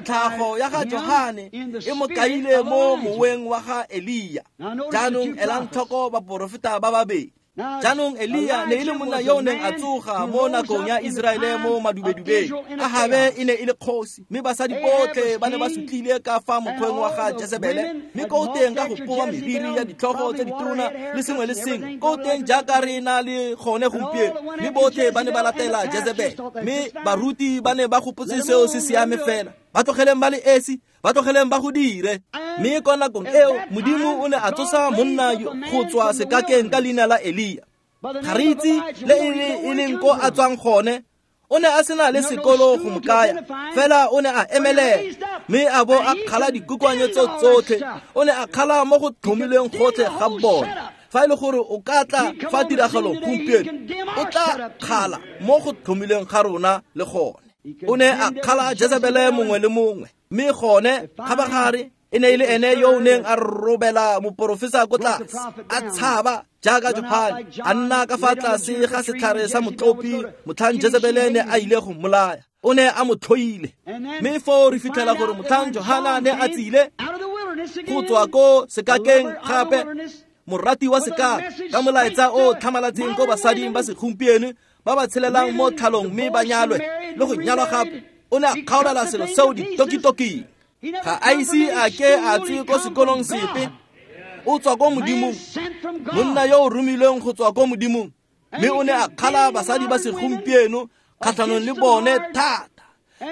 tlhago ya ga Johane e mo kaile mo moweng wa ga Elia. Jaanong elang tlhoko baporofeta ba babedi. Jaanong Elia ne e le monna yo o neng a tsoga mo nakong ya Iseraele mo madubedubeng. Ahabe e ne e le kgosi, mme basadi botlhe ba ne ba sutlile ka fa mokgweng wa ga Jezebele, mme ko teng ka go poa meriri ya ditlhogo tse ditona le sengwe le sengwe, ko teng jaaka re na le gone gompieno, mme botlhe ba ne ba latela Jezebele. Mme baruti ba ne ba gopotse seo se siame fela, ba tlogeleng ba le esi, ba tlogeleng ba go dire. Mme kwa nakong eo Modimo o ne a tsosa monna go tswa sekakeng ka leina la Elia. Ga re itse le e leng ko a tswang gone. O ne a sena le sekolo go mo kaya, fela o ne a emelela mme a bo a kgala dikokoanyo tso tsotlhe. O ne a kgala mo go tlhomilweng gotlhe ga bone. Fa e le gore o ka tla fa tiragalong gompieno, o tla kgala mo go tlhomilweng ga rona le gone. O ne a kgala Jezebele mongwe le mongwe, mme gone kgabagare e ne e le ene yo o neng a robela moporofesa ko tlase, a tshaba jaaka Johane, a nna ka fa tlase ga setlhare sa motlopi motlhang Jezebele ne a ile go mmolaya. O ne a mo tlhoile. Mme foo re fitlhela gore motlhang Johana ne a tsile go tswa ko sekakeng gape, morati wa sekaka, ka molaetsa o tlhamalatseng ko basading ba segompieno ba ba tshelelang mo tlhalong mme ba nyalwe le go nyalwa gape, o ne a kgaolela selo seo ditokitoking. Ga a ise a ke a tswe ko sekolong sepe. O tswa ko Modimong, monna yo o romilweng go tswa ko Modimong. Mme o ne a kgala basadi ba segompieno kgatlhanong le bone thata,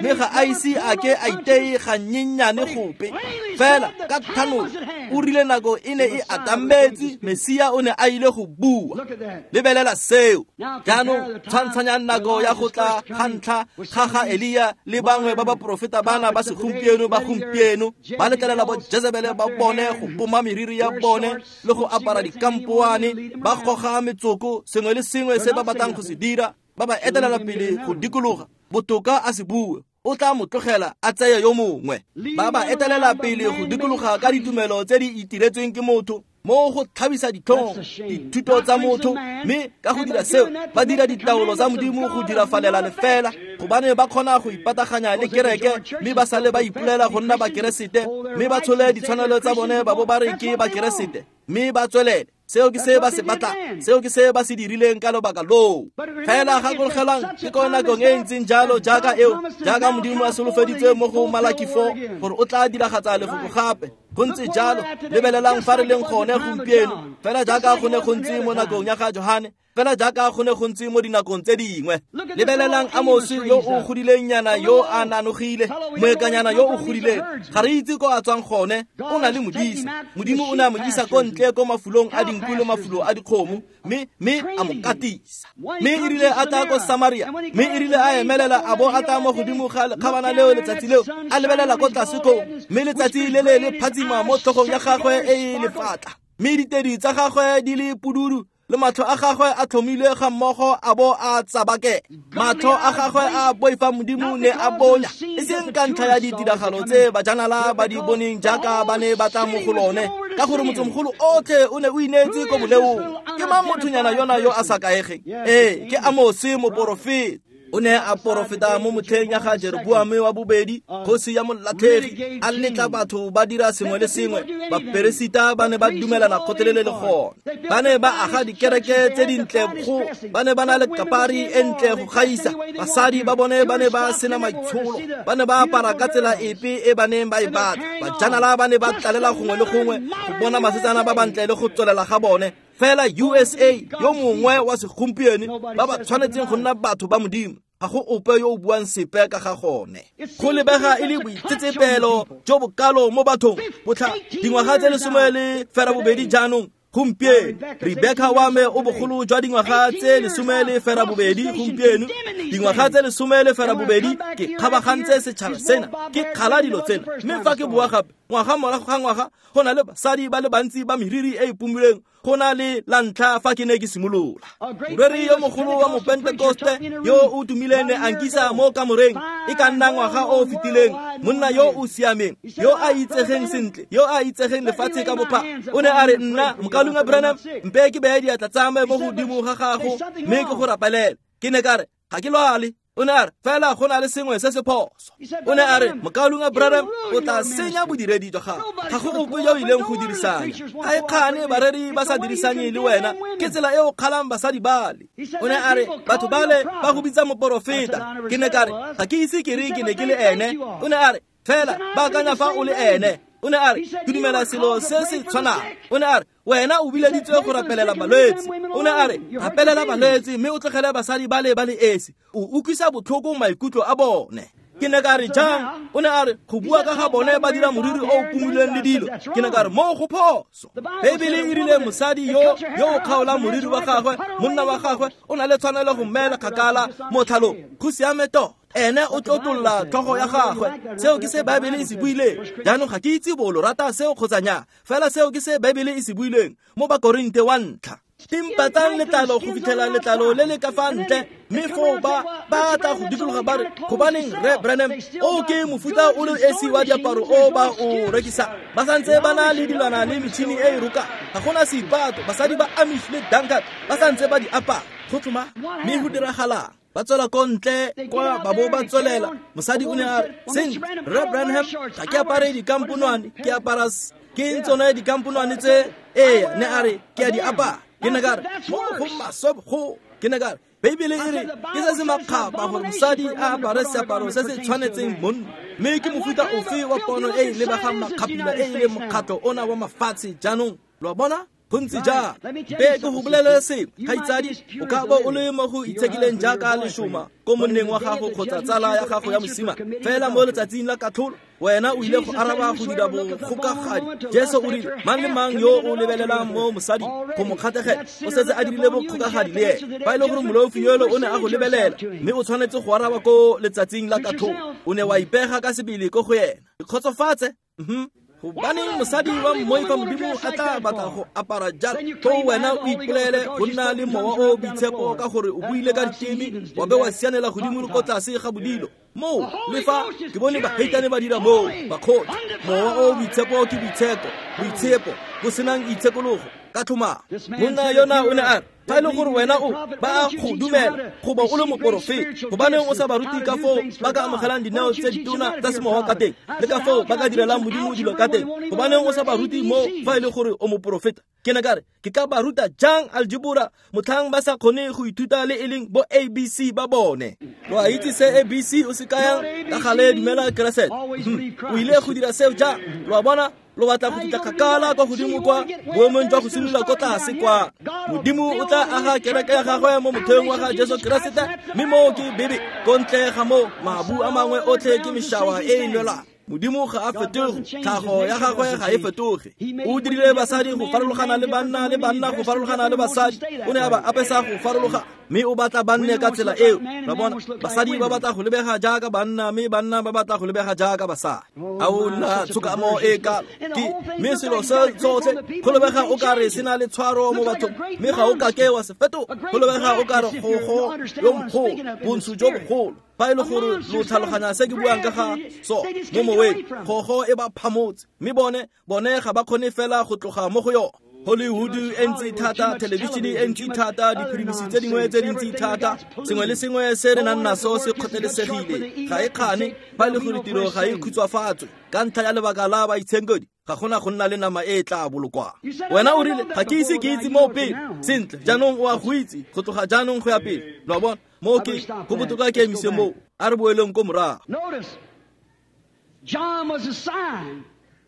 mme ga a ise a ke a iteye gannyenyane gope. Fela ka thanolo o rile nako e ne e atametse, Mesia o ne a ile go bua. Lebelela seo. Jaanong tshwantshanyang nako ya go tla ga ntlha ga ga Elia le bangwe ba baporofeta bana ba segompieno ba gompieno ba letlelela bo Jezebele ba bone go poma meriri ya bone le go apara dikampoane, ba goga metsoko, sengwe le sengwe se ba batlang go se dira, ba ba etelela pele go dikologa. Botoka a se bue, o tla mo tlogela a tseye yo mongwe. Ba ba etelela pele go dikologa ka ditumelo tse di itiretsweng ke motho, mo go tlhabisa ditlhong dithuto tsa motho, mme ka go dira seo ba dira ditaolo tsa Modimo go dirafalela lefela, gobane ba kgona go ipataganya le kereke mme ba sale ba ipolela go nna bakeresete, mme ba tshole ditshwanelo tsa bone ba bo ba re ke bakeresete, mme ba tswelele. Seo ke se ba se batlang, seo ke se ba se dirileng ka lobaka loo. Fela gakologelwang ke ko nakong e ntseng jalo jaaka eo, jaaka Modimo a solofeditse mo go Malaki four gore o tla diragatsa lefoko gape. Go ntse jalo, lebelelang fa re leng gone gompieno, fela jaaka go ne go ntse mo nakong ya ga Johane, fela jaaka go ne go ntse mo dinakong tse dingwe. Lebelelang Amosi yo o godileng nyana yo a nanogile, moekanyana yo o godileng. Ga re itse ko a tswang gone, o na le modisa. Modimo o ne a mo isa ko ntle ko mafulong a dinku le mafulo a dikgomo, mme mme a mo katisa. Mme e rile a tla ko Samaria, mme e rile a emelela a bo a tla mo godimo ga lekgabana leo letsatsi leo, a lebelela ko tlase koo, mme letsatsi le le le phatsima mo tlhogong ya gagwe e e lefatla, mme ditedi tsa gagwe di le pududu, le matlho a gagwe a tlhomilwe ga mmogo a bo a tsabake. Matlho a gagwe a boifa Modimo ne a bonya, e seng ka ntlha ya ditiragalo tse bajanala ba di boneng jaaka ba ne ba tla mo go lone, ka gore motsemogolo otlhe o ne o ineetse ko boleong. Ke mang mothonyana yona yo a sa kaegeng? Ee, ke Amose moporofeta. O ne a porofeta mo motlheng ya ga Jeroboame wa bobedi, kgosi ya molatlhegi, a letla batho ba dira sengwe le sengwe. Baperesita ba ne ba dumelana kgotlelele le gone. Ba ne ba aga dikereke tse dintle go, ba ne ba na le kapari e ntle go gaisa. Basadi ba bone ba ne ba sena maitsholo, ba ne ba apara ka tsela epe e ba neng ba e batla. Bajanala ba ne ba tlalela gongwe le gongwe go bona basetsana ba bantle le go tswelela ga bone. Fela U S A yo mongwe wa segompieno ba ba tshwanetseng go nna batho ba Modimo, ga go ope yo o buang sepe ka ga gone. Go lebega e le boitsetsepelo jo bokalo mo bathong botlha dingwaga tse lesome le ferabobedi jaanong gompieno. Rebecca wa me o bogolo jwa dingwaga tse lesome le ferabobedi gompieno, dingwaga tse lesome le ferabobedi ke kgabagantse setšhaba sena, ke kgala dilo tsena. Mme fa ke bua gape, ngwaga morago ga ngwaga, go na le basadi ba le bantsi ba meriri e e pumilweng go na le la ntlha fa ke ne ke simolola. Moreri yo mogolo wa mopentekoste yo o tumileng ne a nkisa mo kamoreng e ka nna ngwaga o o fetileng, monna yo o siameng, yo a itsegeng sentle, yo a itsegeng lefatshe ka bophara. O ne a re, nna Mokaulengwe Branham, mpe ke beye diatla tsa me mo godimo ga gago mme ke go rapelele. Ke ne ka re, ga ke lwale. O ne a re, fela go na le sengwe se se phoso. O ne a re, Mokaulengwe Branham, o tla senya bodiredi jwa gago. Ga go ope yo o ileng go dirisanya. Ga e kgane bareri ba sa dirisanye le wena, ke tsela e o kgalang basadi bale. O ne a re, batho bale ba go bitsa moporofeta. Ke ne ka re, ga ke ise ke re ke ne ke le ene. O ne a re, fela ba akanya fa o le ene. O ne a re, ke dumela selo se se tshwanang. O ne a re, wena o bileditswe go rapelela balwetse. O ne a re, rapelela balwetse mme o tlogele basadi ba le ba le esi. O utlwisa botlhoko maikutlo a bone. Ke ne ka re jang? O ne a re go bua ka ga bone ba dira moriri o o pumuleng le dilo. Ke ne ka re mo go phoso. Beibele e rile mosadi yo yo o kgaolang moriri wa gagwe, monna wa gagwe o na le tshwanelo go mmeela kgakala mo tlhalong. Go siame tota. Ene o tlotlolla tlhogo ya gagwe. Seo ke se Baebele e se buileng. Jaanong ga ke itse bo lo rata seo kgotsa nnyaa, fela seo ke se Baebele e se buileng mo Bakorinte wa ntlha. Timpatsang letlalo go fitlhela letlalo le le ka fa ntle, mme foo ba ba tla go dikologa ba re, gobaneng Rre Branham, o ke mofuta o le esi wa diaparo o ba o rekisang. Ba santse ba na le dilwana le metšhini e e rokang. Ga gona seipato, basadi ba Amish le Dunkard ba santse ba di apara. Go tlhoma, mme go diragalang? Ba tswela ko ntle kwa ba bo ba tswelela. Mosadi o ne a re, sentle, Rre Branham, ga ke apare dikamponwane, ke apara ke tsone dikamponwane tse. Ee, ne a re ke a di apara. Ke ne ka re mo go maswe go. Ke ne ka re Beibele e re ke se se makgapha gore mosadi a apare seaparo se se tshwanetseng monna. Mme ke mofuta ofe wa pono e e lebegang makgaphila e e leng mokgatlho ona wa mafatshe jaanong? Lo a bona? Go ntse jang? Be ke go bolelele sengwe, kgaitsadi, o ka bo o le mo go itshekileng jaaka leshoma ko monneng wa gago kgotsa tsala ya gago ya mosima. Fela mo letsatsing la katlholo, wena o ile go araba go dira bokgokagadi. Jesu o rile, mang le mang yo o lebelelang mo mosading go mo kgatlhegela, o setse a dirile bokgokagadi le ene. Fa e le gore moleofi yono o ne a go lebelela, mme o tshwanetse go araba ko letsatsing la katlholo, o ne wa ipega ka sebele ko go ena. Ikgotsofatse. Mhm. Gobaneng mosadi wa mmoifa Modimo a tla batla go apara jalo? Foo wena o ipolele go nna le mowa o boitshepo ka gore o buile ka diteme, wa be wa sianela godimo le ko tlase ga bodilo. Moo le fa ke bone baheitane ba dira moo, bakgotsi. Mowa o boitshepo ke boitsheko, boitshepo bo senang itshekologo ka tlhomamo. Monna yona o ne a re, fa e le gore wena o ba a go dumela go ba o le moporofeta, gobaneng o sa ba ruti ka foo ba ka amogelang dineo tse ditona tsa semowa ka teng, le ka foo ba ka direlang Modimo dilo ka teng? Gobaneng o sa ba ruti mo fa e le gore o moporofeta? Ke ne ka re, ke ka ba ruta jang aljebora motlhang ba sa kgone go ithuta le e leng bo A B C ba bone? Lo a itse se A B C o se kayang? Ka gale dumela Keresete. O ile go dira seo jang? Lo a bona? Lo batla go fitlha kgakala kwa godimo kwa boemong jwa go simolola ko tlase kwa. Modimo o tla aga kereke ya gagwe mo motheong wa ga Jesu Keresete, mme moo ke Bebe. Ko ntle ga moo, mabu a mangwe otlhe ke mešawa e e nwelwang. Modimo ga a fetoge, tlhago ya gagwe ga e fetoge. O dirile basadi go farologana le banna le banna go farologana le basadi. O ne a ba apesa go farologa, mme o batla ba nne ka tsela eo. Lo bona, basadi ba batla go lebega jaaka banna, mme banna ba batla go lebega jaaka basadi. A o nna tshokamo e kalo ke mme selo se tsotlhe go lebega o ka re se na le tshwaro mo bathong, mme ga o kake wa se fetoga. Go lebega o ka re gogo yo mogolo, bontsho jo bogolo. Fa e le gore lo tlhaloganya se ke buang ka ga so mo moweng, gogo e ba phamotse, mme bone bone ga ba kgone fela go tloga mo go yone. Hollywood e ntse thata, thelebišene e ntse thata, diphirimisi tse dingwe tse dintsi thata, sengwe le sengwe se re nang naso se kgotlelesegile. Ga e kgane fa e le gore tiro ga e khutshwafatswe ka ntlha ya lebaka la baitshenkedi, ga gona go nna le nama e e tla bolokwang. Wena o rile, ga ke ise ke itse moo pele. Sentle, jaanong o a go itse go tloga jaanong go ya pele. Lo a bona? Moo ke go botoka ke emise moo. A re boeleng ko morago.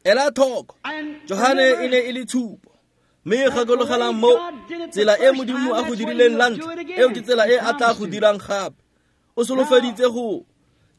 Ela tlhoko, Johane e ne e le tshupo. Mme gakologelang mo tsela e Modimo a go dirileng la ntlha, eo ke tsela e a tla go dirang gape. O solofeditse go.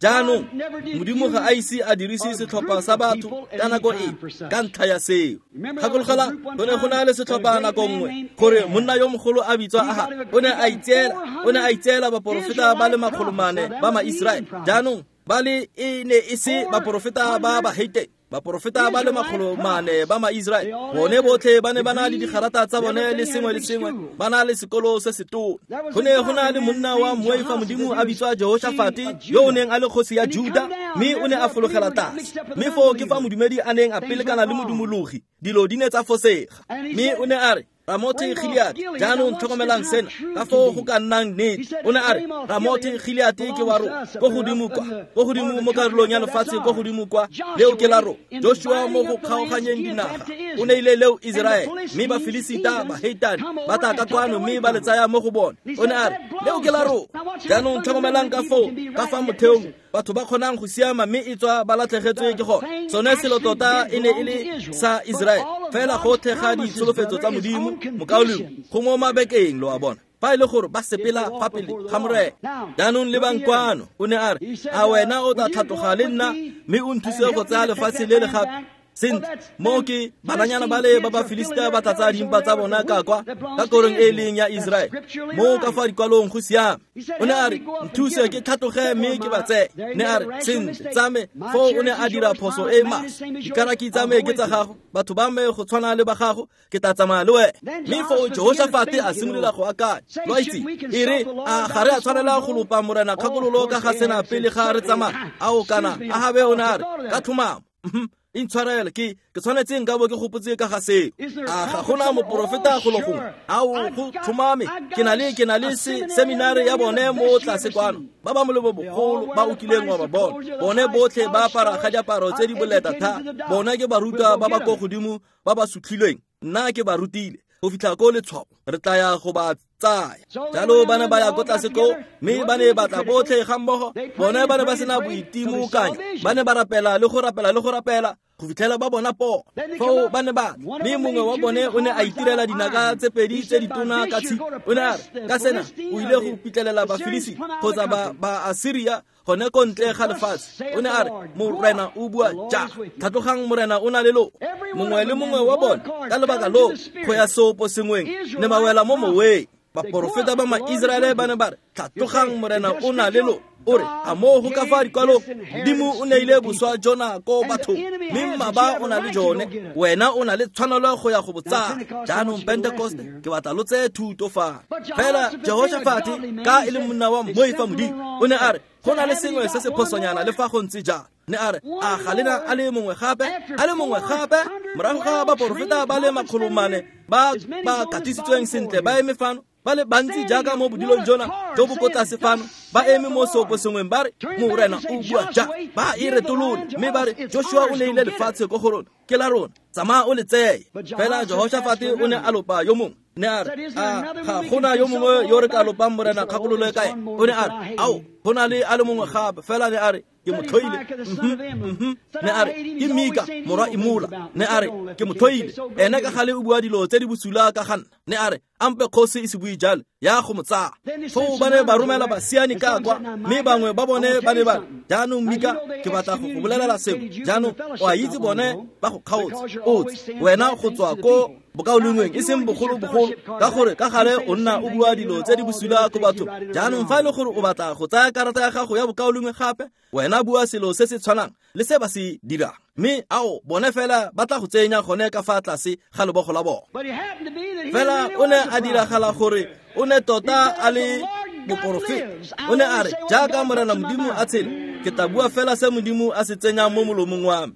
Jaanong Modimo ga a ise a dirise setlhopha sa batho ka nako e ka ntlha ya seo. Gakologelang, go ne go na le setlhopha nako nngwe gore monna yo mogolo a bitswa Aha o ne a itseela o ne a itseela baporofeta ba le makgolo mane ba Maiseraele. Jaanong ba le e ne e se baporofeta ba baheitane, baporofeta ba le makgolo mane ba Maiseraele. Bone botlhe ba ne ba na le digarata tsa bone le sengwe le sengwe, ba na le sekolo se setona. Go ne go na le monna wa mmoifa Modimo a bitswa Jehoshafate, yo o neng a le kgosi ya Juda, mme o ne a fologela tlase. Mme foo ke fa modumedi a neng a pelekana le modumologi, dilo di ne tsa fosega. Mme o ne a re, Ramothe Gilead, jaanong tlhokomelang sena, ka foo go ka nnang nnete. O ne a re, Ramothe Gilead ke wa rona, ko godimo kwa, ko godimo mo karolong ya lefatshe ko godimo kwa, leo ke la rona. Joshua mo go kgaoganyeng dinaga, o neile leo Iseraele, mme Bafilisita, baheitane ba tla ka kwano mme ba le tsaya mo go bone. O ne a re, leo ke la rona. Jaanong tlhokomelang ka foo, ka fa motheong batho ba kgonang go siama mme e tswa ba latlhegetswe ke gone. Sone selo tota e ne e le sa Iseraele, fela gotlhe ga ditsholofetso tsa Modimo, mokaulengwe, go mo mabekeng, lo a bona. Fa e le gore ba sepela fa pele ga Morena. Jaanong lebang kwano, o ne a re, a wena o tla tlhatloga le nna mme o nthuse go tsaya lefatshe le le gape? Sentle, mo ke bananyana ba le ba ba Filistia ba tla tsaya dimpa tsa bona ka kwa ka korong e leng ya Israele. Mo ka fa dikwalong go siame. O ne a re, nthuse ke tlhatloge mme ke ba tseye. Ne a re, sentle, tsa me. Foo o ne a dira phoso e maswe. Dikaraki tsa me ke tsa gago, batho ba me go tshwana le ba gago, ke tla tsamaya le wena. Mme foo Jehoshafate a simolola go akanya. Lo a itse, e re, a ga re a tshwanela go lopa Morena kgakololo ka ga sena pele ga re tsamaya? Ao kana Ahabe o ne a re, ka tlhomamo. Intshwarele, ke ke tshwanetse nka bo ke gopotse ka ga seo. A ga gona moporofeta go le gongwe? Ao go tlhomame, ke na le ke na le seminare ya bone mo tlase kwano. Ba ba molemo bogolo ba o kileng wa ba bona. Bone botlhe ba apara ga diaparo tse di boleta thata. Bone ke barutwa ba ba ko godimo ba ba sutlhilweng. Nna ke ba rutile go fitlha ko letshwao, re tla ya go ba tsaya. Jalo ba ne ba ya ko tlase koo, mme ba ne ba tla botlhe ga mmogo. Bone ba ne ba sena boitimokanyo. Ba ne ba rapela le go rapela le go rapela go fitlhela ba bona pono. Foo ba ne ba tla, mme mongwe wa bone o ne a itirela dinaka tse pedi tse ditona ka tshipi. O ne a re, ka sena o ile go pitlelela Bafilisi kgotsa ba ba Asiria gone ko ntle ga lefatshe. O ne a re, Morena o bua ja, tlhatlogang, Morena o na le lo. Mongwe le mongwe wa bone ka lebaka loo go ya seopo sengweng ne ba wela mo moweng. Baporofeta ba ma-Israele ba ne ba re, tlhatlogang, Morena o na le lo. O re, a moo go ka fa dikwalong, Modimo o neile boswa jona ko bathong, mme mmaba o na le jone, wena o na le tshwanelo go ya go bo tsaya. Jaanong Pentecost, ke batla lo tseye thuto fa. Fela Jehoshafate, ka e le monna wa moifa Modimo, o ne a re, go na le sengwe se se phosonyana le fa go ntse jalo. Ne a re, a ga lena a le mongwe gape, a le mongwe gape? Morago ga baporofeta ba le makgolo mane ba ba katisitsweng sentle ba eme fano, ba le bantsi jaaka mo bodilong jona jo bo ko tlase fano, ba eme mo seopo sengweng ba re, Morena o bua ja. Ba e retolole mme ba re, Joshua o neile lefatshe ko go rona, ke la rona, tsamaya o le tseye. Fela Jehoshafate o ne a lopa yo mongwe. Ne a re, a ga gona yo mongwe yo re ka lopang Morena kgakololo kae? O ne a re, ao, go na le a le mongwe gape. Fela ne a re, ke mo tlhoile. Ne a re, ke Mika morwa Imola. Ne a re, ke mo tlhoile. Ene ka gale o bua dilo tse di bosula ka ga nna. Ne a re, ampe kgosi e se bue jalo, ya go mo tsaya. Foo ba ne ba romela basiani ka kwa, mme bangwe ba bone ba ne ba re, jaanong Mika, ke batla go go bolelela sengwe. Jaanong o a itse bone ba go kgaotse, o tse wena go tswa ko bokaulengweng e seng bogolo-bogolo, ka gore ka gale o nna o bua dilo tse di bosula ko bathong. Jaanong fa e le gore o batla go tsaya karata ya gago ya bokaulengwe gape, wena bua selo se se tshwanang le se ba se dirang, mme ao bone fela ba tla go tsenya gone ka fa tlase ga lebogo la bone. Fela o ne a diragala gore o ne tota a le moporofeta. O ne a re, jaaka Morena Modimo a tshela, ke tla bua fela se Modimo a se tsenyang mo molomong wa me.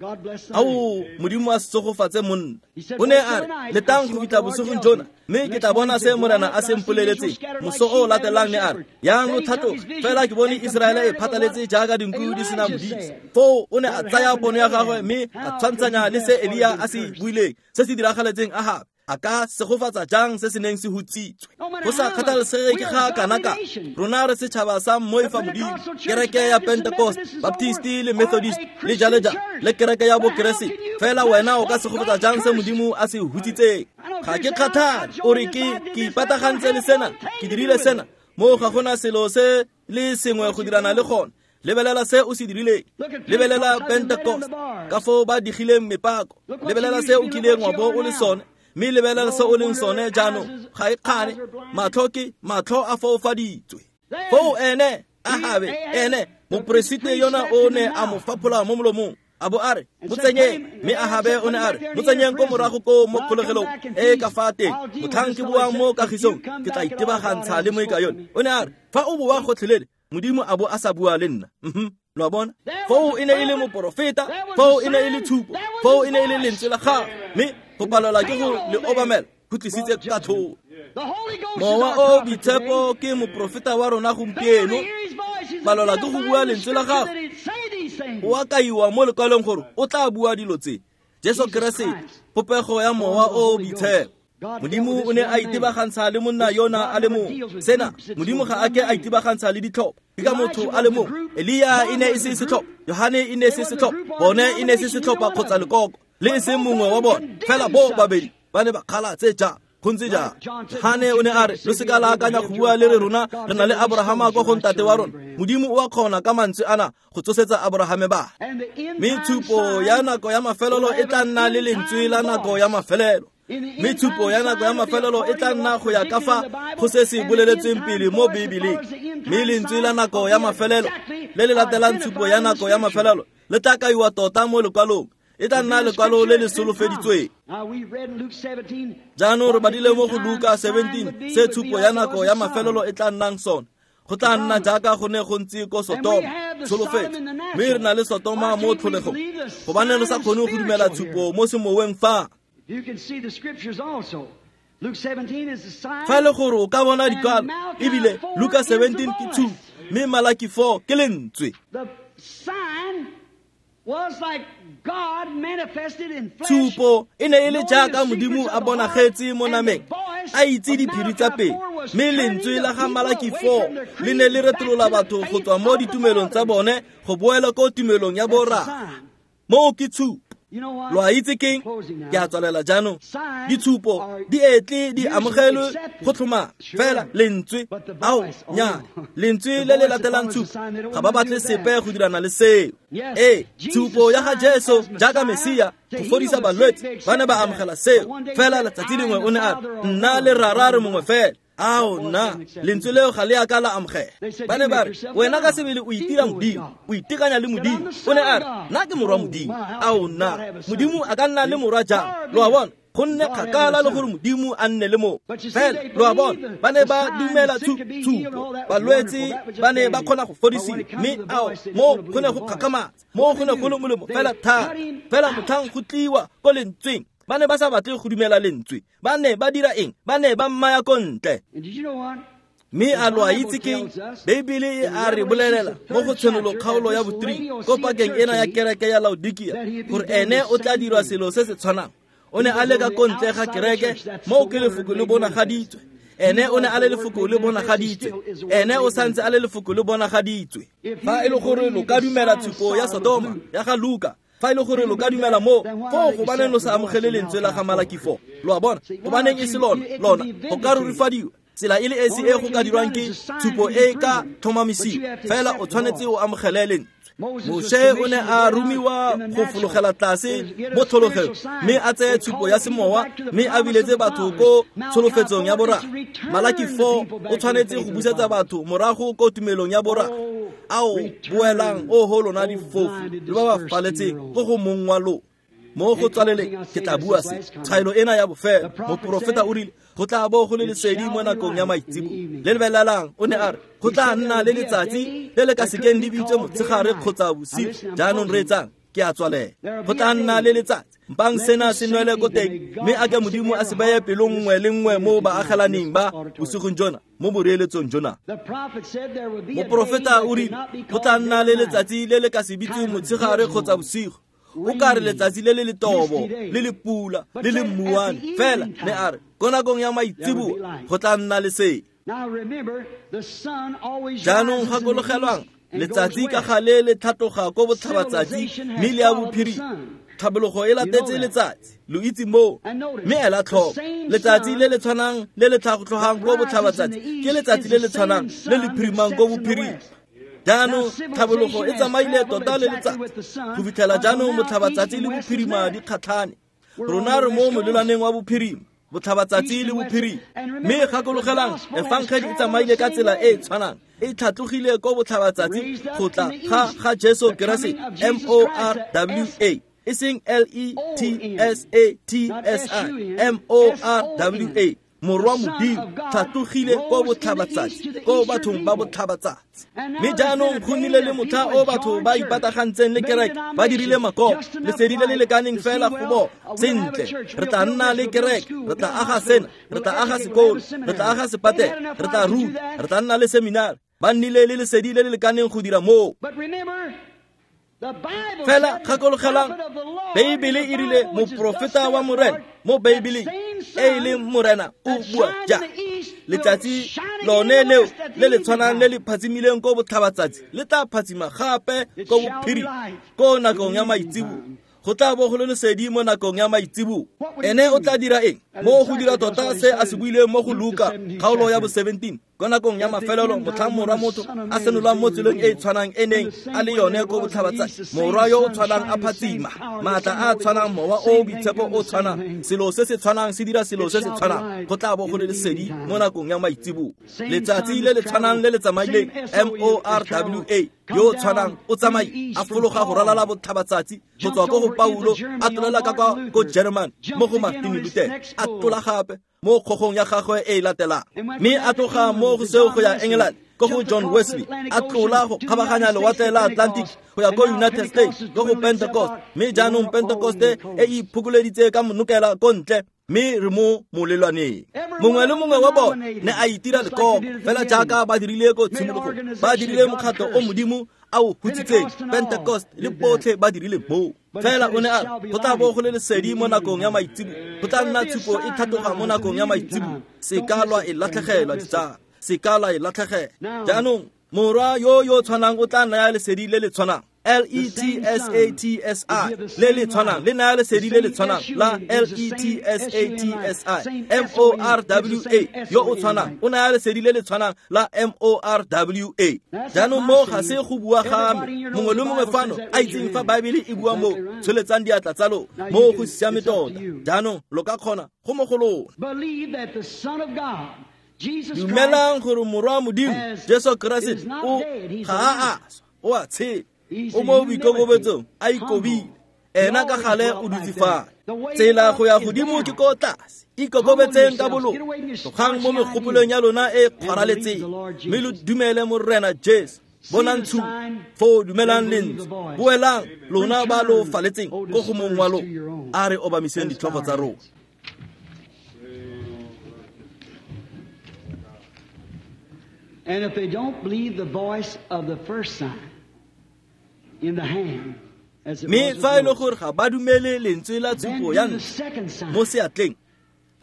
Ao, Modimo a se tsogofatse monna. O ne a re, letang go fitlha bosigong jona, mme ke tla bona se Morena a se mpoleletseng. Moso o latelang ne a re, yang lo tlhatloge, fela ke bone Israele e phataletse jaaka dinku di sena modisa. Foo o ne a tsaya pono ya gagwe mme a tshwantshanya le se Elia a se buileng, se se diragaletseng Ahabe. A ka segofatsa jang se se neng se hutsitswe? Go sa kgathalesege ke ga kana ka rona re setšhaba sa moifa Modimo, kereke ya Pentecost, Baptist le Methodist le jalo jalo, le kereke ya Bokeresete. Fela wena o ka segofatsa jang se Modimo a se hutsitseng? Ga ke kgathale o re ke ke ipatagantse le sena, ke dirile sena. Mo ga gona selo se le sengwe go dirana le gone. Lebelela se o se dirileng. Lebelela Pentecost, ka foo ba digileng mepako. Lebelela se o kileng wa bo o le sone, mme lebelela se o leng sone jaanong. Ga e kgane, matlho ke matlho a foufaditswe. Foo ene Ahabe, ene moporesite yona o ne a mo faphola mo molomong, a bo a re, mo tsenyeng. Mme Ahabe o ne a re, mo tsenyeng ko morago ko mo kgolegelong e ka fa teng. Motlhang ke boang mo kagisong, ke tla itebagantsha le moika yone. O ne a re, fa o boa gotlhelele, Modimo a bo a sa bua le nna. Mhm, lo a bona? Foo e ne e le moporofeta, foo e ne e le tshupo, foo e ne e le lentswe la gagwe, mme go palelwa ke go le obamela go tlisitse katlholo. Mowa o Boitshepo ke moporofeta wa rona gompieno. Palelwa ke go bua lentswe la gagwe, o a kaiwa mo lekwalong gore o tla bua dilo tse. Jesu Keresete, popego ya Mowa o Boitshepo. Modimo o ne a itebagantsha le monna yona a le mongwe. Sena, Modimo ga a ke a itebagantsha le ditlhopha. Ke ka motho a le mongwe. Elia e ne e se setlhopha, Yohane e ne e se setlhopha, bone e ne e se setlhopha kgotsa lekoko, le e seng mongwe wa bone. Fela bo babedi ba ne ba kgala tse jang. Go ntse jang? Johane o ne a re lo seka la akanya go bua le re rona re na le Abrahama kwa go ntate wa rona. Modimo o a kgona ka mantswe ana go tsosetsa Abrahame ba. Mme tshupo ya nako ya mafelelo e tla nna le lentswe la nako ya mafelelo. Mme tshupo ya nako ya mafelelo e tla nna go ya ka fa go se se boleletsweng pele mo Bibeleng. Mme lentswe la nako ya mafelelo le le latelang tshupo ya nako ya mafelelo le tla kaiwa tota mo lekwalong. E tla nna lekwalo le le solofeditsweng. Jaanong re badile mo go Luka seventeen se tshupo ya nako ya mafelelo e tla nnang sone. Go tla nna jaaka go ne go ntse ko Sotoma, tsholofetso. Mme re na le Sotoma mo tlholegong. Gobane re sa kgone go dumela tshupo mo semoweng fa. Fa e le gore o ka bona dikwalo, ebile Luka seventeen ke tshupo, mme Malaki four ke lentswe. Tshupo e ne e le jaaka Modimo a bonagetse mo nameng, a itse diphiri tsa pele. Mme lentswe la ga Malaki four le ne le retolola batho go tswa mo ditumelong tsa bone go boela ko tumelong ya borra. Moo ke tshupo. Lo a itse keng? Ke a tswalela jaanong. Ditshupo di etle di amogelwe go tlhomama fela lentswe. Ao nya, lentswe le le latelang tshupo ga ba batle sepe go dirana le seo. Ee, tshupo ya ga Jesu jaaka Mesia go fodisa balwetse ba ne ba amogela seo. Fela letsatsi lengwe o ne a re nna le rara re mongwe fela. Ao nna, lentswe leo ga le a ka la amogela. Ba ne ba re wena ka sebele o itira Modimo, o itekanya le Modimo. O ne a re nna ke morwa Modimo. Ao nna, Modimo a ka nna le morwa jang? Lo a bona, go nne kgakala le gore Modimo a nne le mo. Fela lo a bona, ba ne ba dumela tshupo, balwetse ba ne ba kgona go fodisiwa. Mme ao mo go ne go kgakgamatsa, mo go ne go le molemo fela thata. Fela motlhang go tliwa ko lentsweng, ba ne ba sa batle go dumela lentswe. Ba ne ba dira eng? Ba ne ba mmaya ko ntle. Mme a lo a itse keng? Beibele e a re bolelela mo go Tshenolo kgaolo ya bo three ko pakeng ena ya kereke ya Laodikia gore ene o tla dirwa selo se se tshwanang. O ne a le ka ko ntle ga kereke moo ke lefoko le bonagaditswe. Ene o ne a le lefoko le bonagaditswe. Ene o santse a le lefoko le bonagaditswe. Fa e le gore lo ka dumela tshupo ya Sodoma ya ga Luka, fa e le gore lo ka dumela mo foo, gobaneng lo sa amogele lentswe la ga Malaki four? Lo a bona, gobaneng e se lona lona go ka rurifadiwa. Tsela e le esi e go ka dirwang ke tshupo e ka tlhomamisiwa. Fela o tshwanetse o amogele lentswe. Moshe o ne a romiwa go fologela tlase mo tlhologong mme a tseye tshupo ya semowa mme a biletse batho ko tsholofetsong ya borra. Malaki four o tshwanetse go busetsa batho morago ko tumelong ya borra. Ao boelang o ho lona difofu le ba ba faletseng ko go mong wa lona. Mo go tswaleleng ke tla bua se tshwaelo ena ya bofelo. Moprofeta o rile go tla bo go le lesedi mo nakong ya maitsebo. Le lebelelang o ne a re go tla nna le letsatsi le le ka sekeng le bitswe motshegare kgotsa bosigo. Jaanong reetsang, ke a tswalela. Go tla nna le letsatsi mpang sena se nwele ko teng, mme a ke Modimo a se beye pelong nngwe le nngwe mo baagelaneng ba bosigong jona, mo boreeletsong jona. Moprofeta o rile go tla nna le letsatsi le le ka se bitsweng motshegare kgotsa bosigo. O ka re letsatsi le le letobo, le le pula, le le mmuane. Fela ne a re ko nakong ya maitseboa go tla nna le se. Jaanong gakologelwang, letsatsi ka gale le tlhatloga ko botlhabatsatsi mme le ya bophirima. Tlhabologo e latetse letsatsi, lo itse moo. Mme ela tlhoko, letsatsi le le tshwanang le le tlhatlogang ko botlhabatsatsi ke letsatsi le le tshwanang le le phirimang ko bophirima. Jaanong tlhabologo e tsamaile tota le letsatsi go fitlhela jaanong botlhabatsatsi le bophirima di kgatlhane. Rona re mo molelwaneng wa bophirima, botlhabatsatsi le bophirima. Mme gakologelang, efangedi e tsamaile ka tsela e e tshwanang, e tlhatlogile ko botlhabatsatsi go tla ga ga Jesu Keresete, M O R W A, e seng L E T S A T S I, M O R W A. Morwa Modimo tlhatlogile ko botlhabatsatsi, ko bathong ba botlhabatsatsi. Mme jaanong go nnile le motlha o batho ba ipatagantseng le kereke, ba dirile makoko, lesedi le le lekaneng fela go bona sentle. Re tla nna le kereke, re tla aga sena, re tla aga sekolo, re tla aga sepatela, re tla ruta, re tla nna le seminari. Ba nnile le lesedi le le lekaneng go dira moo. Fela gakologelang, Beibele e rile moprofeta wa Morena mo Beibeleng e e leng Morena o bua ja. Letsatsi lone leo le le tshwanang le le phatsimileng ko botlhabatsatsi le tla phatsima gape ko bophirima ko nakong ya maitseboa. Go tla bo go le lesedi mo nakong ya maitseboa. Ene o tla dira eng? Mo go dira tota se a se buileng mo go Luka kgaolo ya bo seventeen ko nakong ya mafelelo motlhang morwa motho a senolwang mo tseleng e e tshwanang e neng a le yone ko botlhabatsatsi. Morwa yo o tshwanang a phatsima, maatla a a tshwanang, mowa o o boitshepo o tshwanang, selo se se tshwanang se dira selo se se tshwanang. Go tla bo go le lesedi mo nakong ya maitseboa. Letsatsi le le tshwanang le le tsamaileng M O R W A yo o tshwanang o tsamaile a fologa go ralala botlhabatsatsi go tswa ko go Paulo a tlolela ka kwa ko German mo go Martin Luther a tlola gape mo kgogong ya gagwe e e latelang, mme a tloga mo go seo go ya England ko go John Wesley a tlola go kgabaganya lewatle la Atlantic go ya ko United States ko go Pentecost, mme jaanong Pentecost e e iphokoleditse ka monokela ko ntle mme re mo molelwaneng. Mongwe le mongwe wa bone ne a itira lekoko fela jaaka ba dirile ko tshimologong, ba dirile mokgatlho o Modimo a o hutsitseng. Pentecost le botlhe ba dirile moo. Fela o ne a re go tla bo go le lesedi mo nakong ya maitseboa, go tla nna tshupo e tlhatloga mo nakong ya maitseboa. Se ka lwa e latlhegelwa ditsala, se ka lwa e latlhegelwa. Jaanong morwa yo yo tshwanang o tla naya lesedi le le tshwanang L E T S A T S I le le tshwanang le naya lesedi le le tshwanang la L E T S A T S I. M O R W A yo o tshwanang o naya lesedi le le tshwanang la M O R W A. Jaanong mo ga se go bua ga me, mongwe le mongwe fano a itseng fa Baebele e bua mo, tsholetsang diatla tsa lona mo go siame tota. Jaanong lo ka kgona go mo go lona. Dumelang gore morwa Modimo Jesu Keresete o ga a a swa, o a tshela, o mo boikokobetsong a ikobile, ena ka gale o dutse fa. Tsela go ya godimo ke ko tlase. Ikokobetseng ka bolona, tlogang mo megopolong ya lona e kgwaraletseng, mme lo dumele Morena Jesu. Bonang tshupo foo, dumelang lentswe, boelang lona ba lo faletseng ko go mong wa lona. A re obamiseng ditlhogo tsa rona. And if they don't believe the voice of the first sign in the hand, as it Mme was fa e le with gore ga ba dumele lentswe la Moses, then tshupo ya do the ntlha second sign. mo seatleng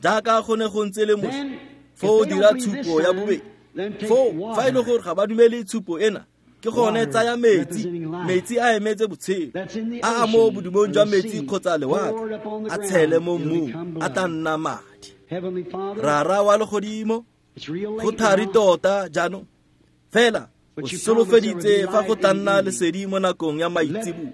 jaaka go ne go ntse le Moshe, Then, foo if they dira don't believe this tshupo ya sign, bobedi. then take Foo fa e le water. gore ga ba dumele tshupo ena, ke gone Water tsaya metsi, representing life. metsi a emetse botshelo, That's in the a a mo ocean bodumong or jwa the metsi sea, kgotsa lewatle, poured upon the a tshele ground, mo it'll mmung, become a tla blood. nna madi. Heavenly Father, Rara wa legodimo, it's real go late thari now. tota jaanong, fela o But you promised there would be solofeditse fa go light tla in the nna evening. lesedi mo nakong ya Let maitseboa.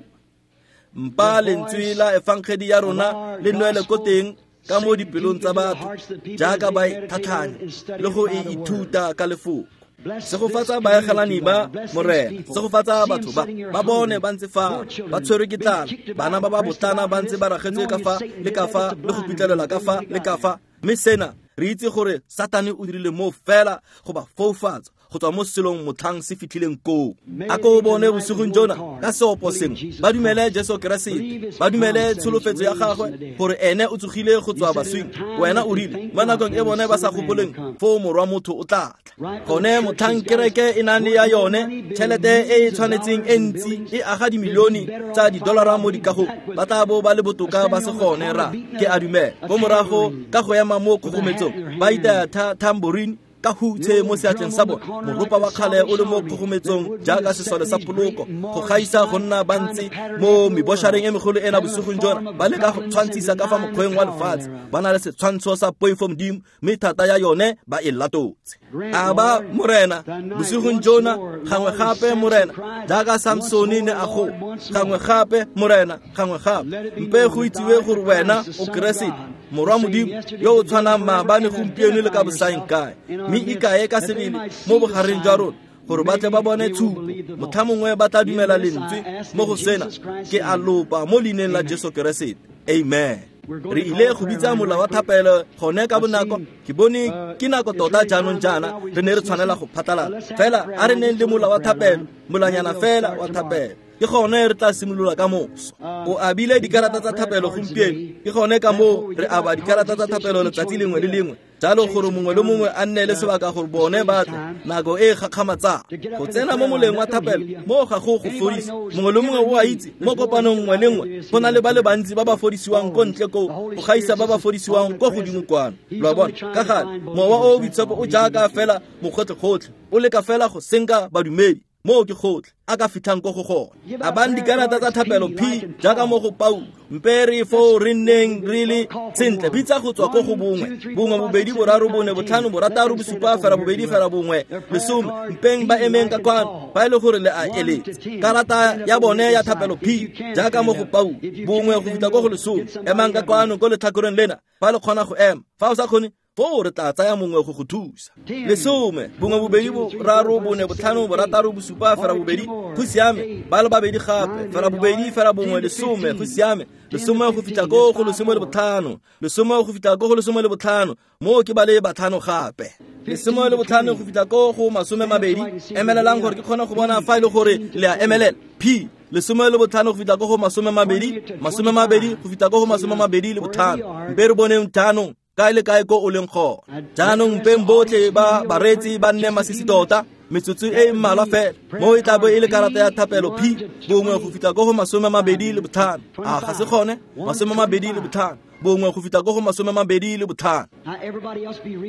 Mpa the lentswe voice la efangedi ya of rona our le nwele ko gospel teng ka mo sink dipelong deep tsa into the batho hearts of the people as jaaka they ba e meditate on it tlhatlhanya and study le it go by e the word. ithuta ka lefoko. Bless this Segofatsa community, baegelani ba Lord. Bless these Morena, people. segofatsa See 'em batho ba sitting here ba bone hungry, ba ntse fa poor ba children tshwerwe ke being tlala, kicked bana about ba and ba pressed botlana about ba and ntse this, ba ragetswe knowing ka that fa Satan le did ka that fa to le go blind them pitlelela ka before fa they le got ka there. fa. Mme sena re itse gore Satane o dirile mo fela go ba foufatsa go tswa mo selong motlhang se fitlhileng koo. May A it ko be bone tonight with bosigong one jona accord. ka seopo Believe sengwe Jesus ba dumele Christ. Jesu Keresete, Believe his ba dumele promise that he's tsholofetso ya raised from gagwe the dead. gore ene o tsogile go You tswa said in a baswing. time Wena that o they rile think mo not, nakong e then the bone ba Son sa of Man will gopoleng come. foo morwa motho o tla tla. Right where Gone the church motlhang has got kereke e nang le ya worth more yone money, building tšhelete e e millions of tshwanetseng dollars e in ntsi buildings, e aga they'd be dimilione better tsa off didolara finding mo out dikagong, that ba tla bo ba le botoka ba standing se on the gone corner ra beating ke a a, dumela. a Ko morago tambourine ka go ema mo with a hat kgogometsong in their ba itaya hand, tha tambourine ka the hutshe mo old seatleng drum sa on the bone, corner like moropa the wa kgale o le Salvation mo Army that kgogometsong would be jaaka the sesole sa seventies great poloko, go march gaisa go tonight nna ba trying to ntse pattern mo after the meboshareng world, e megolo ena having a bosigong form jona of ba leka go godliness and tshwantshisa ka fa denying the mokgweng wa power lefatshe, thereof. ba na le setshwantsho sa poifo Modimo mme thata ya yone ba e latotse. Grant, A ba Lord, Morena tonight bosigong once jona more, gangwe Lord, as gape Samson Morena cried, jaaka once Samsone more, ne a Lord, goa, once gangwe more. gape Morena gangwe gape. Let it be Mpe known go that itsiwe thou art gore the wena Christ, the o Son of Keresete God, the morwa same Modimo yesterday, yo o today, tshwanang forever, maabane and gompieno le ka identify bosaeng yourself kae, in our mme midst, ikae ka that they sebele might mo see the bogareng jwa sign. rona gore ba tle ba Maybe bone they will tshupo, believe the motlha voice. mongwe ba tla In dumela this I lentswe ask mo in go sena. Jesus Christ's Ke a name. lopa mo leineng la Amen. Jesu Keresete, amen. We're going Re to call ile a go prayer bitsa line mola right wa quick. thapelo gone ka I've bonako. seen Ke bone uh, ke nako it's tota really jaanong time right jaana now. We re ne re dismiss tshwanela them. go Uh, phatlalala, let's have a fela prayer a re line, neng just le a mola little wa prayer thapelo, line, and then molanyana we'll fela start wa tomorrow. thapelo. Ke gone re tla simolola ka moso. Uh, O abile we give dikarata out tsa prayer thapelo cards gompieno, today. ke gone ka Therefore, moo we re give aba out cards dikarata each tsa station, thapelo each letsatsi one to lengwe le get a lengwe, jalo chance gore to mongwe le come mongwe a nne le uh, sebaka gore the bone strange ba tle time nako e e gakgamatsang. to get Go up in the tsena mo prayer line. moleng wa That don't thapelo heal you. mo ga go go Anybody fodisa. knows Mongwe le mongwe every o a knee, itse mo there's more kopanong healed nngwe out le there nngwe than there is go na healed le up ba le here. bantsi ba ba fodisiwang ko Always. ntle koo The Holy go gaisa Spirit's ba ba just as fodisiwang ko godimo omnipresent. kwano. He's Lo a only bona trying ka to gale find mowa o believers. That's boitshepo all. o He's jaaka looking. fela mokgotlhe-kgotlhe, o leka fela go senka badumedi Moo ke gotlhe a ka fitlhang ko go gone. Abang dikarata tsa thapelo P jaaka mo go Paulo. Mpe re foo re nneng re le sentle, bitsa go tswa ko go bongwe bongwe bobedi boraro bone botlhano borataro bosupa fera bobedi fera bongwe lesome. Mpeng ba emeng ka kwano fa e le gore le a eletse. Karata ya bone ya thapelo P jaaka mo go Paulo, bongwe go fitlha ko go lesome. Emang ka kwano ko letlhakoreng lena fa le kgona go ema. Fa o sa kgone, foo re tla tsaya mongwe go go thusa. Lesome, bongwe bobedi boraro bone botlhano borataro bosupa fera bobedi, go siame. Ba le babedi gape, fera bobedi fera bongwe lesome, go siame. Lesome go fitlha ko go lesome le botlhano, lesome go fitlha ko go lesome le botlhano, moo ke ba le batlhano gape. Lesome le botlhano go fitlha ko go masome mabedi. Emelelang gore ke kgone go bona fa e le gore le a emelela. P lesome le botlhano go fitlha ko go masome mabedi, masome mabedi go fitlha ko go masome mabedi le botlhano. Mpe re boneng jaanong kae le kae ko o leng gone. Jaanong mpeng botlhe ba bareetsi ba nne masisi tota metsotso e mmalwa fela. Mo e tla bo e le karata ya thapelo P bongwe go fitlha ko go masome mabedi le botlhano. A ga se gone? Masome mabedi le botlhano, bongwe go fitlha ko go masome mabedi le botlhano.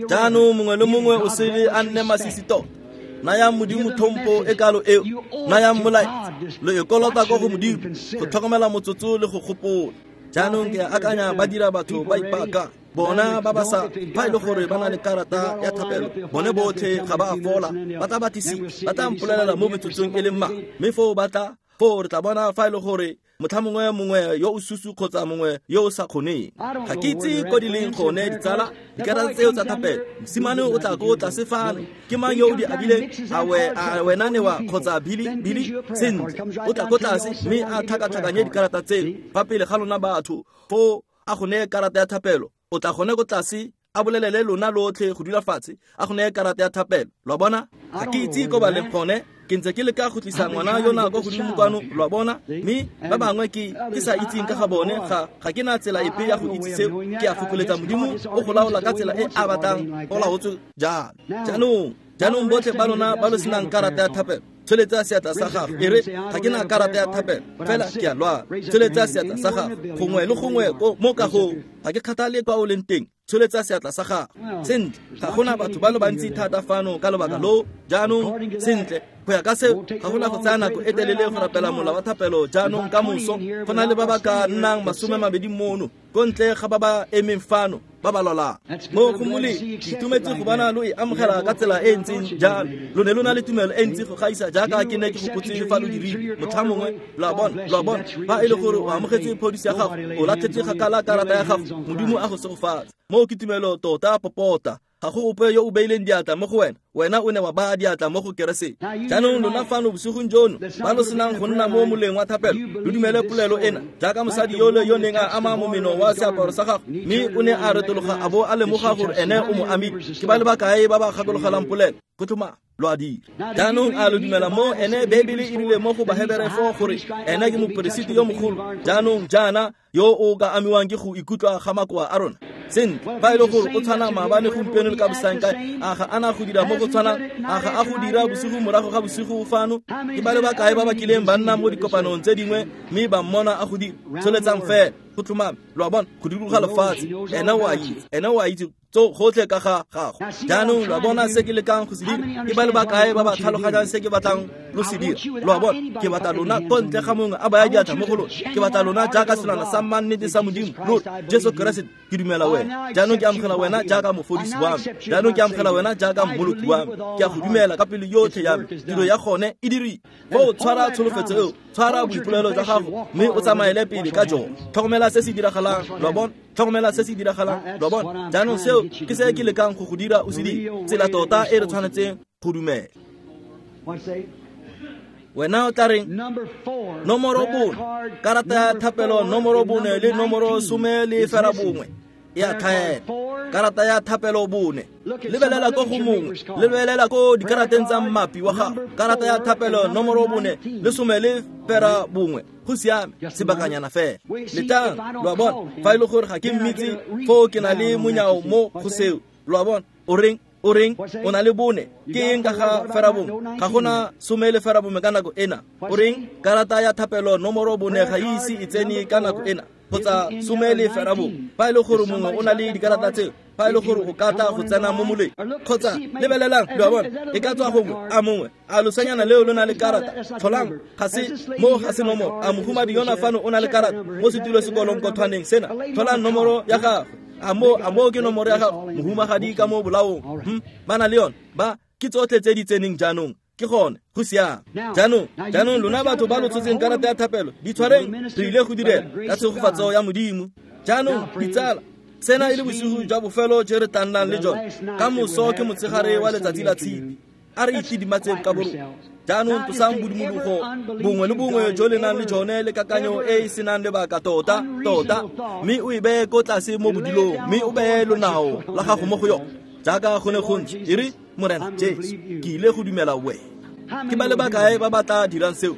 Jaanong mongwe le mongwe o sele a nne masisi tota. Nayang Modimo tlhompho e kalo eo, nayang molaetsa. Lo e kolota ko go Modimo go tlhokomela motsotso le go gopola. Jaanong ke akanya ba dira batho ba ipaka bona ba ba sa fa e le gore ba na le karata ya thapelo, bone botlhe ga ba a fola. Ba tla batlisisa, ba tla mpolelela mo metsotsong e le mmalwa, mme foo ba tla foo re tla bona fa e le gore motlha mongwe mongwe yo o susu kgotsa mongwe yo o sa kgoneng. Ga ke itse ko di leng gone ditsala dikarata tseo tsa thapelo. Mosimane o tla ko tlase fano, ke mang yo o di abileng? A wena Newa kgotsa Billy? Billy sentle, o tla ko tlase mme a tlhakatlhakanye dikarata tseo fa pele ga lona batho. Foo a go neye karata ya thapelo, o tla gone ko tlase a bolelele lona lotlhe go dula fatshe, a go neye karata ya thapelo. Lo a bona? Ga ke itse ko ba leng gone. Ke ntse ke leka go tlisa ngwana yona ko godimo kwano, lo a bona? Mme ba bangwe ke ke sa itseng ka ga bone, ga ga ke na tsela epe ya go itse seo. Ke a fokoletsa Modimo o go laola ka tsela e a batlang go laotswe jalo. Jaanong jaanong botlhe ba lona ba lo senang karata ya thapelo, tsholetsa seatla sa gago. E re ga ke na karata ya thapelo, fela ke a lwala. Tsholetsa seatla sa gago gongwe le gongwe mo kagong, ga ke kgathale kwa o leng teng. Tsholetsa seatla sa gago. Sentle, ga gona batho ba le bantsi thata fano ka lobaka loo. Jaanong sentle, go ya ka seo ga gona go tsaya nako e telele go rapela mola wa thapelo. Jaanong ka moso go na le ba ba ka nnang masome mabedi mono ko ntle ga ba ba emeng fano ba ba lwalang. Mo go molemo, ke itumetse go bona lo e amogela ka tsela e ntseng jalo. Lo ne lo na le tumelo e ntsi go gaisa jaaka ke ne ke gopotse fa lo dirile motlha mongwe. Lo a bona, lo a bona. Fa e le gore o amogetse phodiso ya gago, o latlhetse kgakala karata ya gago, Modimo a go segofatse. Moo ke tumelo tota popota. Ga go ope yo o beileng diatla mo go wena, wena o ne wa baya diatla mo go Keresete. Jaanong lona fano bosigong jono ba lo senang go nna mo moleng wa thapelo, lo dumele polelo ena jaaka mosadi yole yo neng a ama momeno wa seaparo sa gagwe, mme o ne a retologa a bo a lemoga gore ene o mo amile. Ke ba le bakae ba ba gakologelang polelo? Go tlhomame lo a dira. Jaanong a lo dumela mo ene? Beibele e rile mo go Bahebere four gore ene ke moperesiti yo mogolo jaanong jaana yo o ka amiwang ke go ikutlwa ga makoa a rona. Sentle, fa e le gore o tshwana maabane gompieno le ka bosankae, a ga ana go dira mo go tshwanang? A ga a go dira bosigo morago ga bosigo fano? Ke ba le bakae ba ba kileng ba nna mo dikopanong tse dingwe mme ba mmona a go dira? Tsholetsang fela, go tlhomame. Lo a bona, go dikologa lefatshe, ene o a itse, ene o a itse gotlhe ka ga gago. Jaanong lo a bona se ke lekang go se dira? Ke ba le bakae ba ba tlhaloganyang se ke batlang lo se dira? Lo a bona, ke batla lona ko ntle ga mongwe a baya diatla mo go lona. Ke batla lona jaaka selwana sa mannete sa Modimo, lona Jesu Keresete. Ke dumela wena jaanong, ke amogela wena jaaka mofodisi wa me. Jaanong ke amogela wena jaaka mmoloki wa me. Ke a go dumela ka pelo yotlhe ya me. Tiro ya gone e dirile. Foo tshwara tsholofetso eo, tshwara boipolelo jwa gago mme o tsamaele pele ka jone. Tlhokomela se se diragalang, lo a bona? Tlhokomela se se diragalang, lo a bona? Jaanong seo ke se ke lekang go go dira o se dire. Tsela tota e re tshwanetseng go dumela. Wena o tla reng? Nomoro bone, karata ya thapelo nomoro bone le nomoro some le fera bongwe e a tlhaela. Karata ya thapelo bone, lebelela ko go mongwe, lebelela ko dikarateng tsa mmapi wa gago. Karata ya thapelo nomoro bone le some le fera bongwe, go siame, sebakanyana fela. Letang, lo a bona? Fa e le gore ga ke mmitse, foo ke na le monyao mo go seo. Lo a bona? O reng? O reng? O na le bone. Ke eng ka ga fera bongwe? Ga gona some le fera bongwe ka nako ena. O reng? Karata ya thapelo nomoro bone ga e ise e tsene ka nako ena, kgotsa some le fera bongwe. Fa e le gore mongwe o na le dikarata tseo, Fa e le gore o ka tla go tsena mo moleng kgotsa lebelelang, lo a bona, e ka tswa gongwe a mongwe a losanyana leo lo na le karata. Tlholang ga se mo ga se nomoro. A mohumadi yona fano o na le karata mo setulo sekolong kothwaneng sena. Tlholang nomoro ya gagwe. A mo a mo ke nomoro ya gago mohumagadi ka mo bolaong. Hm, ba na le yone ba ke tsotlhe tse di tseneng jaanong. Ke gone go siame. Jaanong jaanong lona batho ba lo tshotseng karata ya thapelo di tshwareng, re ile go direla ka tshegofatso ya Modimo. Jaanong ditsala, sena e le bosigo jwa bofelo je re tla nnang le jone. Ka moso ke motshegare wa letsatsi la tshipi. A re itidimatseng ka borona. Jaanong tlosang bodumologo bongwe le bongwe jo le nang le jone le kakanyo e e senang lebaka tota tota, mme o e beye ko tlase mo bodilong, mme o beye lonao la gago mo go yone jaaka go ne go ntse. E re, Morena Jesu, ke ile go dumela wena. Ke ba le bakae ba ba tla dirang seo?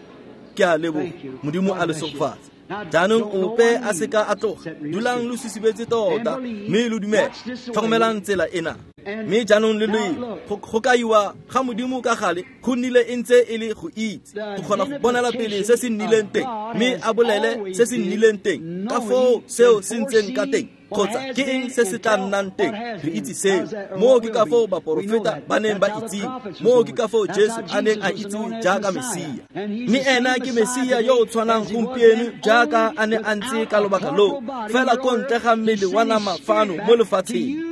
Ke a leboga. Modimo a le segofatse. Jaanong ope a seka a tloga. Dulang lo sisibetse tota mme lo dumele. Tlhokomelang tsela ena. Mme jaanong le loile go kaiwa ga Modimo ka gale go nnile e ntse e le go itse, go kgona go bonela pele se se nnileng teng, mme a bolele se se nnileng teng ka foo seo se ntseng ka teng, kgotsa ke eng se se tla nnang teng. Re itse seo. Moo ke ka foo baporofeta ba neng ba itsiwe. Moo ke ka foo Jesu a neng a itsiwe jaaka Mesia. Mme ena ke Mesia yo o tshwanang gompieno jaaka a ne a ntse ka lobaka loo, fela ko ntle ga mmele wa nama fano mo lefatsheng.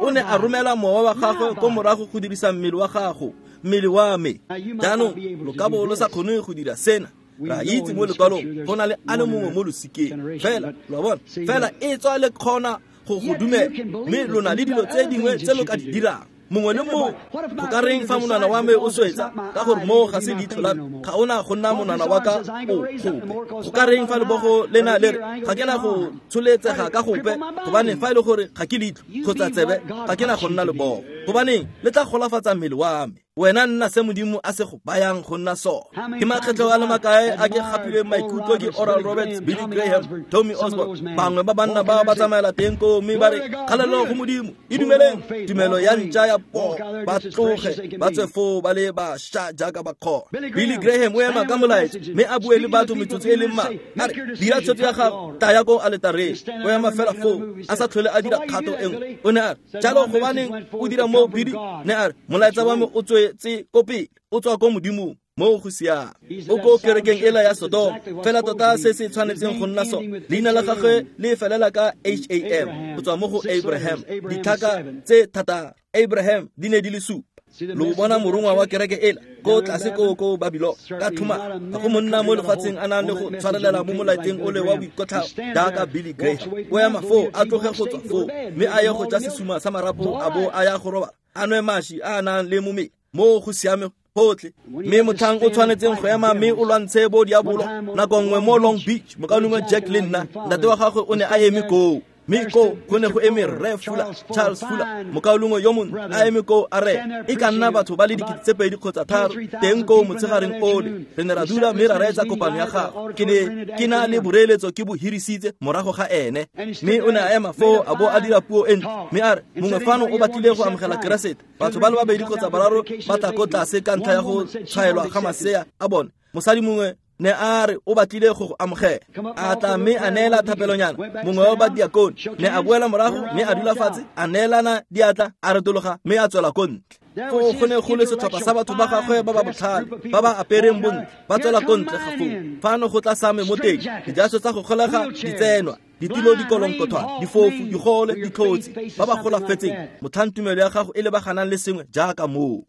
O ne a romela mowa wa gagwe ko morago go dirisa mmele wa gago, mmele wa me. Jaanong lo ka bo lo sa kgone go dira sena. Ra itse mo lekwalong go na le a le mongwe mo losikeng fela, lo a bona, fela e tswa le kgona go go dumela, mme lo na le dilo tse dingwe tse lo ka di dirang. Mongwe le mongwe, go ka reng fa monwana wa me o swetsa ka gore mo ga se leitlho la me, ga ona go nna monwana wa ka o gope. Go ka reng fa lebogo lena le re ga ke na go tsholetsega ka gope, gobane fa e le gore ga ke leitlho kgotsa tsebe ga ke na go nna lebogo, gobaneng le tla golafatsa mmele wa me. Wena nna se Modimo a se go bayang go nna sone. Ke makgetlho a le makae a ke gapilweng maikutlo ke Oral Roberts, Billy Graham, Tommy Osborne, bangwe ba banna ba ba tsamaela teng koo mme ba re kgalelo go Modimo, e dumeleng tumelo ya ntša ya poo, ba tloge ba tswe foo ba le bašwa jaaka ba kgona. Billy Graham o ema ka molaetsa mme a bue le batho metsotso e leng mmalwa, a re dira tshwetso ya gago, taya ko aletareng. O ema fela foo a sa tlhole a dira kgato e nngwe. O ne a re jalo gobaneng o dira moo, Billy? Ne a re molaetsa wa me o tswe ko pele, o tswa ko Modimong. Mo go siame. O ko kerekeng ela ya Sodoma, fela tota se se tshwanetseng go nna sone. Leina la gagwe le felela ka H A M, go tswa mo go Abraham. Ditlhaka tse thataro Abraham di ne di le supa. Lo bona morongwa wa kereke ela ko tlase ko ko Babylon ka thuma. Ga go monna mo lefatsheng a nang le go tshwarelela mo molaeteng ole wa boikotlhao jaaka Billy Graham. O ema foo a tloge go tswa foo mme a ye go ja sesuma sa marapo a bo a ya go robala, a nwe mashi a nang le momela. Mo go siame gotlhe. Mme motlhang o tshwanetseng go ema mme o lwantshe bo diabolo nako nngwe mo Long Beach, mokaulengwe Jack le nna, ntate wa gagwe o ne a eme koo. Mme koo go ne go eme Rre Fuller, Charles Fuller, mokaulengwe yo mongwe a eme koo a re e ka nna batho ba le dikete tse pedi kgotsa tharo teng koo motshegareng ole. Re ne ra dula mme ra reetsa kopano ya gagwe. Ke ne ke na le boreeletso ke bo hirisitse morago ga ene. Mme o ne a ema foo a bo a dira puo e ntle, mme a re mongwe fano o batlile go amogela Keresete. Batho ba le babedi kgotsa bararo ba tla ko tlase ka ntlha ya go tshwaelwa ga masea a bone. Mosadi mongwe ne a re o batlile go go amogela, a tla mme a neela thapelonyana. Mongwe wa badiakone ne a boela morago mme a dula fatshe, a neelana diatla, a retologa mme a tswela ko ntle. Foo go ne go le setlhopha sa batho ba gagwe ba ba botlhale ba ba apereng bontle ba tswela ko ntle ga foo. Fano go tla same mo teng, dijaso tsa go golega di tsenwa, ditilo di kolonkothwana, difofu, digole, ditlhotsi, ba ba golafetseng. Motlhang tumelo ya gago e lebaganang le sengwe jaaka moo.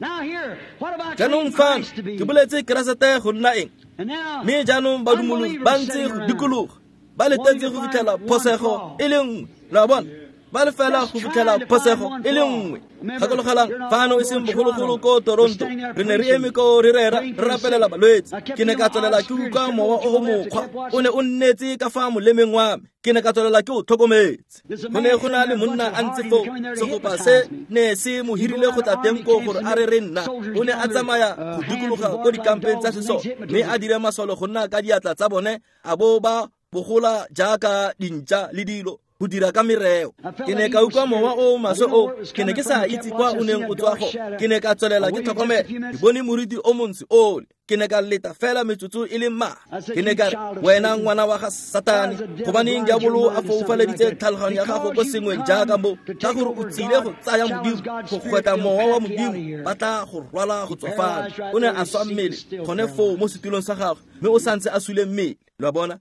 Jaanong fano ke boletse Keresete go nna eng? Mme jaanong badumologi ba ntse go dikologa, ba letetse go fitlhela phosego e le nngwe. Lo a bona, ba le fela go fitlhela phosego e le nngwe. Gakologelang fano e seng bogologolo ko Toronto, re ne re eme ko re rera re rapelela balwetse. Ke ne ka tswelela ke utlwa mowa o mokgwa o ne o nnetse ka fa molemeng wa me. Ke ne ka tswelela ke o tlhokometse. Go ne go na le monna a ntse foo, segopa se ne se mo hirile go tla teng koo gore a re re nna. O ne a tsamaya go dikologa ko dikampeng tsa sesole mme a dire masole go nna ka diatla tsa bone, a bo ba bogola jaaka dintša le dilo go dira ka mereo. Ke ne ka utlwa mowa o maswe o, ke ne ke sa itse kwa o neng o tswa go. Ke ne ka tswelela ke tlhokomela, ke bone moriti o montsho ole. Ke ne ka leta fela metsotso e le mmalwa. Ke ne ka re, wena ngwana wa ga Satane, gobaneng diabolo a foufaleditse tlhaloganyo ya gago ko sengweng jaaka mo, ka gore o tsile go tsaya Modimo, go gwetla mowa wa Modimo, ba tla go rwala go tswa fano. O ne a swa mmele gone foo mo setulong sa gagwe, mme o santse a sule mmele. Lo a bona?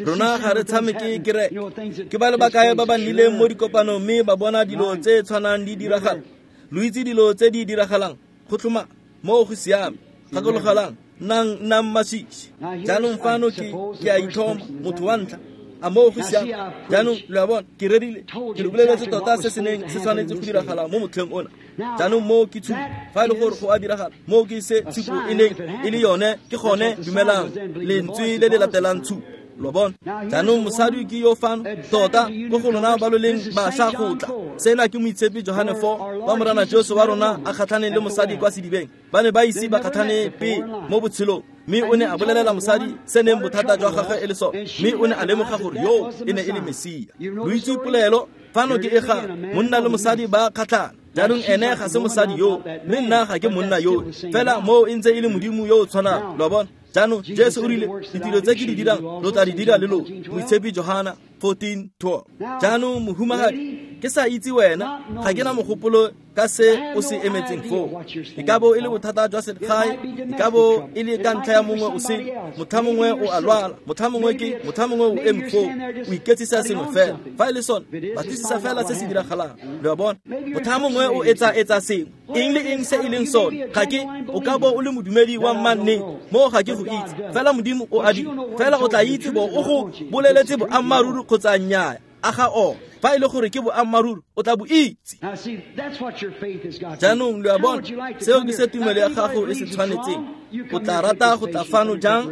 Rona ga re tshameke kereke. Ke ba le bakae ba ba nnileng mo dikopanong mme ba bona dilo tse tshwanang di diragala. Lo itse dilo tse di diragalang. Go tlhoma mo go siame. Gakologelang, nnang nnang masisi. Jaanong fano ke ke a ithoma motho wa ntlha. A mo go siame. Jaanong lo a bona, ke rerile, ke lo boleletse tota se se neng se tshwanetse go diragala mo motlheng ona. Jaanong mo ke tshupo, fa e le gore go a diragala, mo ke se tshupo e neng e le yone, ke gone dumelang lentswe le le latelang tshupo. Lo bona? Jaanong mosadi ke yo fano, tota ko go lona ba lo leng bašwa go tla. Sena ke moitshepi Johane four, wa Morena Jesu wa rona a kgatlhaneng le mosadi kwa sedibeng. Ba ne ba ise ba kgatlhane pele mo botshelong, mme o ne a bolelela mosadi se neng bothata jwa gagwe e le sone, mme o ne a lemoga gore yo e ne e le Mesia. Lo itse polelo fano ke e ga monna le mosadi ba kgatlhana. Jaanong ene ga se mosadi yo, mme nna ga ke monna yo, fela moo e ntse e le Modimo yo o tshwanang. Lo a bona? Jaanong Jesu o rile, ditiro tse ke di dirang lo tla di dira le lona. Moitshepi Johana fourteen twelve. Jaanong mohumagadi, ke sa itse wena, ga ke na mogopolo ka se o se emetseng foo. E ka bo e le bothata jwa selegae, e ka bo e le ka ntlha ya mongwe o sele, motlha mongwe o a lwala, motlha mongwe ke, motlha mongwe o eme foo, o iketsisa sengwe fela. Fa e le sone, batlisisa fela se se diragalang. Lo a bona? Motlha mongwe o etsa-etsa sengwe, eng le eng se e leng sone, ga ke, o ka bo o le modumedi wa mmannete, moo ga ke go itse. Fela Modimo o a dira, fela o tla itse bo o go boleletse boammaaruri kgotsa nnyaa. A ga o, fa e le gore ke boammaaruri, o tla bo itse. Jaanong lo a bona, seo ke se tumelo ya gago e se tshwanetseng. O tla rata go tla fano jang?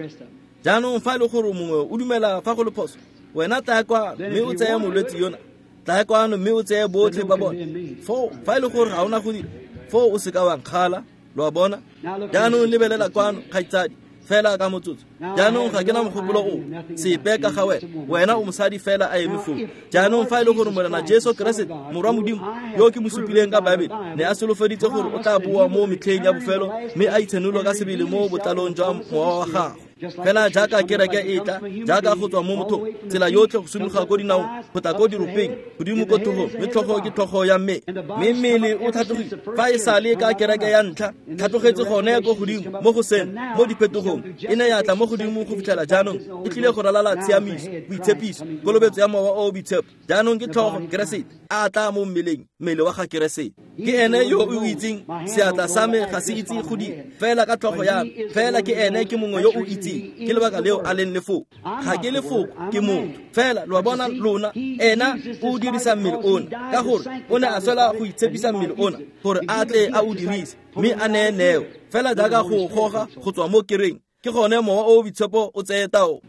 Jaanong fa e le gore mongwe o dumela fa go le phoso, wena tlaya kwano mme o tseye molwetse yona. Tlaya kwano mme o tseye botlhe ba bone. Foo fa e le gore ga ona go dira, foo o se ka wa nkgala. Lo a bona? Jaanong lebelela kwano, kgaitsadi, fela ka motsotso. Jaanong ga ke na mogopolo o sepe ka ga wena, wena o mosadi fela a eme foo. Jaanong fa e le gore Morena Jesu Keresete, Morwa Modimo, yo ke mo supileng ka Baebele, ne a solofeditse gore o tla boa mo metlheng ya bofelo, mme a itshenolo ka sebele mo botlalong jwa mowa wa gagwe. Fela jaaka kereke e tla, jaaka go tswa mo mothong, tsela yotlhe go simologa ko dinaong, go tla ko diropeng, godimo ko tlhogong, mme tlhogo ke tlhogo ya mme. Mme mmele o tlhatlogile, fa e sale ka kereke ya ntlha, tlhatlogetse gone ko godimo mo go seno, mo diphetogong, e ne ya tla mo godimo go fitlhela jaanong e tlile go ralala tshiamiso, boitshepiso, kolobetso ya mowa o o boitshepo. Jaanong ke tlhogo Keresete a tla mo mmeleng, mmele wa ga Keresete. Ke ene yo o itseng, seatla sa me ga se itse go dira, fela ka tlhogo ya me, fela ke ene ke mongwe yo o itseng. Ke lebaka leo a leng lefoko. Ga ke lefoko, ke motho. Fela lo a bona lona, ena o dirisa mmele ona, ka gore o ne a swela go itshepisa mmele ona, gore a tle a o dirise, mme a neye neo. Fela jaaka go goga go tswa mo kereng, ke gone mowa o o boitshepo o tseye tao.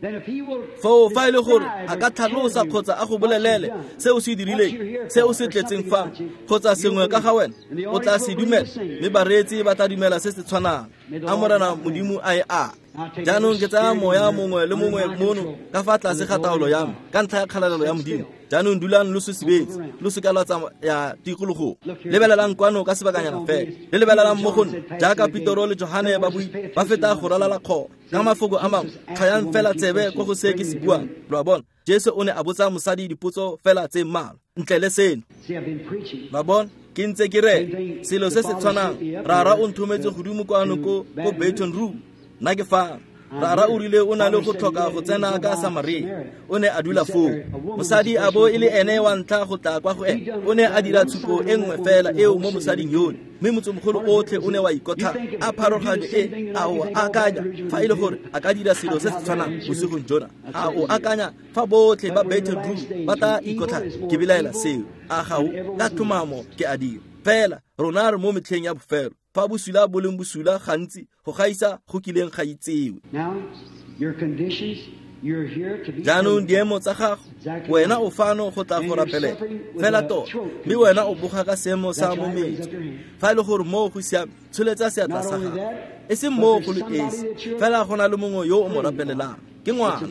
Foo fa e le gore a ka tlhalosa kgotsa a go bolelele se o se dirileng, se o se tletseng fano, kgotsa sengwe ka ga wena, o tla se dumela, mme bareetsi ba tla dumela se se tshwanang. A Morena Modimo a e a. Jaanong ke tsaya moya mongwe le mongwe mono ka fa tlase ga taolo ya me, ka ntlha ya kgalalelo ya Modimo. Jaanong dulang lo sesibetse, lo se ka lwa tsamaya tikologong. Lebelelang kwano ka sebakanyana fela, le lebelelang mo go nna, jaaka Petero le Johane ba bui, ba feta go ralala kgoro. Ka mafoko a mangwe, tlhayang fela tsebe ko go se ke se buang. Lo a bona? Jesu o ne a botsa mosadi dipotso fela tse mmalwa, ntle le seno. Lo a bona? Ke ntse ke re selo se se tshwanang, Rara o nthometse godimo kwano ko ko Baton Rouge. Nna ke fano. Rara o rile o na le go tlhoka go tsena ka Samaria. O ne a dula foo. Mosadi a bo e le ene wa ntlha go tla kwa go ene. O ne a dira tshupo e nngwe fela eo mo mosading yone, mme motsemogolo otlhe o ne wa ikotlha. A pharologanyo e, a o akanya fa e le gore a ka dira selo se se tshwanang bosigong jona? A o akanya fa botlhe ba Baton Rouge ba tla ikotlha? Ke belaela seo. A ga o ka tlhomamo ke a dira. Fela rona re mo metlheng ya bofelo, fa bosula bo leng bosula gantsi go gaisa go kileng ga itsewe. Jaanong diemo tsa gago, wena o fano go tla go rapelela fela tota, mme wena o boga ka seemo sa mometso. Fa e le gore moo go siame, tsholetsa seatla sa gago. E seng moo go le esi, fela go na le mongwe yo o mo rapelelang. Ke ngwana,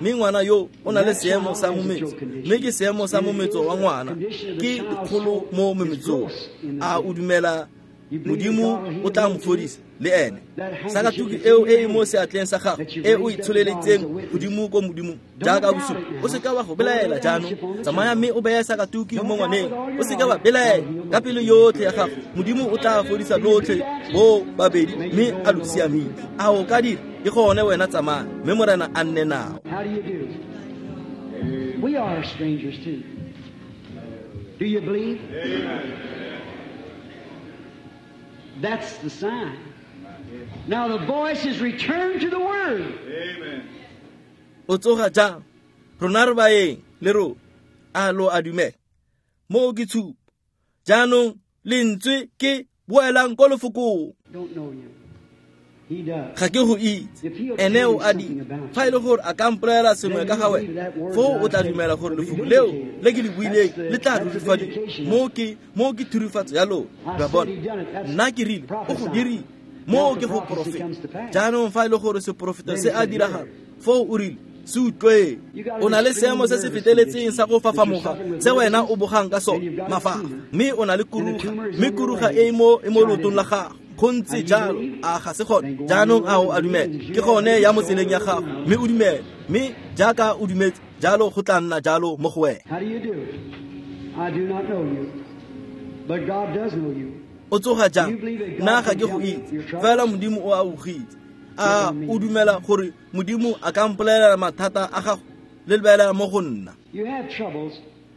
mme ngwana yo o na le seemo sa mometso, mme ke seemo sa mometso wa ngwana, ke dikgolo mo mometsong. A o dumela Modimo o tla mo fodisa? Le ene sakatuki eo e e mo seatleng sa gago e o itsholeletseng godimo ko modimong jaaka bosupo o seka wa go belaela jaanong tsamaya mme o beye sakatuki mo ngwaneng o seka wa belaela ka pelo yotlhe ya gago modimo o tla fodisa lotlhe bo babedi mme a lo siamile a o ka dira ke gone wena tsamaya mme morena a nne nao. How do you do? We are strangers too. Do you believe? Amen. That's the sign. Now the voice is returned to the Word. Amen. O tsoga jang? Rona re baeng le rona a lo a dumela mo ke tshupo jaanong lentswe ke boelang ko lefokong. Don't know you. He does. Ga ke go itse ene o a di fa e le gore a ka mpolelela sengwe ka ga wena foo o tla dumela gore lefoko leo le ke le buileng le tla rurifadiwa mo ke mo ke thurifatso ya lona ba bona nna ke rile o go dirile mo ke go porofeta jaanong fa e le gore seporofeta se a diragala foo o rile se utlwe o na le seemo se se feteletseng sa go fafamoga se wena o bogang ka sone mafafa mme o na le kuruga mme kuruga e mo e mo leotong la gago go ntse jalo a ga se gone jaanong a o a dumela ke gone ya mo tseleng ya gago mme o dumele mme jaaka o dumetse jalo go tla nna jalo mo go wena. How do you do? I do not know you, but God does know you. O tsoga jang? Nna ga ke go itse fela modimo o a o itse a o dumela gore modimo a ka mpolelela mathata a gago le lebelela mo go nna. You have troubles,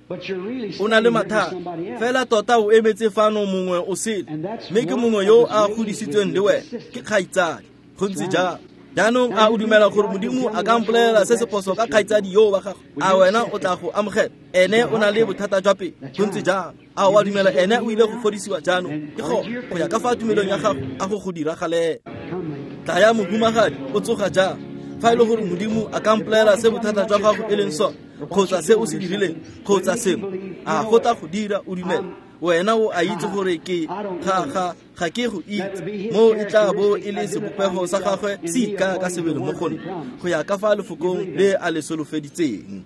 but you're really o na le standing here for mathata somebody else. fela tota o emetse fano mongwe o sele mme ke mongwe yo a godisitsweng le wena ke kgaitsadi go ntse jalo jaanong a o dumela gore modimo a ka mpolelela se se phoso ka kgaitsadi yo wa gago a wena o tla go amogela ene o na le bothata jwa pele go ntse jalo a o a dumela ene o ile go fodisiwa jaanong ke go go ya ka fa tumelong ya gago a go go diragalela. Come, lady. Tla ya mohumagadi o tsoga jang fa e le gore modimo a ka mpolelela se bothata jwa gago e leng sone kgotsa se o se dirileng kgotsa sengwe a go tla go dira o dumela wena o a itse gore ke ga ga ga ke go itse mo e tla bo e le sebopego sa gagwe se ikaya ka sebele mo go nna go ya ka fa lefokong le a le solofeditseng.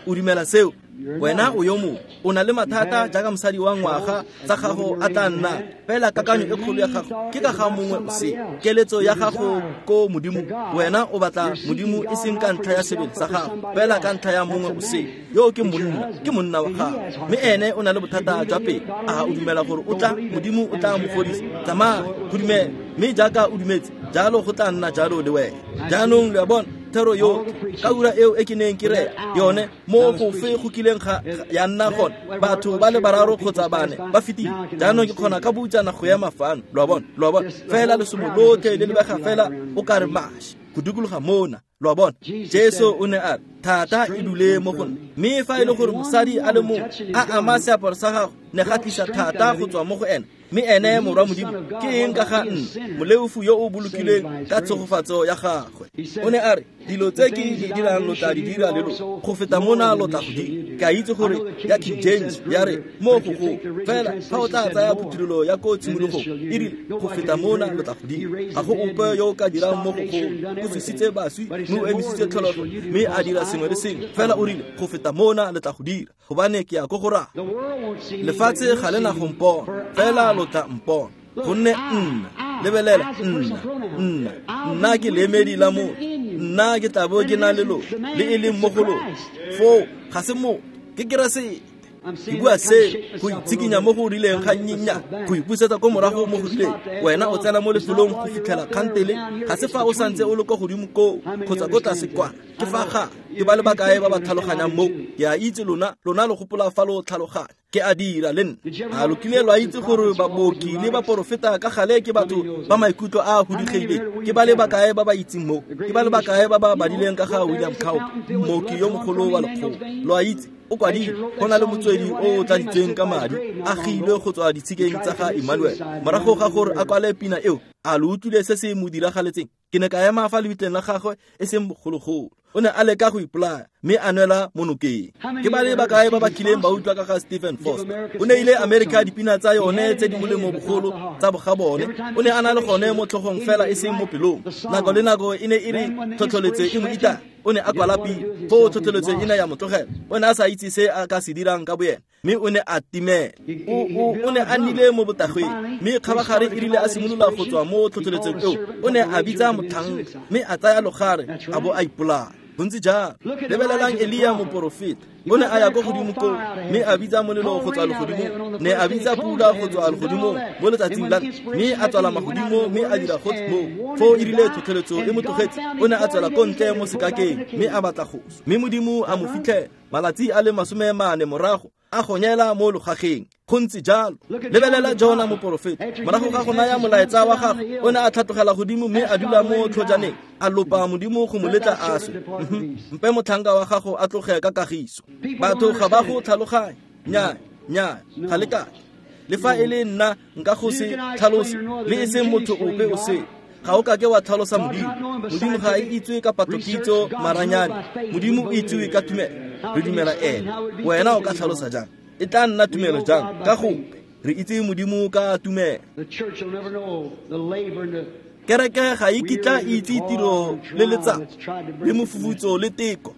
O dumela seo wena o yo mongwe o na le mathata jaaka mosadi wa ngwaga tsa gago a tla nna fela kakanyo e kgolo ya gago ke ka ga mongwe o se keletso ya gago ko modimo wena o batla modimo e seng ka ntlha ya sebele sa gago fela ka ntlha ya mongwe o se yo ke monna ke monna wa gago mme ene o na le bothata jwa pele a o dumela gore o tla modimo o tla mo fodisa tsamaya go dumela mme jaaka o dumetse jalo go tla nna jalo le wena jaanong le a bona thero yo ka ura eo e ke neng ke re yone mo go fe go kileng ga ya nna gone batho ba le bararo kgotsa bane ba fetile jaanong ke kgona ka boutsana go ema fano lo a bona lo a bona fela lesomo lotlhe le lebega fela o ka re mashi go dikologa mona lo a bona Jesu o ne a re thata e dule mo go nna mme fa e le gore mosadi a le mongwe a ama seaparo sa gago ne ga tlisa thata go tswa mo go ene mme ene morwa modimo ke eng ka ga nna moleofu yo o bolokilweng ka tshegofatso ya gagwe o ne a re dilo tse ke di dirang lo tla di dira le lona go feta mona lo tla go dira ke a itse gore ya King James ya re mo go go fela fa o tla tsaya phuthulolo ya ko tshimologong e rile go feta mona lo tla go dira ga go ope yo o ka dirang mo go go o tsositse baswi mme o emisitse tlholego mme a dira sengwe le sengwe fela o rile go feta mona le tla go dira gobane ke ya ko go raya lefatshe ga le na go mpona fela lo tla mpona gonne nna lebelela nna nna nna ke leemedi la motho nna ke tla bo ke na le lona le e leng mo go lona foo ga se motho ke Keresete ke bua se go itshikinya mo go rileng ga nnyennyane go ipusetsa ko morago mo go rileng wena o tsena mo lefelong go fitlhela kgantele ga se fa o santse o le ko godimo koo kgotsa ko tlase kwa ke fa ga ke ba le bakae ba ba tlhaloganyang mo ke a itse lona lona lo gopola fa lo tlhaloganya ke a dira le nna a lo kile lwa itse gore baboki le baporofeta ka gale ke batho ba maikutlo a a hudigileng ke ba le bakae ba ba itseng mo ke ba le bakae ba ba badileng ka ga William Cowper mmoki yo mogolo wa lekgolo lo a itse o kwadile go na le motswedi o o tladitsweng ka madi a gilwe go tswa ditshikeng tsa ga Emmanuel morago ga gore a kwale pina eo a lo utlwile se se mo diragaletseng ke ne ka ema fa lebitleng la gagwe e seng bogologolo o ne a leka go ipolaya mme a nwela mo nokeng ke ba le bakae ba ba kileng ba utlwa ka ga Stephen Foster o ne ile America dipina tsa yone tse di molemo bogolo tsa bogabone o ne a na le gone mo tlhogong fela e seng mo pelong nako le nako e ne e re tlhotlheletso e mo ita o ne a kwala pina foo tlhotlheletso e ne ya mo tlogela o ne a sa itse se a ka se dirang ka boyena Mme o ne a timela. O o o ne a nnile mo botagweng, mme kgabagare e rile a simolola go tswa mo tlhotlheletsong eo, o ne a bitsa motlhanka mme a tsaya logare a bo a ipolaya. Go ntse jalo. Lebelelang Elia moporofeta. O ne a ya ko godimo koo mme a bitsa molelo go tswa legodimong, ne a bitsa pula go tswa legodimong mo letsatsing la mme a tswala magodimo mme a dira gotlhe moo. Foo e rile tlhotlheletso e mo tlogetse, o ne a tswela ko ntle mo sekakeng mme a batla go swa. Mme Modimo a mo fitlhela malatsi a le masome mane morago a gonyela mo logageng. Go ntse jalo. Lebelela Jona moporofeta. Morago ga go naya molaetsa wa gagwe, o ne a tlhatlogela godimo mme a dula mo tlhojaneng, a lopa Modimo go mo letla a swe. Mpe motlhanka wa gago a tloge ka kagiso. Batho ga ba go tlhaloganye. Nnyaa, nnyaa, ga le kake. Le fa e le nna nka go se tlhalose, le e seng motho ope o sele. Ga o kake wa tlhalosa Modimo. Modimo ga e itsewe ka patlokitso maranyane. Modimo o itsewe ka tumelo. Re dumela ene. Wena o ka tlhalosa jang? E tla nna tumelo jang? Ka gope. Re itse Modimo ka tumelo. Kereke ga e kitla e itse tiro le letsapa le mofufutso le teko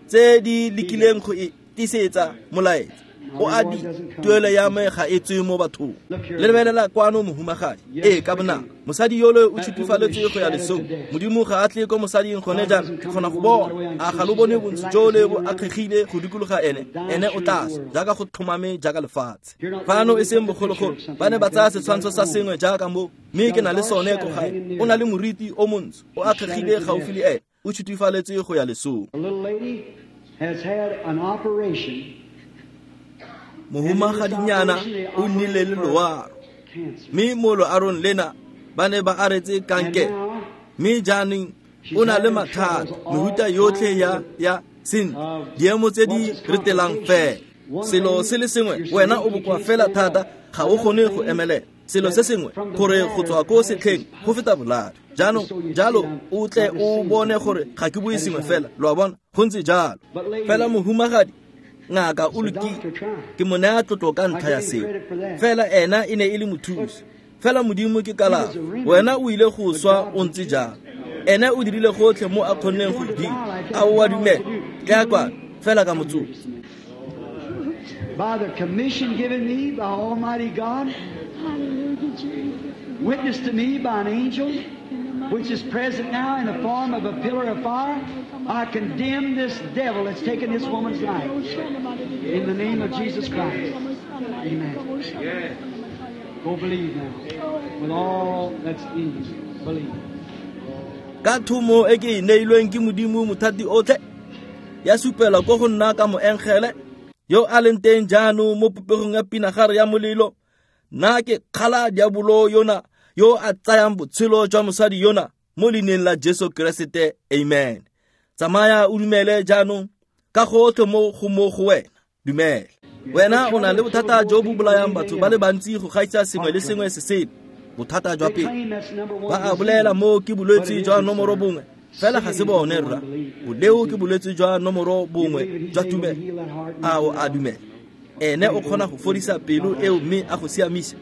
tse di lekileng go e tiisetsa molaetsa. O a di tuelo ya me ga e tswe mo bathong. Le lebelela kwano mohumagadi. Ee, ka bonako. Mosadi yole o tshutufaletswe go ya lesong. Modimo ga a tle ko mosading gone jaanong. Ke kgona go bona. A ga lo bone bontsi jole bo akgegile go dikologa ene. Ene o tla swa jaaka go tlhomame jaaka lefatshe. Fano e seng bogologolo, ba ne ba tsaya setshwantsho sa sengwe jaaka mo, mme ke na le sone ko gae. O na le moriti o montsho, o akgegile gaufi le ene, o tshutufaletswe go ya lesong. A little lady has had an operation. Mohumagadinyana o nnile le loaro, mme mo loarong lena ba ne ba aretse kankere, mme jaanong o na le mathata mehuta yotlhe ya ya sentle, diemo tse di retelang fela. Selo se le sengwe, wena o bokoa fela thata, ga o kgone go emelela. Selo se sengwe, gore go tswa ko setlheng go feta boladu. Jaanong jalo o tle o bone gore ga ke bue sengwe fela, lo a bona, go ntse jalo. Fela mohumagadi, ngaka o lokile, ke mo naya tlotlo ka ntlha ya seo. Fela ena e ne e le mothusi. Fela Modimo ke kalafo. Wena o ile go swa o ntse jalo. Ene o dirile gotlhe mo a kgonneng go dira. A o a dumela? Tlaya kwano fela ka motsotso. By the commission given me by Almighty God, witnessed to me by an angel, which is present now in the form of a pillar of fire, I condemn this devil that's taken this woman's life. In the name of Jesus Christ. Amen. Go believe now. With all that's in you. Believe. Ka thomo e ke e neilweng ke Modimo mothati otlhe, ya supela ko go nna ka moengele yo a leng teng jaanong mo popegong ya pinagare ya molelo. Nna ke kgala diabolo yona yo a tsayang botshelo jwa mosadi yona mo leineng la Jesu Keresete. Amen. Tsamaya o dumele jaanong ka gotlhe mo go mo go wena. Dumela. Wena o na le bothata jo bo bolayang batho ba le bantsi go gaisa sengwe le sengwe se sele. Bothata jwa pele. Ba a bolela mo ke bolwetse jwa nomoro bongwe, fela ga se bone rra. Boleo ke bolwetse jwa nomoro bongwe jwa tumelo. A o a dumela? Ene o kgona go fodisa pelo eo mme a go siamisa.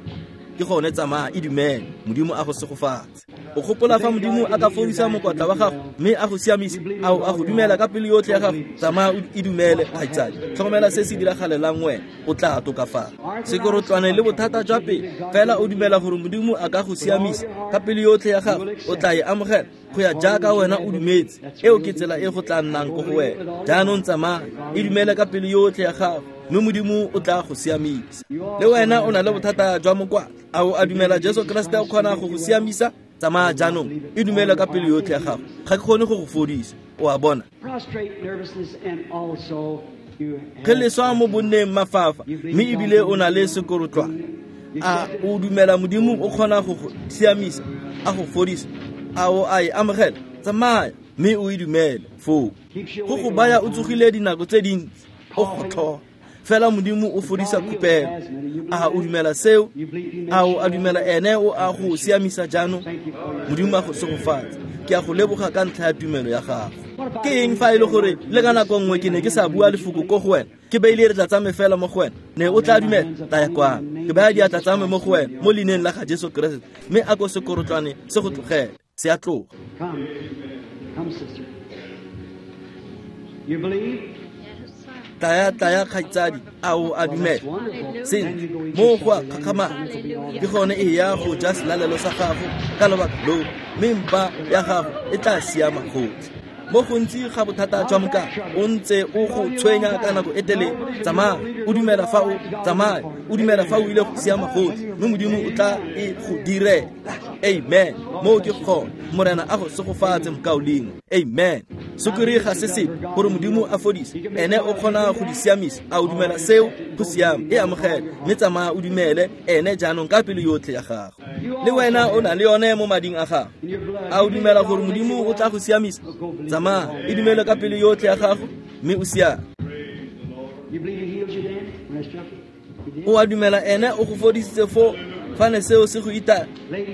Ke gone tsamaya e dumele. Modimo a go segofatse. O gopola fa Modimo a ka fodisa mokwatla wa gago mme a go siamisa, a o a go dumela ka pelo yotlhe ya gago? Tsamaya e dumele, kgaitsadi. Tlhokomela se se diragalelang wena, o tla tokafala. Sekorotlwane le bothata jwa pele, fela o dumela gore Modimo a ka go siamisa ka pelo yotlhe ya gago, o tla e amogela go ya jaaka wena o dumetse. Eo ke tsela e go tla nnang ko go wena. Jaanong tsamaya e dumele ka pelo yotlhe ya gago, mme Modimo o tla go siamisa. Le wena o na le bothata jwa mokwatla, a o a dumela Jesu Keresete o kgona go go siamisa? Tsamaya jaanong e dumele ka pelo yotlhe ya gago. Ga ke kgone go go fodisa, o a bona. Ge leswa mo bonneng mafafa, mme ebile o na le sekorotlwane. A o dumela Modimo o kgona go go siamisa, a go fodisa? A o a e amogela? Tsamaya mme o e dumele foo. Go go baya o tsogile dinako tse dintsi, o gotlhola. Fela Modimo o fodisa khupelo. A o dumela seo? A o a dumela ene o a go siamisa jaanong? Modimo a go segofatse. Ke a go leboga ka ntlha ya tumelo ya gago. Ke eng fa e le gore le ka nako nngwe ke ne ke sa bua lefoko ko go wena, ke beile diatla tsa me fela mo go wena, ne o tla dumela? Taya kwano. Ke baya diatla tsa me mo go wena mo leineng la ga Jesu Keresete, mme a ko sekorotlwane se go tlogele. Se a tloga. Come, come, sister. You believe? Yes, sir. Tlaya tlaya kgaitsadi, a o a dumela? Sentle, mo go a kgakgamatsa. Ke gone e ya go ja selalelo sa gago ka lobaka loo, mme mpa ya gago e tla siama gotlhe. Mo gontsi ga bothata jwa mokana o ntse o go tshwenya ka nako e telele. Tsamaya o dumela fa o tsamaya o dumela fa o ile go siama gotlhe, mme Modimo o tla e go direla. Amen. Mo ke gone. Morena a go segofatse mokaulengwe. Amen. Sukiri ga se sepe gore Modimo a fodise, ene o kgona go di siamisa. A o dumela seo? Go siame, e amogele mme tsamaya o dumele ene jaanong ka pelo yotlhe ya gago. Le wena o na le yone mo mading a gago. A o dumela gore Modimo o tla go siamisa? Tsamaya e dumele ka pelo yotlhe ya gago mme o siame. O a dumela ene o go fodisitse fo fa ne seo se go ita,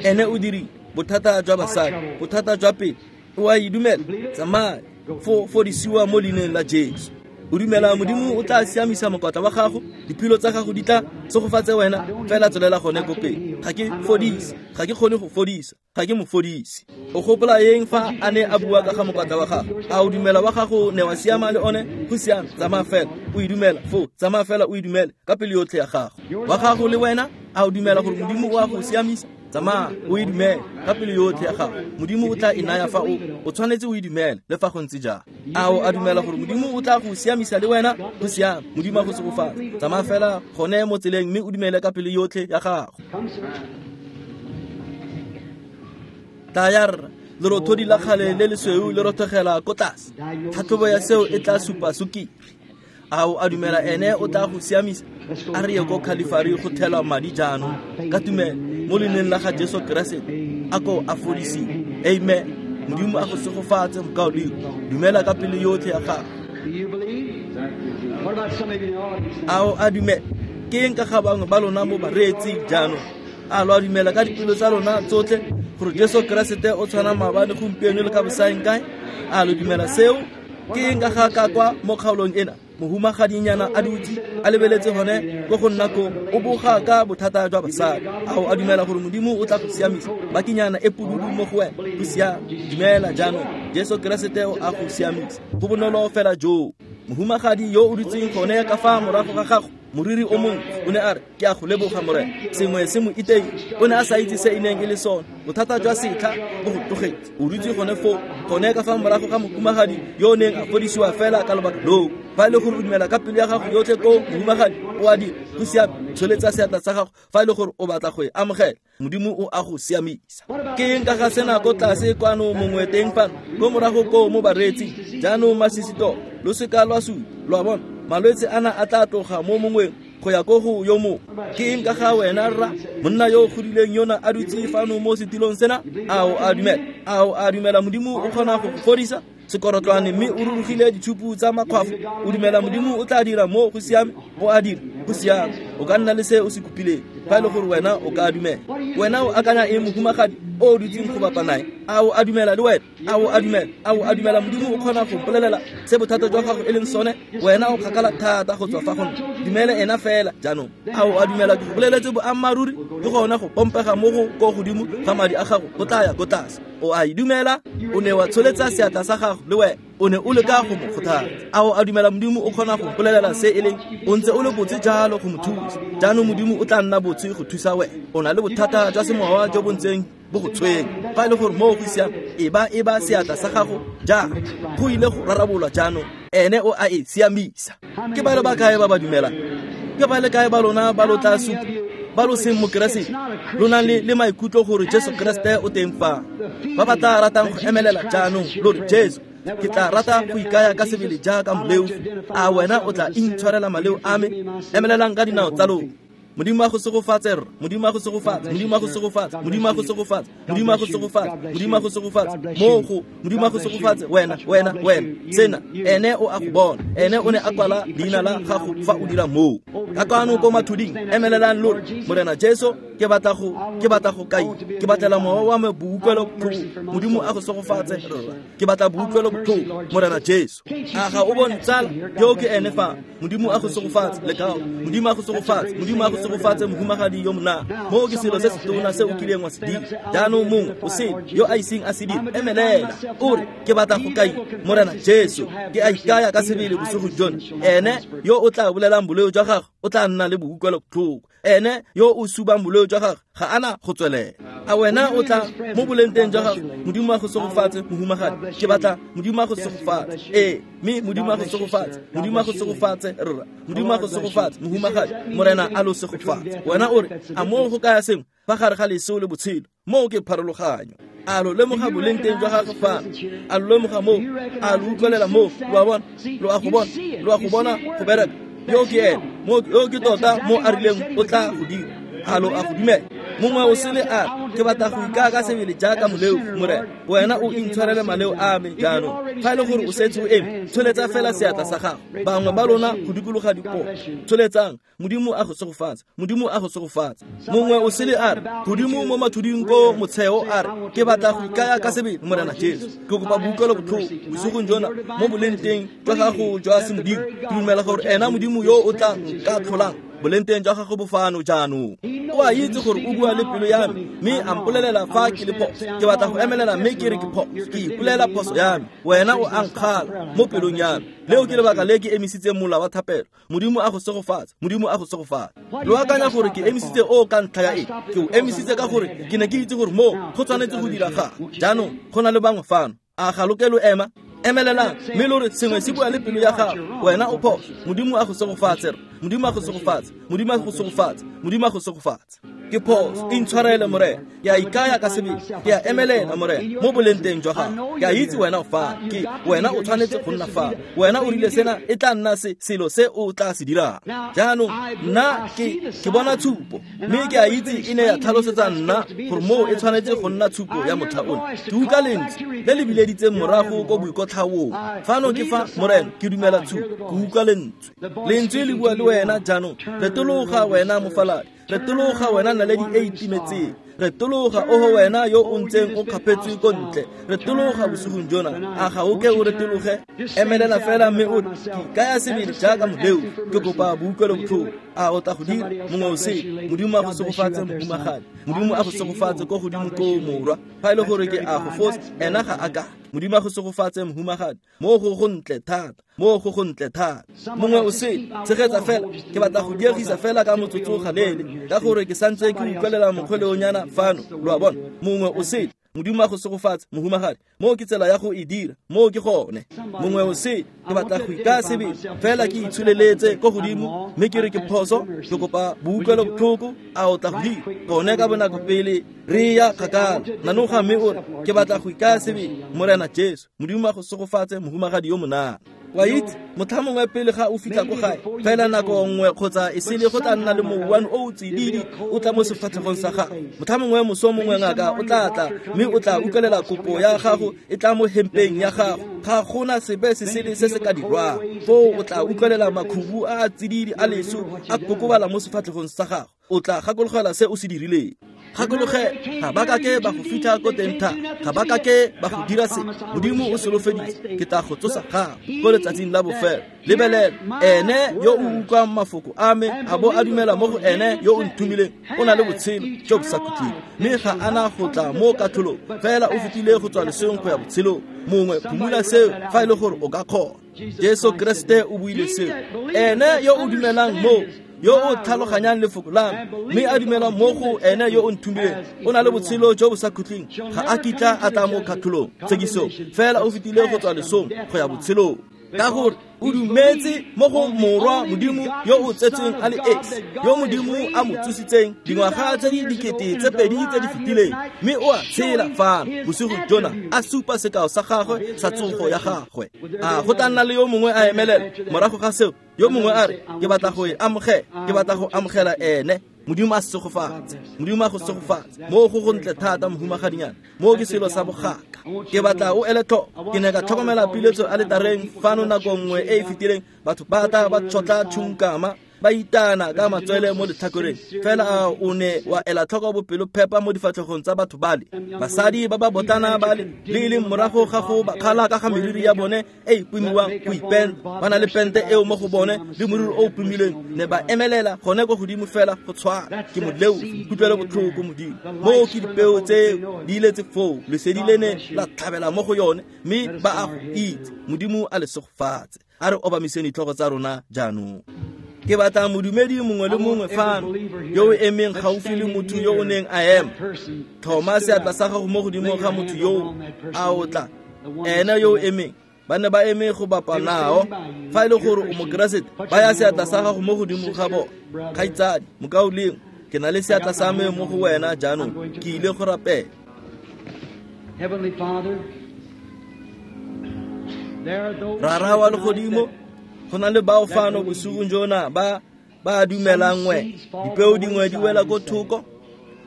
ene o dirile bothata jwa basadi, bothata jwa pele. O a e dumela? Tsamaya fo fodisiwa mo leineng la Jesu. O dumela Modimo o tla siamisa mokwatla wa gago, diphilo tsa gago di tla segofatse wena, fela tswelela gone ko pele. Ga ke fodise, ga ke kgone go fodisa, ga ke mofodisi. O gopola eng fa a ne a bua ka ga mokwatla wa gago? A o dumela wa gago ne wa siama le one? Go siame, tsamaya fela o e dumela fo, tsamaya fela o e dumele ka pelo yotlhe ya gago. Wa gago le wena, a o dumela gore Modimo o a go siamisa? Tsamaya o e dumele ka pelo yotlhe ya gago. Modimo o tla e naya fa o o tshwanetse o e dumele le fa go ntse jang. A o a dumela gore Modimo o tla go siamisa le wena? Go siame, Modimo a go segofatse. Tsamaya fela gone mo tseleng mme o dumele ka pelo yotlhe ya gago. Tlaya rra, lerothodi la kgale le lesweu le rothogela ko tlase. Tlhatlhobo ya seo e tla supa sukiri. A o a dumela ene o tla go siamisa? A re ye ko Calvary go thelwa madi jaanong ka tumelo mo leineng la ga Jesu Keresete, a ko a fodisiwe. Amen. Modimo a go segofatse mokaulengwe. Dumela ka pelo yotlhe ya gago. A o a dumela? Ke eng ka ga bangwe ba lona mo bareetsing jaanong? A lo a dumela ka dipelo tsa lona tsotlhe gore Jesu Keresete o tshwana maabane, gompieno le ka bosaeng kae? A lo dumela seo? Ke eng ka ga ka kwa mo kgaolong ena? Mohumagadinyana a dutse a lebeletse gone ko go nna ko o boga ka bothata jwa basadi. A o a dumela gore Modimo o tla go siamisa? Bakinyana e pududu mo go wena. Go siame, dumela jaanong Jesu Keresete o a go siamisa. Go bonolo fela joo. Mohumagadi yo o dutseng gone ka fa morago ga gago, moriri o mongwe, o ne a re, ke a go leboga Morena. Sengwe se mo itei, o ne a sa itse se e neng e le sone. Bothata jwa setlha bo go tlogetse. O dutse gone foo, gone ka fa morago ga mohumagadi yo o neng a fodisiwa fela ka lobaka loo. Fa e le gore o dumela ka pelo ya gago yotlhe ko mohumagadi, o a dira. Go siame, tsholetsa seatla sa gago fa e le gore o batla go e amogela. Modimo o a go siamisa. Ke eng ka ga sena ko tlase kwano mongwe teng fano, ko morago ko mo bareetsing? Jaanong masisito, lo seka lwa supa, lo a bona? Malwetse ana a tla tloga mo mongweng go ya ko go yo mongwe. Ke eng ka ga wena rra, monna yo o godileng yona a dutse fano mo setilong sena? A o a dumela? A o a dumela Modimo o kgona go go fodisa sekorotlwane mme o rurugile ditshupu tsa makgwafo? O dumela Modimo o tla dira mo go siame? O a dira, go siame. O ka nna le se o se kopileng fa e le gore wena o ka dumela. Wena o akanya eng mohumagadi o dutseng go bapa nae? A o a dumela le wena? A o a dumela? A o a dumela Modimo o kgona go mpolelela se bothata jwa gago e leng sone? Wena o kgakala thata go tswa fa go nna. Dumele ena fela jaanong. A o a dumela ke go boleletse boammaaruri? Ke gona go pompega mo go ko godimo ga madi a gago go tla ya ko tlase. O a e dumela? O ne wa tsholetsa seatla sa gago le wena. O ne o leka go mo kgothatsa. A o a dumela Modimo o kgona go mpolelela se e leng? O ntse o le botse jalo go mo thusa. Jaanong Modimo o tla nna botse go thusa wena. O na le bothata jwa semowa jo bo ntseng bo go tshwenya. Fa e le gore moo go siame, e ba e ba seatla sa gago jang, go ile go rarabolwa jaanong. Ene o a e siamisa. Ke ba le ba kae ba ba dumelang? Ke ba le kae ba lona ba lo tla supa ba lo seng mokeresete, lo nang le le maikutlo gore Jesu Keresete o teng fa? Ba ba tla ratang go emelela jaanong lo re, Jesu, ke tla rata go ikaya ka sebele jaaka moleofi. A wena o tla intshwarela maleo a me? Emelelang ka dinao tsa lona. Modimo a go segofatse rra, Modimo a go segofatse, Modimo a go segofatse, Modimo a go segofatse, Modimo a go segofatse, Modimo a go segofatse. Mo go Modimo a go segofatse wena, wena, wena. Sena ene o a go bona. Ene o ne a kwala leina la gago fa o dira moo. Ka kwano ko mathuding, emelelang lo re, Morena Jesu, ke batla go, ke batla go kai, ke batlela mowa wa me boutlwelo botlhoko. Modimo a go segofatse rra, ke batla boutlwelo botlhoko, Morena Jesu. A ga o bone tsala yo ke ene fa? Modimo a go segofatse lekao. Modimo a go segofatse, Modimo a go segofatse mohumagadi yo mona. Moo ke selo se se tona se o kileng wa se dira. Jaanong mongwe o sele yo a iseng a se dire, emelela o re ke batla go kai Morena Jesu, ke a ikaya ka sebele bosigo jona. Ene yo o tla bolelang boleo jwa gagwe o tla nna le boutlwelo-botlhoko. Ene yo o subang boleo jwa gagwe ga ana go tswelela. A wena o tla mo boleng teng jwa gago? Modimo a go segofatse mohumagadi. Ke batla Modimo a go segofatse. Ee, mme Modimo a go segofatse. Modimo a go segofatse rra. Modimo a go segofatse mohumagadi. Morena a lo segofatse. Wena o re a moo go kaya sengwe fa gare ga leso le botshelo. Moo ke pharologanyo. A lo lemoga boleng teng jwa gagwe fano? A lo lemoga moo? A lo utlwelela moo? Lo a bona? Lo a go bona? Lo a go bona go bereka? Yo ke ene. Mo yo ke tota mo a rileng o tla go dira. A lo a go dumela? Mongwe o sele a ke batla go ikaya ka sebele jaaka moleo, Morena. Wena o intshwarele maleo a me jaanong. Fa e le gore o setse o eme, tsholetsa fela seatla sa gago. Bangwe ba lona go dikologa dipopo, tsholetsang. Modimo a go segofatse. Modimo a go segofatse. Mongwe o sele a re godimo mo mathuding ko motsheo a re ke batla go ikaya ka sebele Morena Jesu. Ke kopa boutlwelo-botlhoko bosigong jona mo boleng teng jwa gago jwa semodimo. Ke dumela gore ena Modimo yo o tla nka tlholang boleng teng jwa gago bo fano jaanong. O a itse gore o bua le pelo ya me, mme a mpolelela fa ke le phoso. Ke batla go emelela mme ke re ke phoso. Ke ipolela phoso ya me. Wena o a nkgala mo pelong ya me. Leo ke lebaka le ke emisitseng mola wa thapelo. Modimo a go segofatse. Modimo a go segofatse. Lo akanya gore ke emisitse o ka ntlha ya eng? Ke o emisitse ka gore ke ne ke itse gore moo go tshwanetse go diragala. Jaanong go na le bangwe fano. A ga lo ke lo ema? Emelelang mme lo re sengwe se bua le pelo ya gago. Wena o phoso. Modimo a go segofatse. Modimo a go segofatse. Modimo a go segofatse. Modimo a go segofatse. Ke phoso. Intshwarele Morena. Ke a ikaya ka sebele. Ke a emelela Morena mo boleng teng jwa gago. Ke a itse wena o fa. Ke wena o tshwanetse go nna fa. Wena o rile sena e tla nna se selo se o tla se dirang. Jaanong nna ke ke bona tshupo, mme ke a itse e ne ya tlhalosetsa nna gore moo e tshwanetse go nna tshupo ya motlha ono. Ke utlwa lentswe le le bileditseng morago ko boikotlhaong. Fano ke fa Morena ke dumela tshupo. Ke utlwa lentswe. Lentswe le bua le wena jaanong. Retologa wena mofaladi. Retologa wena naledi e itimetseng. Retologa oho wena yo o ntseng o kgapetswe ko ntle. Retologa bosigong jona. A ga o ke o retologe? Emelela fela mme o re ke ikaya sebele jaaka moleo. Ke kopa boutlwelo-botlhoko. A o tla go dira? Mongwe o sele. Modimo a go segofatse mohumagadi. Modimo a go segofatse ko godimo ko morwa. Fa e le gore ke a go fosa, ena ga a ka. Modimo a go segofatse mohumagadi. Mo go go ntle thata. Mo go go ntle thata. Mongwe o sele. Tshegetsa fela. Ke batla go diegisa fela ka motsotso galele, ka gore ke santse ke utlwelela mokgweleonyana fano. Lo a bona? Mongwe o sele. Modimo a go segofatse mohumagadi. Moo ke tsela ya go e dira. Moo ke gone. Mongwe o sele. Ke batla go ikaya sebele fela ke itsholeletse ko godimo mme ke re ke phoso. Ke kopa boutlwelo-botlhoko. A o tla go dira? Gone ka bonako pele re ya kgakala. Nanoga mme o re ke batla go ikaya sebele Morena Jesu. Modimo a go segofatse mohumagadi yo monana. Wa itse motlha mongwe pele ga o fitlha ko gae, fela nako nngwe kgotsa e sele go tla nna le mouwane o o tsididi o tla mo sefatlhegong sa gago. Motlha mongwe moso mongwe ngaka o tla tla mme o tla utlwelela kopo ya gago e tla mo hempeng ya gago. Ga gona sepe se sele se se ka dirwang. Foo o tla utlwelela makhubu a a tsididi a leso a kokobala mo sefatlhegong sa gago. O tla gakologelwa se o se dirileng. Gakologelwa, ga ba kake ba go fitlha ko teng thata. Ga ba kake ba go dira se. Modimo o solofeditse ke tla go tsosa gago ko letsatsing la bofelo. Lebelela, ene yo o utlwang mafoko a me a bo a dumela mo go ene yo o nthomileng o na le botshelo jo bo sa khutleng, mme ga ana go tla mo katlholong, fela o fetile go tswa lesong go ya botshelong. Mongwe phumula seo fa e le gore o ka kgona. Jesu Kriste o buile seo. Ene yo o dumelang mo, yo o tlhaloganyang lefoko la me, mme a dumela mo go ene yo o nthomileng, o na le botshelo jo bo sa khutleng, ga a kitla a tla mo katlholong tshekisong, fela o fetile go tswa lesong go ya botshelong. Ka gore o dumetse mo go morwa Modimo yo o tsetsweng a le esi, yo Modimo a mo tsositseng dingwaga tse di dikete tse pedi tse di fetileng, mme o a tshela fano bosigo jona a supa sekao sa gagwe sa tsogo ya gagwe. A go tla nna le yo mongwe a emelela morago ga seo, yo mongwe a re ke batla go e amogela, ke batla go amogela ene. Modimo a segofatse. Modimo a go segofatse. Mo go go ntle thata mohumagadinyana. Mo ke selo sa bogaka. Ke batla o ele tlhoko. Ke ne ka tlhokomela piletso aletareng fano nako nngwe e e fetileng. Batho ba tla ba tshotla tšhunkama ba itana ka matswele mo letlhakoreng fela a o ne wa ela tlhoko bopelophepa mo difatlhegong tsa batho bale basadi ba ba botlana bale le e leng morago ga go ba kgala ka ga meriri ya bone e e pomiwang go ipenta ba na le pente eo mo go bone le moriri o o pomilweng ne ba emelela gone ko godimo fela go tshwana ke moleo kutlwelo botlhoko Modimo moo ke dipeo tse di iletse foo lesedi le ne la tlhabela mo go yone mme ba a go itse Modimo a le segofatse a re obamiseng ditlhogo tsa rona jaanong ke batla modumedi mongwe le mongwe fano yo o emeng gaufi le motho yo o neng a ema tlhoma seatla sa gago mo godimo ga motho yo a o tla ene yo o emeng ba ne ba eme go bapa nao fa e le gore o mokeresete baya seatla sa gago mo godimo ga bona kgaitsadi mokaulengwe ke na le seatla sa me mo go wena jaanong ke ile go rapela. Heavenly Father, there are those Rara wa legodimo go na le bao fano bosigong jona ba ba dumelang wena dipeo dingwe di wela ko thoko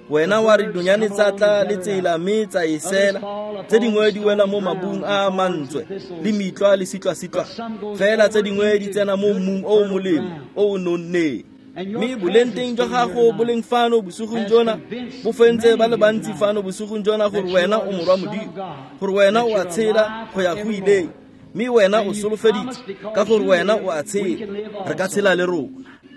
wena wa re dinonyane tsa tla le tsela mme tsa e sela tse dingwe di wela mo mabung a mantswe le mitlwa le sitlwa-sitlwa fela tse dingwe di tsena mo mmung o o molemo o o nonneng mme boleng jwa gago bo leng fano bosigong jona bo fentse ba le bantsi fano bosigong jona gore wena o morwa Modimo gore wena o a tshela go ya go ileng mme wena o solofeditse ka gore wena o a tshela re ka tshela le rona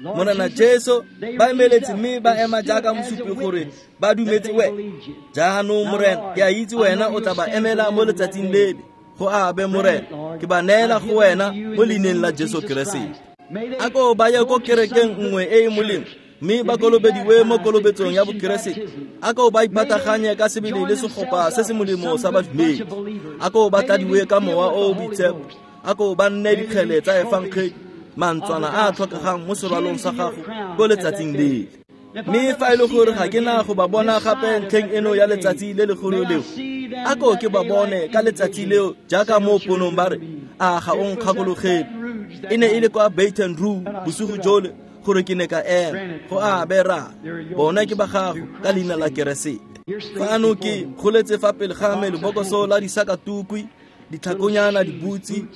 Morena Jesu ba emeletse mme ba ema jaaka mosupi gore ba dumetse wena jaanong Morena ke a itse wena o tla ba emela mo letsatsing lele go abe Morena ke ba neela go wena mo leineng la Jesu Keresete a ko ba ye ko kerekeng nngwe e e molemo mme ba kolobediwe mo kolobetsong ya bokeresete a ko ba ipataganye ka sebele le segopa se se molemo sa badumedi a ko ba tladiwe ka mowa o o boitshepo a ko ba nne dikgele tsa efangedi mantswana a a tlhokegang mo serwalong sa gago ko letsatsing lele mme fa e le gore ga ke na go ba bona gape ntlheng eno ya letsatsi le legolo leo a ko ke ba bone ka letsatsi leo jaaka mo ponong ba re a ga o nkgakologele e ne e le kwa Baton Rouge bosigo jole gore ke ne ka ema go abe ra bona ke ba gago ka leina la Keresete fano ke goletse fa pele ga me lebokoso la disakatukwi ditlhakonyana dibutsi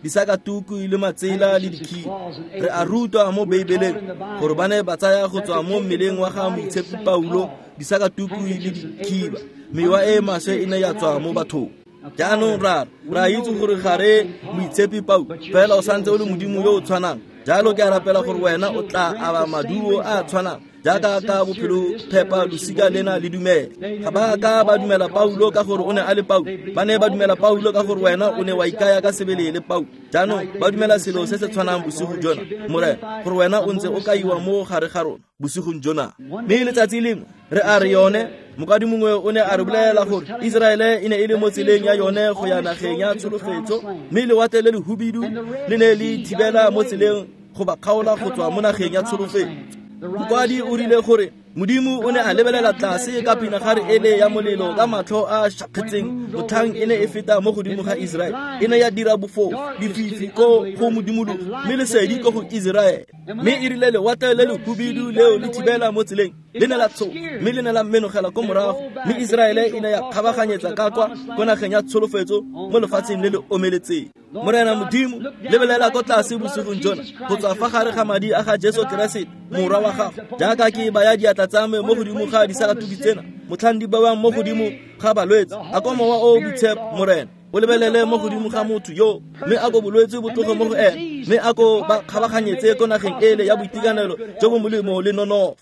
disakatukwi le matsela le dikhiba re a rutwa mo Beibeleng gore ba ne ba tsaya go tswa mo mmeleng wa ga moitshepi Paulo disakatukwi le dikhiba mewa e maswe e ne ya tswa mo bathong jaanong ra ra itse gore ga re moitshepi Paulo fela o santse o le Modimo yo o tshwanang jalo ke a rapela gore wena o tla aba maduo a tshwanang jaaka ka bophelo phepa losika lena le dumela ga ba ka ba dumela Paulo ka gore o ne a le Paulo ba ne ba dumela Paulo ka gore wena o ne wa ikaya ka sebele le Paulo jaanong ba dumela selo se se tshwanang bosigo jona Morena gore wena o ntse o kaiwa mo gare ga rona bosigong jona mme letsatsi lengwe re a re yone mokwadi mongwe o ne a re bolela gore Iseraele e ne e le mo tseleng ya yone go ya nageng ya tsholofetso mme lewatle le lehubidu le ne le thibela mo tseleng go ba kgaola go tswa mo nageng ya tsholofetso mokwadi o rile gore Modimo o ne a lebelela tlase ka pinagare ele ya molelo ka matlho a šakgetseng motlhang e ne e feta mo godimo ga Iseraele e ne ya dira bofo lefifi ko go modimologo mme lesedi ko go Iseraele mme e rile lewatle le lehubidu leo le thibela mo tseleng le ne la tshoga mme le ne la menogela ko morago mme Iseraele e ne ya kgabaganyetsa ka kwa ko nageng ya tsholofetso mo lefatsheng le le omeletseng Morena Modimo lebelela ko tlase bosigong jona go tswa fa gare ga madi a ga Jesu Keresete morwa wa gago jaaka ke baya diatla tsa me mo godimo ga disakatuki tsena motlhang di bewang mo godimo ga balwetse a ko mowa o o boitshepo Morena o lebelele mo godimo ga motho yo mme a ko bolwetse bo tloge mo go ene mme a ko ba kgabaganyetse ko nageng ele ya boitekanelo jo bo molemo le nonofo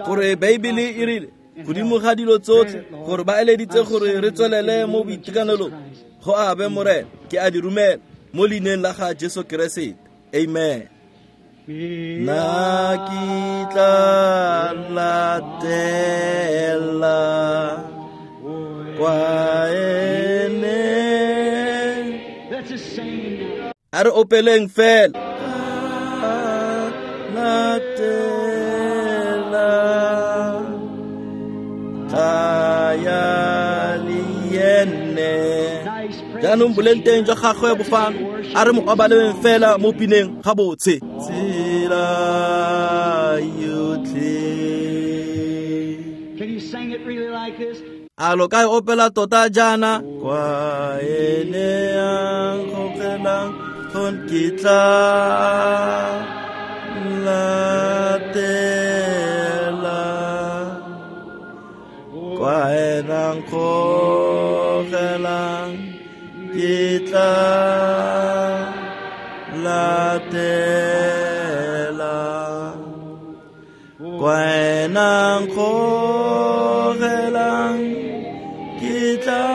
gore Beibele e rile godimo ga dilo tsotlhe gore ba eleditse gore re tswelele mo boitekanelong go abe Morena ke a di romela mo leineng la ga Jesu Keresete amen nna ke tla latela kwa ene a re opeleng fela latela tla le ene jaanong boleng teng jwa gagwe bo fano a re mo obaleng fela mo pineng ga botse tsela yotlhe. Can you sing it really like this? A lo ka e opela tota jaana kwa ene a nkgogelang go yone ke tla latela kwa ena nkgogelang ke tla latela kwa ena nkgogelang ke tla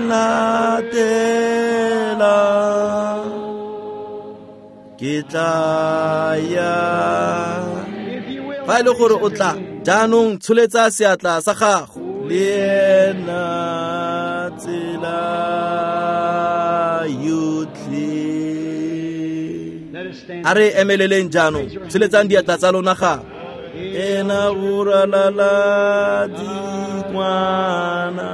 latela ke tla ya. Fa e le gore o tla jaanong tsholetsa seatla sa gago le ena tsela yotlhe. A re emeleleng jaanong, tsholetsang diatla tsa lona ga ena boralala dingwana.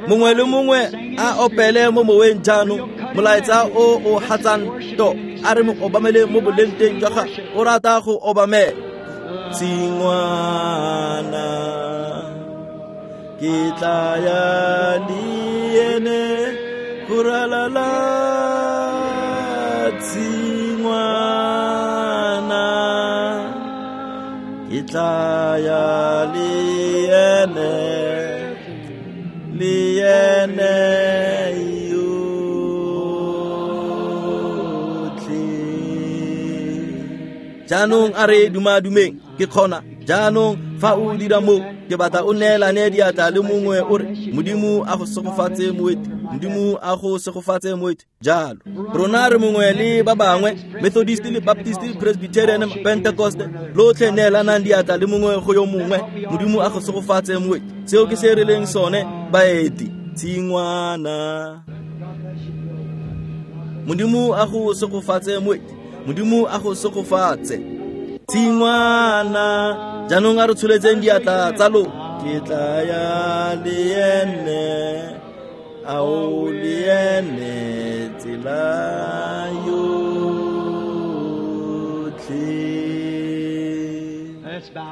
Mongwe le mongwe a opele mo moweng jaanong molaetsa o o hatsang to a re mo obamele mo boleng teng jwa gagwe o rata go obamela. Tshingwana ke tla ya le ene go ralala tshingwana ke tla ya le ene le ene yotlhe. Jaanong a re dumadumeng ke kgona jaanong fa o dira mo ke batla o neelane diatla le mongwe o re Modimo a go segofatse moeti, Modimo a go segofatse moeti. Jalo rona re mongwe le ba bangwe, Methodist le Baptist, Presbyterian, Pentecost, lotlhe neelanang diatla le mongwe go yo mongwe. Modimo a go segofatse moeti. Seo ke se re leng sone baeti. Tshingwana. Modimo a go segofatse moeti, Modimo a go segofatse. Tshingwana. Jaanong a re tsholetseng diatla tsa lo ke tla ya le ene ao le ene tsela yotlhe.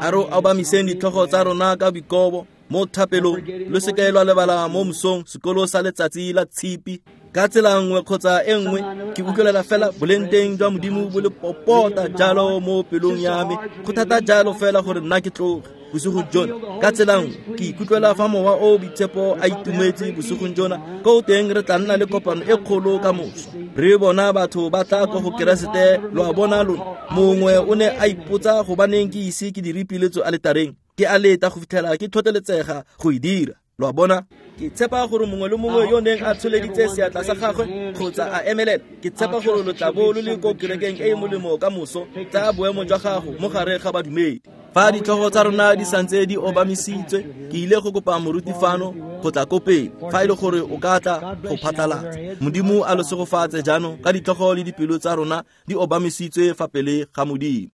A re obamiseng ditlhogo tsa rona ka boikobo mo thapelong. Lo seke lwa lebala mo mosong sekolo sa letsatsi la tshipi. Ka tsela nngwe kgotsa e nngwe ke utlwelela fela boleng teng jwa Modimo bo le popota jalo mo pelong ya me. Go thata jalo fela gore nna ke tloge bosigo jona. Ka tsela nngwe ke ikutlwela fa mowa o boitshepo a itumetse bosigong jona. Ko teng re tla nna le kopano e kgolo ka moso. Re bona batho ba tla ko go Keresete, lo a bona lona. Mongwe o ne a ipotsa gobaneng ke ise ke dire piletso aletareng. Ke a leta go fitlhela ke tlhotlheletsega go e dira. Lo a bona? Ke tshepa gore mongwe le mongwe yo neng a tsholeditse seatla sa gagwe kgotsa a emelela, ke tshepa gore lo tla bo lo le ko kerekeng e e molemo ka moso. Tsaya boemo jwa gago mo gare ga badumedi. Fa ditlhogo tsa rona di santse di obamisitswe, ke ile go kopa moruti fano go tla ko pele fa e le gore o ka tla go phatlalatsa. Modimo a lo segofatse jaanong ka ditlhogo le dipelo tsa rona di obamisitswe fa pele ga Modimo.